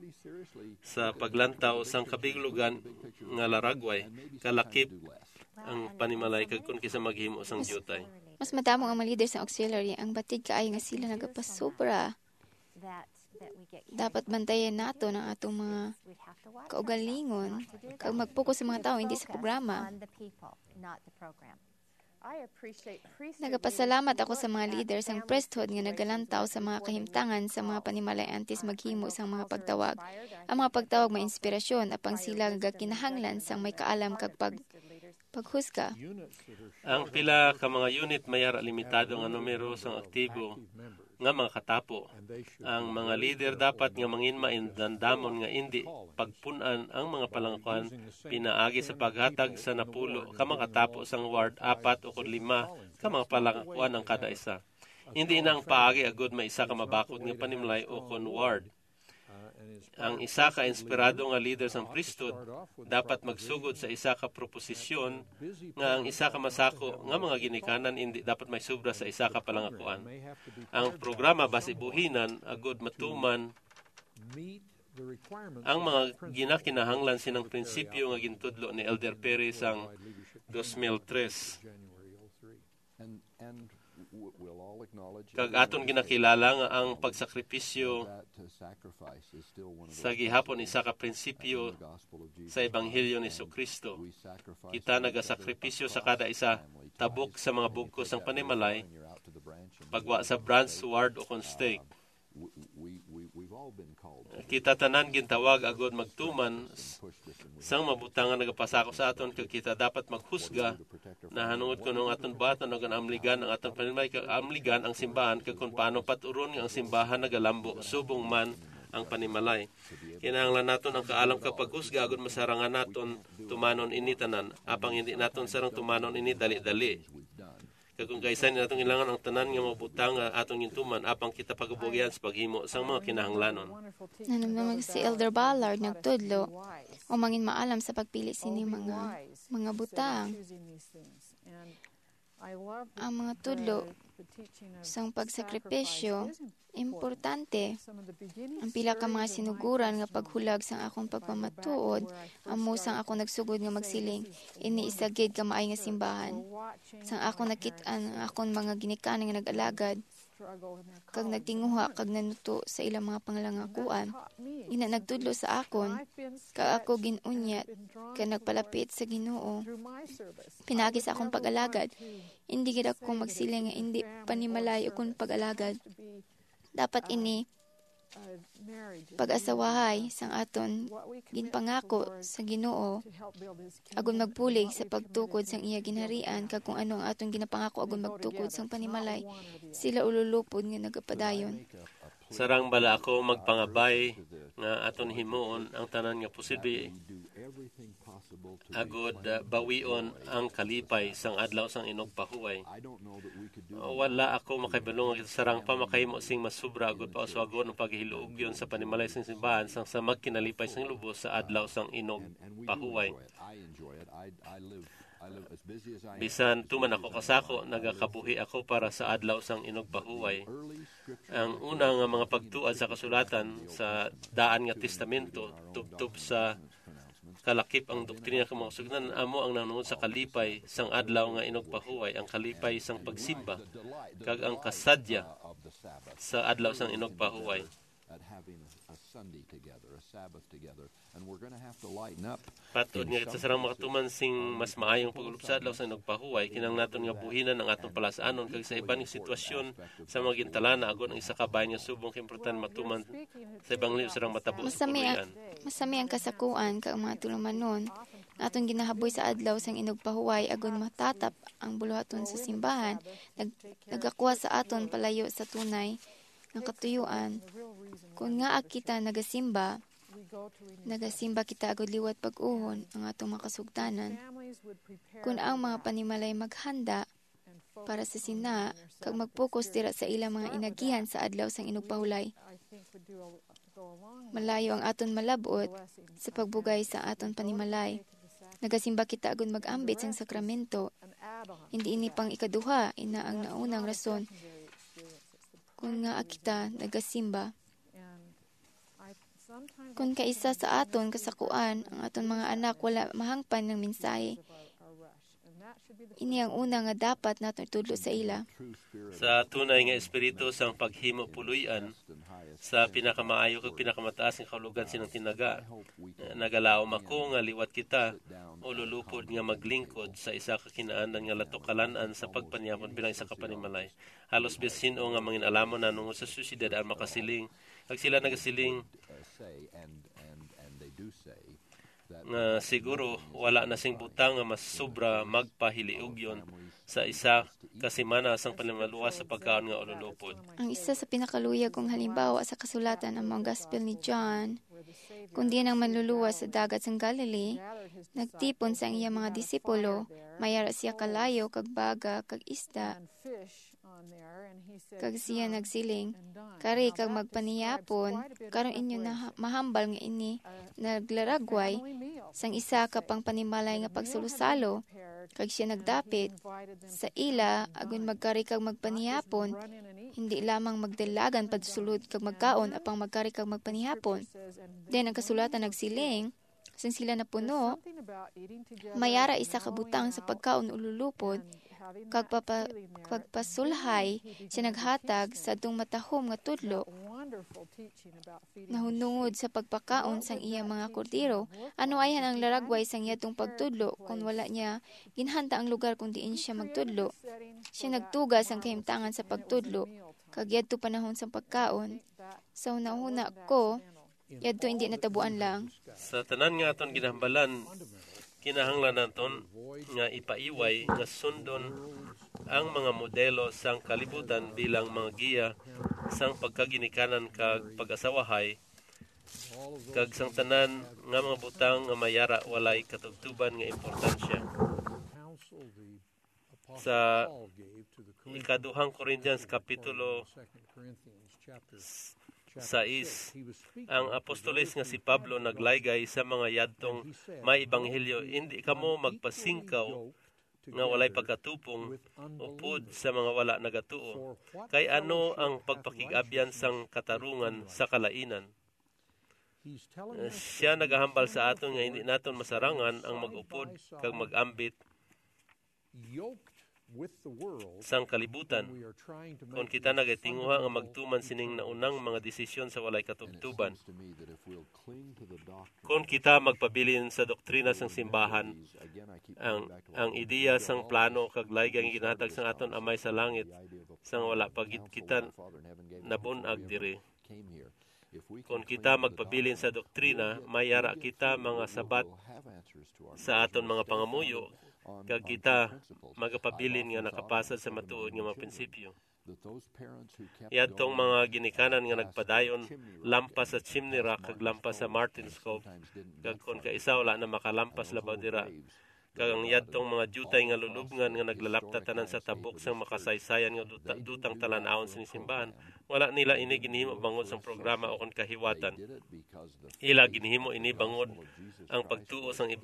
sa paglantaw sang kabiglugan nga laragway, kalakip ang panimalay kag kon kisa maghimo sang diutay." Mas madamo ang mga leader sa auxiliary ang batid kaayo nga sila nagapasobra. Dapat bantayan naton ang atong mga kaugalingon kag magpokus sa mga tawo, hindi sa programa. Nagapasalamat ako sa mga leader sang priesthood nga nagalantaw sa mga kahimtangan sa mga panimalay antes maghimo sang mga pagtawag. Ang mga pagtawag may inspirasyon, apang sila gakinahanglan sang may kaalam kag pag paghusga. Ang pila ka mga unit may ara limitado nga numero sang aktibo nga mga katapo. Ang mga leader dapat nga mangin maindandamon nga indi pagpun-an ang mga palangkuan pinaagi sa paghatag sa napulo ka makatapo sang ward, apat o kon lima ka mga palangkuan ang kada isa. Hindi na ang paagi agud may isa ka mabakod nga panimlay o kon ward. Ang isa ka inspirado nga leader sang priesthood dapat magsugod sa isa ka proposisyon nga ang isa ka masako nga mga ginikanan indi dapat may sobra sa isa ka palangakuan. Ang programa basi buhinan agud matuman ang mga ginakinahanglan sining prinsipyo nga gintudlo ni Elder Perry sang dos mil tres. Kag aton ginakilala nga ang pagsakripisyo sa gihapon isa ka prinsipyo sa Ebanghelyo ni Jesu-Cristo. Kita nagasakripisyo sa kada isa, tabok sa mga bugkos sang panimalay, pagwa sa branch, ward, o kon stake. Kita tanan gintawag agud magtuman s-, sang mga butang nga nagapasakop sa aton, kag kita dapat maghusga nahanungod kon ang aton buhaton o kon amligan ang aton panimalay, kag amligan ang simbahan, kag kon paano paturon nga ang simbahan nagalambo subong man ang panimalay. Kinahanglan naton ang kaalam kag paghusga agud masarangan naton tumanon ini tanan, apang hindi naton sarang tumanon ini dali-dali. Kag kon kaisa, hindi naton kailangan ang tanan nga mga butang nga aton gintuman, apang kita pagabugian sa paghimo sang mga kinahanglanon. Nanumdum si Elder Ballard nagtudlo o mangin maalam sa pagpili sini mga mga butang. Ang mga tudlo sang pagsakripisyo importante. Ang pila ka mga sinuguran nga paghulag sang akong pagpamatuod amo sang akong nagsugod nga magsiling, "Ini isa gid ka maay nga simbahan." Sang akong nakit-an ang akong mga ginikanan nga nag-alagad, kag nagtinguha kag nanuto sa ilang mga panglangakuan. Ina nagtudlo sa akon, kag ako gin-unyat, kag nagpalapit sa Ginoo. Pinaagi sa akong pag-alagad, indi gid ako magsiling nga indi panimalay akon pag-alagad. Dapat ini pag-asawahay sang aton ginpangako sa Ginoo, agon magbulig sa pagtukod sang iya ginharian, kag kung ano ang aton ginapangako agon magtukod sang panimalay, sila ululupod nga nagapadayon. Sarang bala ako magpangabay nga aton himuon ang tanan nga posible agod, ah, bawion ang kalipay sang adlaw sang inugpahuway. Wala ako makahibalo nga kita sarang pa makahimo sing mas sobra agod pauswagon ang paghiluogyon sa panimalay sang simbahan sang sa magkinalipay sang lubos sa adlaw sang inugpahuway. Bisan tuman ako kasako, nagakabuhi ako para sa adlaw sang inugpahuway. Ang una nga mga pagtuad sa kasulatan sa Daan nga Testamento tubtob sa kalakip ang doktrina kag mga kasugnan amo ang nanungod sa kalipay sang adlaw nga inugpahuway, ang kalipay sang pagsimba, kag ang kasadya sa adlaw sang inugpahuway. Patod nga kita sarang makatuman sing mas maayong pagulop sa adlaw sang inugpahuway, kinahanglan naton nga buhinan ang aton palas-anon kag sa iban nga sitwasyon sa mga gintalana, agod ang isa ka bahin nga subong kaimportante matuman sa ebanghelyo sarang matabo sa Masami ang, puloy-an. Masami ang kasakuan kag ang mga tulumanon nga aton ginahaboy sa adlaw sang inugpahuway, agod matatap ang buluhaton sa simbahan, nag-, nagakuha sa aton palayo sa tunay nga katuyuan. Kon ngaa kita nagasimba, nagasimba kita agod liwat pag-uhon ang atong mga kasugtanan. Kon ang mga panimalay maghanda para sa sina kag mag-focus dira sa ilang mga inagihan sa adlaw sang inugpahuway, malayo ang aton malab-ot sa pagbugay sa aton panimalay. Nagasimba kita agud mag-ambit sang sakramento. Hindi ini pang ikaduha, ina ang naunang rason kon ngaa kita nagasimba. Kon kaisa sa aton kasakuan, ang aton mga anak wala mahangpan ng mensahe, ini ang una nga dapat naton itudlo sa ila. Sa tunay nga espiritu sang paghimo puloy-an, sa pinakamaayo kag pinakamataas nga kahulogan sining tinaga, nagalaom ako nga liwat kita ululupod nga maglingkod sa isa ka kinaandan nga latukalan-an sa pagpaniyapon bilang isa ka panimalay. Halos bisan sin-o nga mangin-alamon nanungod sa siyudad ang makasiling, kag sila nagasiling nga siguro wala na sing butang nga mas sobra magpahiliugyon sa isa ka semana sang panimaluwas sa pagkaon nga ululupod. Ang isa sa pinakaluyag kong halimbawa sa kasulatan amo ang Gospel ni John. Kundi ang manluluwas sa dagat sang Galilee nagtipon sa iya mga disipulo, may ara siya kalayo kag baga kag isda. Kag siya nagsiling, "Kari kag magpanihapon." Karon inyo na mahambal nga ini naglaragway sang isa ka pangpanimalay nga pagsalusalo, kag siya nagdapit sa ila agon magkari kag magpanihapon. Hindi lamang magdalagan pagsulod kag magkaon, apang magkari kag magpanihapon. Then ang kasulatan nagsiling, sang sila napuno, may ara isa ka butang sa pagkaon ululupod, kag papa-, pagpasulhay siya naghatag sa adtong matahom nga tudlo nahunungod sa pagpakaon sang iya mga kordero. Ano ayhan ang laragway sang yadtong pagtudlo kon wala niya ginhanda ang lugar kon diin siya magtudlo? Siya nagtuga sang kahimtangan sa pagtudlo, kag yadto panahon sang pagkaon. Sa hunahuna ko, yadto indi natabuan lang. Sa tanan nga aton ginahambalan, kinahanglan naton nga ipaiway nga sundon ang mga modelo sang kalibutan bilang mga giya sang pagkaginikanan kag pag-asawahay, kag sang tanan nga mga butang nga may ara walay katubtoban nga importansya. Sa ikaduhang Corinthians kapitulo sais, ang apostoles nga si Pablo naglaygay sa mga yadtong may ebanghelyo, "Indi kamo magpasingkaw nga walay pagkatupong upod sa mga wala nagatuo. Kay ano ang pagpakig-abyan sang katarungan sa kalainan?" Eh, siya nagahambal sa aton nga hindi naton masarangan ang mag-upod kag mag-ambit sang kalibutan kon kita nagatinguha nga magtuman sining naunang mga desisyon sa walay katubtuban. Kon kita magpabilin sa doktrina sang simbahan, ang, ang ideya sang plano kag layga nga ginahatag sang aton Amay sa Langit, sang wala pa gid kita nabun-ag diri. Kon kita magpabilin sa doktrina, may yara kita mga sabat sa aton mga pangamuyo, kag kita magapabilin nga nakapasad sa matuod nga mga prinsipyo. Yadtong mga ginikanan nga nagpadayon lampas sa Chimney Rock kag lampas sa Martin's Cove, kag kon kaisa wala na makalampas labaw dira, kag ang yadtong mga diutay nga lulubngan nga naglalapta tanan sa tabok sang makasaysayan nga duta, dutang talan-awon sini simbahan, wala nila ini ginhimo bangod sang programa o kon kahiwatan. Ila ginhimo ini bangod ang pagtuo sang ib-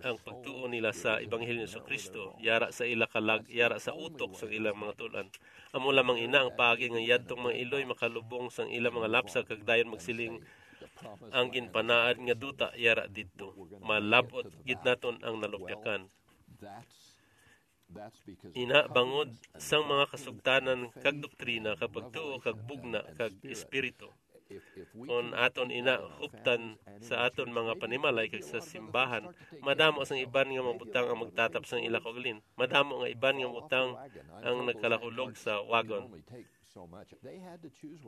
ang pagtuo nila sa Ebanghelyo ni Jesu-Cristo, yara sa ila kalag, yara sa utok sang ilang mga tul-an. Amo lamang ina ang paagi nga yadtong mga iloy makalubong sang ilang mga lapsag kag dayon magsiling, "Ang ginpanaad nga duta yara didto. Malab-ot gid naton ang nalupyakan." Ina bangod sang mga kasugtanan kag doktrina kag pagtuo kag bugna kag espiritu. Kon aton ina huptan sa aton mga panimalay kag sa simbahan, madamo sang iban nga mga butang ang magtatap sang ila kaugalin. Madamo nga iban nga butang ang nagkalakulog sa wagon.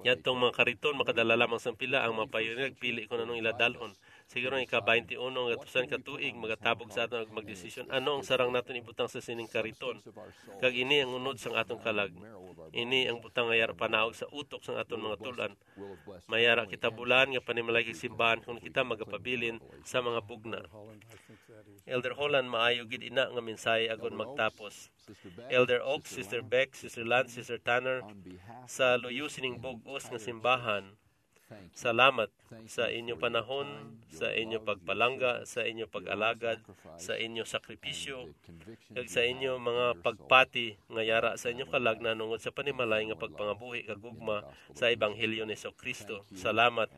Yadtong mga kariton makadala lamang sang pila. Ang mga pioneer nagpili kon anong ila dalhon. Siguro ang ika-twenty uno nga gatusan ka tuig magatabog sa aton ag magdesisyon ano ang sarang naton ibutang sa sining kariton. Kag ini ang unod sang aton kalag. Ini ang butang nga yara panaog sa utok sang aton mga tul-an. Mayara kita bulan nga panimalay kag simbahan kon kita magapabilin sa mga bugna. Elder Holland, maayo gid ina nga mensahe agon magtapos. Elder Oaks, Sister Beck, Sister Lance, Sister Tanner, sa luyo sining bug-os nga simbahan, salamat sa inyo panahon, sa inyo pagpalangga, sa inyo pag-alagad, sa inyo sakripisyo, kag sa inyo mga pagpati nga yara sa inyo kalag nahanungod sa panimalay nga pagpangabuhi kag gugma sa Ebanghelyo ni Jesu-Cristo. Salamat.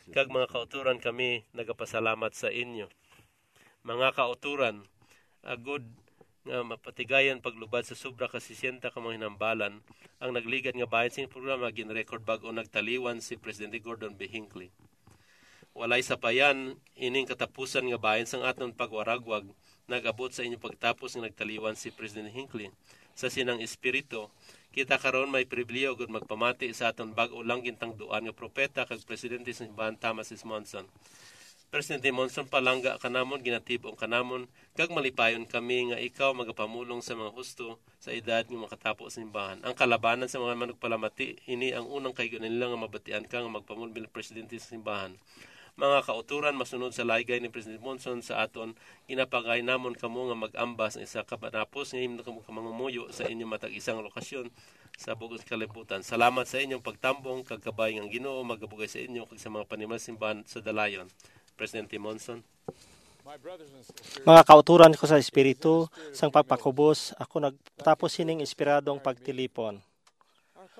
Kag mga kauturan, kami nagapasalamat sa inyo. Mga kauturan, agod nga mapatigayan paglubad sa sobra ka sesenta ka mga hinambalan, ang nagligad nga bahin sing programa gin-record bag-o nagtaliwan si Presidente Gordon B. Hinckley. Walay sapayan, ining katapusan nga bahin sang aton pagwaragwag nag-abot sa inyong pagtapos nga nagtaliwan si President Hinckley. Sa sinang espiritu, kita karon may pribilehiyo gud magpamati sa aton bag-o lang gintangduan nga propeta kag presidente sa simbahan, Thomas S. Monson. Presidente Monson, palangga ka namon, ginatib-ong ka namon, kag malipayon kami nga ikaw magapamulong sa mga husto sa edad nga makatapo sa simbahan. Ang kalabanan sa mga manugpalamati, ini ang unang kaigo nila nga mabatian ka nga magpamulong bilang presidente sa simbahan. Mga kauturan, masunod sa laygay ni President Monson sa aton, ginapangay namon kamo nga mag-amba sa isa ka panapos nga himno kamo ka mangamuyo sa inyong matag isang lokasyon sa bug-os kalibutan. Salamat sa inyong pagtambong kag kabay nga ang Ginoo magabugay sa inyo kag sa mga panimal simbahan sa dalayon. Presidente Monson. Mga kauturan ko sa Espiritu, sang pagpakubos, ako nagtapos sining inspiradong pagtilipon.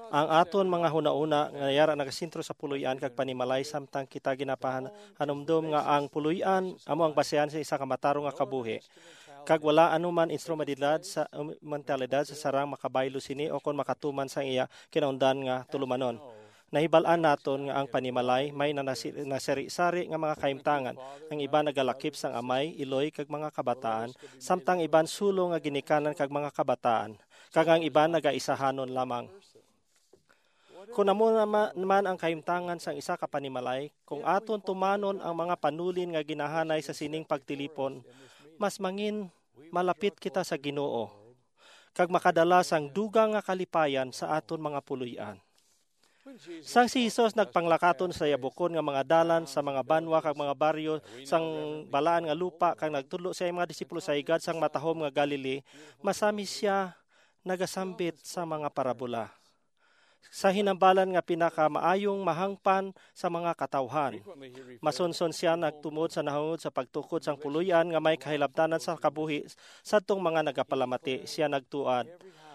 Ang aton mga hunahuna nga yara nagasentro sa puloy-an kag panimalay, samtang kita ginapahanumdom nga ang puloy-an amo ang basehan sa isa ka matarong nga kabuhi, kag wala anuman instrumentalidad sa, um, mentalidad sa sarang makabaylo sini o kon makatuman sa iya kinaundan nga tulumanon. Nahibal-an naton nga ang panimalay may nanasi-, nasari-sari nga mga kahimtangan. Ang iban nagalakip sang amay, iloy, kag mga kabataan, samtang iban sulo nga ginikanan kag mga kabataan, kag ang iban nagaisahanon lamang. Kon amo nama-, naman ang kahimtangan sang isa ka panimalay, kung aton tumanon ang mga panulin nga ginahanay sa sining pagtilipon, mas mangin malapit kita sa Ginoo, kag makadala sang dugang nga kalipayan sa aton mga puloy-an. Sang si Jesus nagpanglakaton sa yabukon nga mga dalan, sa mga banwa kag mga baryo sang balaan nga lupa, kag nagtudlo sa iyang mga disipulo sa higad sang matahom nga Galilee, masami sia nagasambit sa mga parabola sa hinambalan nga pinakamaayong mahangpan sa mga katawhan. Masunson sia nagtumod sa nahangod sa pagtukod sang puloy-an nga may kahilabtanan sa kabuhi sadtong mga nagapalamati. Sia nagtuad,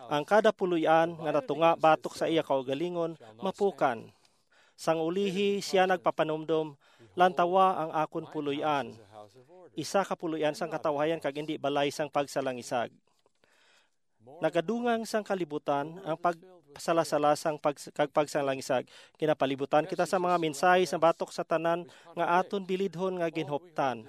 "Ang kada puloy-an nga natunga batok sa iya kaugalingon, mapukan. Sang ulihi sia nagpapanumdom, 'Lantawa ang akon puloy-an, isa ka puloy-an sang katawhayan kag indi balay sang pagsalangisag.'" Nagadungang sang kalibutan ang pagsalasala sang pag-, kag pagsalangisag. Ginapalibutan kita sa mga mensahe sa batok sa tanan nga aton bilidhon nga ginhuptan.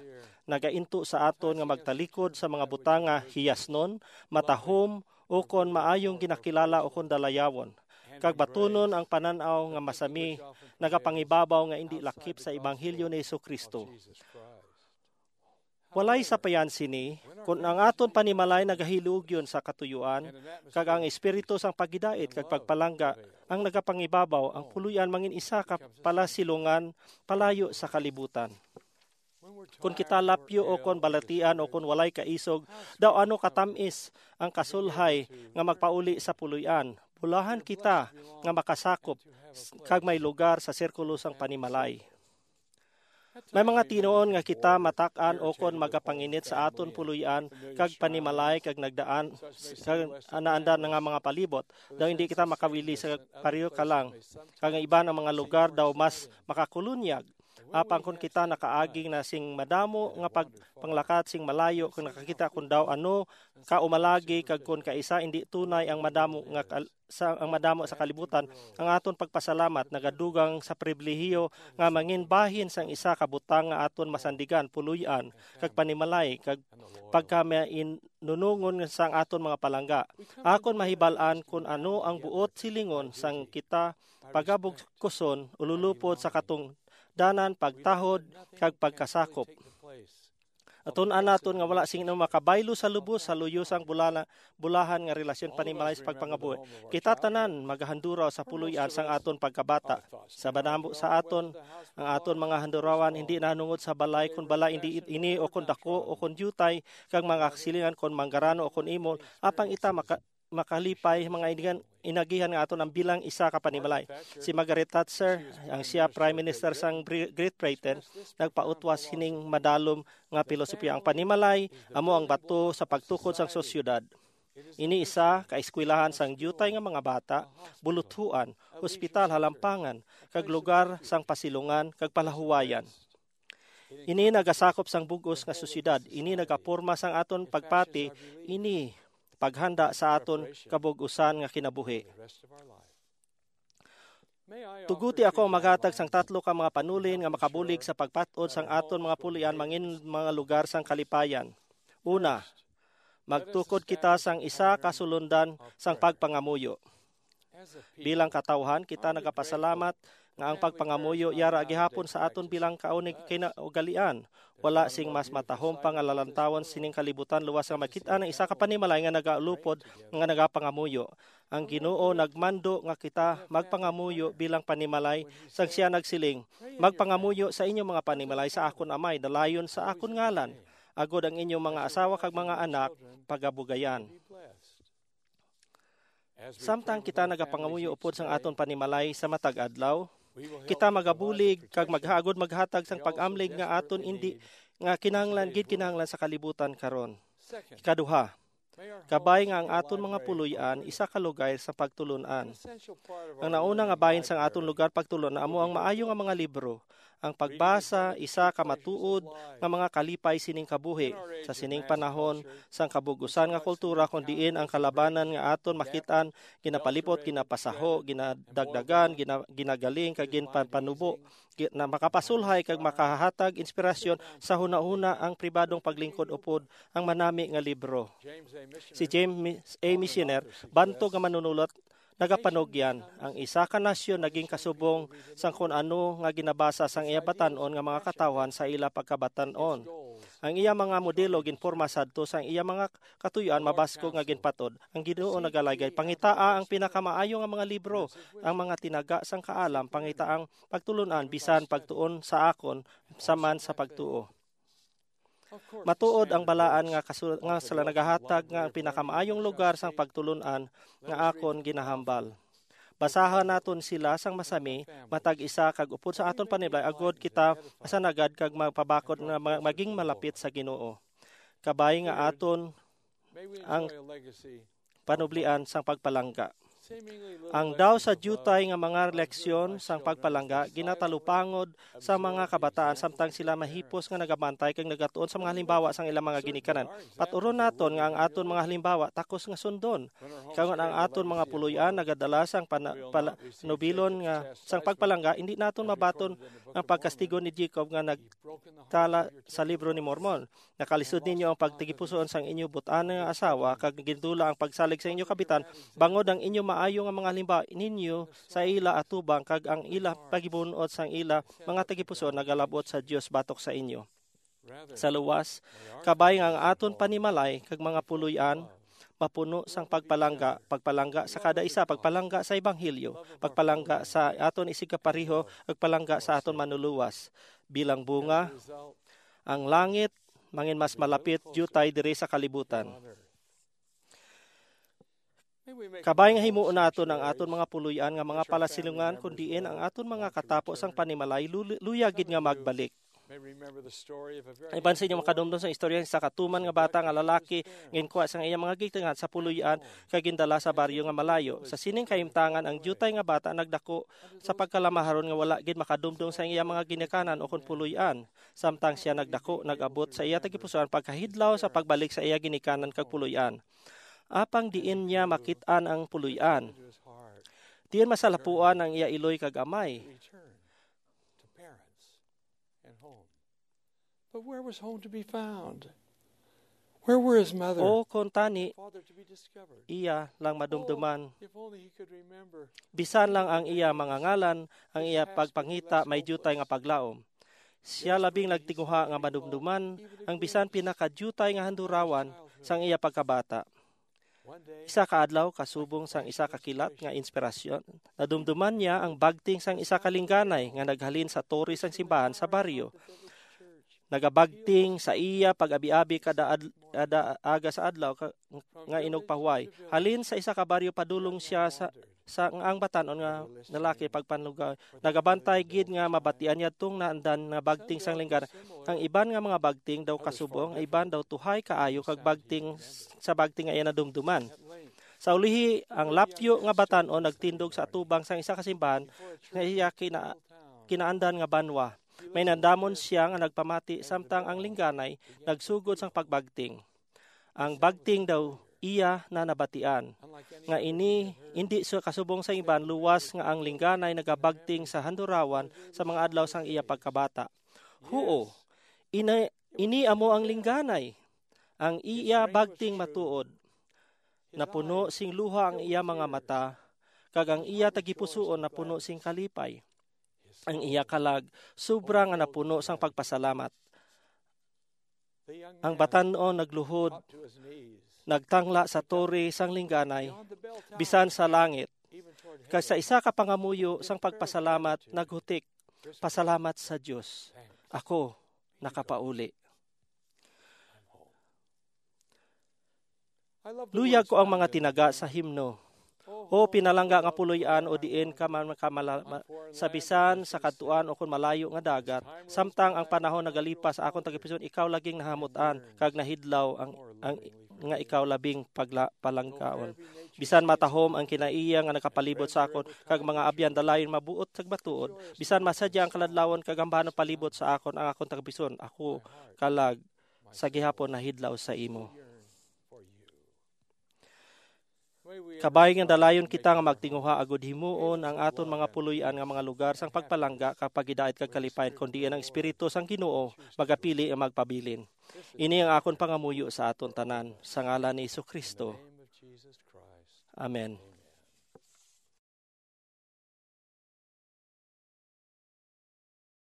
Nagainto sa aton nga magtalikod sa mga butang nga hiyasnon, matahom, ukon maayong ginakilala ukon dalayawon, kag batunon ang panan-aw nga masami, nagapangibabaw nga indi lakip sa ebanghelyo ni Jesu-Cristo. Walay sapayan sini, kon ang aton panimalay nagahilugyon sa katuyuan, kag ang espiritu sang paghidait kag pagpalangga ang nagapangibabaw, ang puloy-an mangin isa ka palasilungan palayo sa kalibutan. Kon kita lapyo o kon balatian o kon walay kaisog, daw ano katamis ang kasulhay nga magpauli sa puloy-an. Bulahan kita nga makasakop s-, kag may lugar sa sirkulo sang panimalay. May mga tinuon nga kita matak-an o kon magapanginit sa aton puloy-an kag panimalay kag nagdaan s-, kag naandan nga mga palibot. Daw hindi kita makawili sa pareho ka lang. Kag ang iban ang mga lugar daw mas makakulunyag. Apan kon kita nakaagi na sing madamo nga pag-, panglakat sing malayo, kung nakakita kon daw ano ka umalagi, kag kon kaisa indi tunay ang madamo nga kal-, sa, ang madamo sa kalibutan, ang aton pagpasalamat nagadugang sa pribilehiyo nga mangin bahin sang isa ka butang nga aton masandigan, puloy-an, kag panimalay, kag pagkamainunungon sang aton mga palangga. Akon mahibal-an kon ano ang buot silingon sang kita pagabugkuson, ululupod sa katungdanan, pagtahod, kag pagkasakop. Atun-an naton nga wala sing makabaylo sa lubos sa luyo sang bulana-, bulahan nga relasyon panimalay sa pagpangabuhi. Kita tanan magahanduraw sa puloy-an sang aton pagkabata. Sa madamo sa aton, ang aton mga handurawan hindi nahanungod sa balay, kon balay hindi ini o kon dako o kon diutay, kag mga kasilingan kon manggarano o kon imol, apang ita maka-, makalipay mga inigan-, inagihan nga aton ang bilang isa ka panimalay. Si Margaret Thatcher, ang siya Prime Minister sang Bri-, Great Britain, nagpautwas sining madalom nga pilosopiya: ang panimalay amo ang bato sa pagtukod sang sosyedad. Ini isa ka eskwelahan sang diutay nga mga bata, buluthuan, hospital, halampangan, kag lugar sang pasilungan kag palahuwayan. Ini nagasakop sang bug-os nga sosyedad. Ini nagaporma sang aton pagpati. Ini paghanda sa aton kabug-usan nga kinabuhi. Tuguti ako ang maghatag sang tatlo ka mga panulin nga makabulig sa pagpat-od sang aton mga puloy-an mangin mga lugar sang kalipayan. Una, magtukod kita sang isa ka sulundan sang pagpangamuyo. Bilang katawhan, kita nagapasalamat nga ang pagpangamuyo yara gihapon sa aton bilang kaunig kinaugalian. Wala sing mas matahom pa nga lalantawon sining kalibutan luwas nga makit-an ang isa ka panimalay nga nagaulupod nga nagapangamuyo. Ang Ginoo nagmando nga kita magpangamuyo bilang panimalay, sang siya nagsiling, "Magpangamuyo sa inyo mga panimalay sa akon Amay, dalayon sa akon ngalan, agod ang inyong mga asawa kag mga anak pagabugayan." Samtang kita nagapangamuyo upod sang aton panimalay sa matag adlaw, kita magabulig kag maghaagod maghatag sang pag-amlig nga aton indi nga kinahanglan gid kinahanglan sa kalibutan karon. Ikaduha, kabay nga ang aton mga puloy-an isa ka lugar sa pagtulon-an. Ang nauna nga bahin sang aton lugar pagtulon amo ang maayo nga mga libro. Ang pagbasa isa ka matuod nga mga kalipay sining kabuhi. Sa sining panahon sang kabug-usan nga kultura, kon diin ang kalabanan nga aton makit-an ginapalipot, ginapasaho, ginadagdagan, gina-, ginagaling, kag ginpapanubo, gi-, na makapasulhay kag makahatag inspirasyon sa hunahuna ang pribadong paglingkod upod ang manami nga libro. Si James A. Missioner, bantog nga manunulot, nagapanugyan, ang isa ka nasyon naging kasubong sang kon ano nga ginabasa sang iya batan-on nga mga katawhan sa ila pagkabatan-on. Ang iya mga modelo ginporma sadto sang iya mga katuyoan mabaskog nga ginpatod. Ang Ginoo nagalaygay, "Pangitaa ang pinakamaayo nga mga libro, ang mga tinaga sang kaalam, pangitaang pagtulon-an bisan pagtuon sa akon sa man sa pagtuo." Matuod ang balaan nga kasu-, nga sila nagahatag nga ang pinakamaayong lugar sang pagtulon-an nga akon ginahambal. Basahan naton sila sang masami, matag isa kag upod sa aton panimalay, agod kita masanagad kag magpabakod nga ma-, maging malapit sa Ginoo. Kabay nga aton ang panublian sang pagpalangga. Ang daw sa diutay nga mga leksyon sang pagpalangga ginatalupangod sa mga kabataan samtang sila mahipos nga nagabantay kag nagatuon sa mga halimbawa sang ilang mga ginikanan. Paturon naton nga ang aton mga halimbawa takos nga sundon. Kag ang aton mga puloy-an nagadala sang pana-, pala-, panubilon nga sang pagpalangga, hindi naton mabaton ang pagkastigo ni Jacob nga nagtala sa Libro ni Mormon. Nakalisod ninyo ang pagtagipusoon sang inyo but-an nga asawa, kag gindula ang pagsalig sa inyo kabitan, bangod ang inyo maayo nga mga halimbawa ninyo sa ila atubang, kag ang ila pagibun-ot sang ila mga tagipusoon nagalabot sa Dios batok sa inyo. Sa luwas, kabay nga ang aton panimalay kag mga puloy-an mapuno sang pagpalangga, pagpalangga sa kada isa, pagpalangga sa ebanghelyo, pagpalangga sa aton isigkapareho, pagpalangga sa aton Manluluwas. Bilang bunga, ang langit mangin mas malapit diutay diri sa kalibutan. Kabay nga himuon naton ang aton mga puloy-an nga mga palasilungan, kun diin ang aton mga katapo sang panimalay lu-, luya gid nga magbalik. Iban sa inyo makadumdom sa istorya sa katuman nga bata nga lalaki nga ginkuha sang iyang mga ginikanan sa puloy-an kag gindala sa baryo nga malayo. Sa sining kahimtangan, ang diutay nga bata nagdako sa pagkalamaharon nga wala gid makadumdom sa iyang mga ginikanan o kon puloy-an. Samtang sia nagdako, nag-abot sa iya tagipusoon pagkahidlaw sa pagbalik sa iya ginikanan kag puloy-an. Apang diin niya makit-an ang puloy-an? Diin masalapuan ang iya iloy kag amay? But where was home to be found? Where were his mother? O kon tani, father to be discovered? Iya lang madumduman. If only he could remember. Bisan lang ang iya mga ngalan, ang iya pagpangita may diutay nga paglaom. Siya labing nagtinguha nga madumduman ang bisan pinakadiutay nga handurawan sang iya pagkabata. Isa ka adlaw, kasubong sang isa ka kilat nga inspirasyon, nadumduman niya ang bagting sang isa ka lingganay nga naghalin sa tore sang simbahan sa baryo. Nagabagting sa iya pag-abi-abi kada ad-, kada aga sa adlaw ka, nga inugpahuway. Halin sa isa ka baryo, padulong siya sa, sa ang batan-on nga lalaki pagpanlugaw. Nagabantay gid nga mabatian niya tong naandan nga bagting sang lingganay. Ang iban nga mga bagting daw kasubong, ang iban daw tuhay kaayo kag bagting sa bagting nga iya nadumduman. Sa ulihi, ang lapyo nga batan-on nagtindog sa atubang sang isa ka simbahan nga iya kina-, kinaandan nga banwa. May nandamon siya nga nagpamati samtang ang lingganay nagsugod sang pagbagting. Ang bagting daw iya na nabatian, nga ini indi siya kasubong sa iban, luwas nga ang lingganay nagabagting sa handurawan sa mga adlaw sang iya pagkabata. Huo, ina-, ini amo ang lingganay. Ang iya bagting matuod. Napuno sing luha ang iya mga mata, kag ang iya tagipusoon napuno sing kalipay. Ang iya kalag sobra nga napuno sang pagpasalamat. Ang batan-on nagluhod, nagtangla sa tore sang lingganay, bisan sa langit, kag sa isa ka pangamuyo sang pagpasalamat naghutik, "Pasalamat sa Dios, ako nakapauli." Luyag ko ang mga tinaga sa himno. O pinalangga nga puloy-an, o diin ka man ka mala-, ma-, sa bisan sa kadtuan o kon malayo nga dagat, samtang ang panahon nagalipas sa akon tagipusoon, ikaw laging nahamut-an kag nahidlaw ang, ang nga ikaw labing pagla-, palanggaon. Bisan matahom ang kinaiya nga nakapalibot sa akon, kag mga abyan dalayon mabuot kag matuod, bisan masadya ang kaladlawon kag ambanon palibot sa akon, ang akon tagipusoon, ako kalag sa gihapon nahidlaw sa imo. Kabay nga dalayon kita nga magtinguha agud himuon ang aton mga puloy-an nga mga lugar sang pagpalangga kag paghidait kag kalipayan, kon diin ang Espiritu sang Ginoo magapili nga magpabilin. Ini ang akon pangamuyo sa aton tanan, sa ngalan ni Jesu-Cristo. Amen.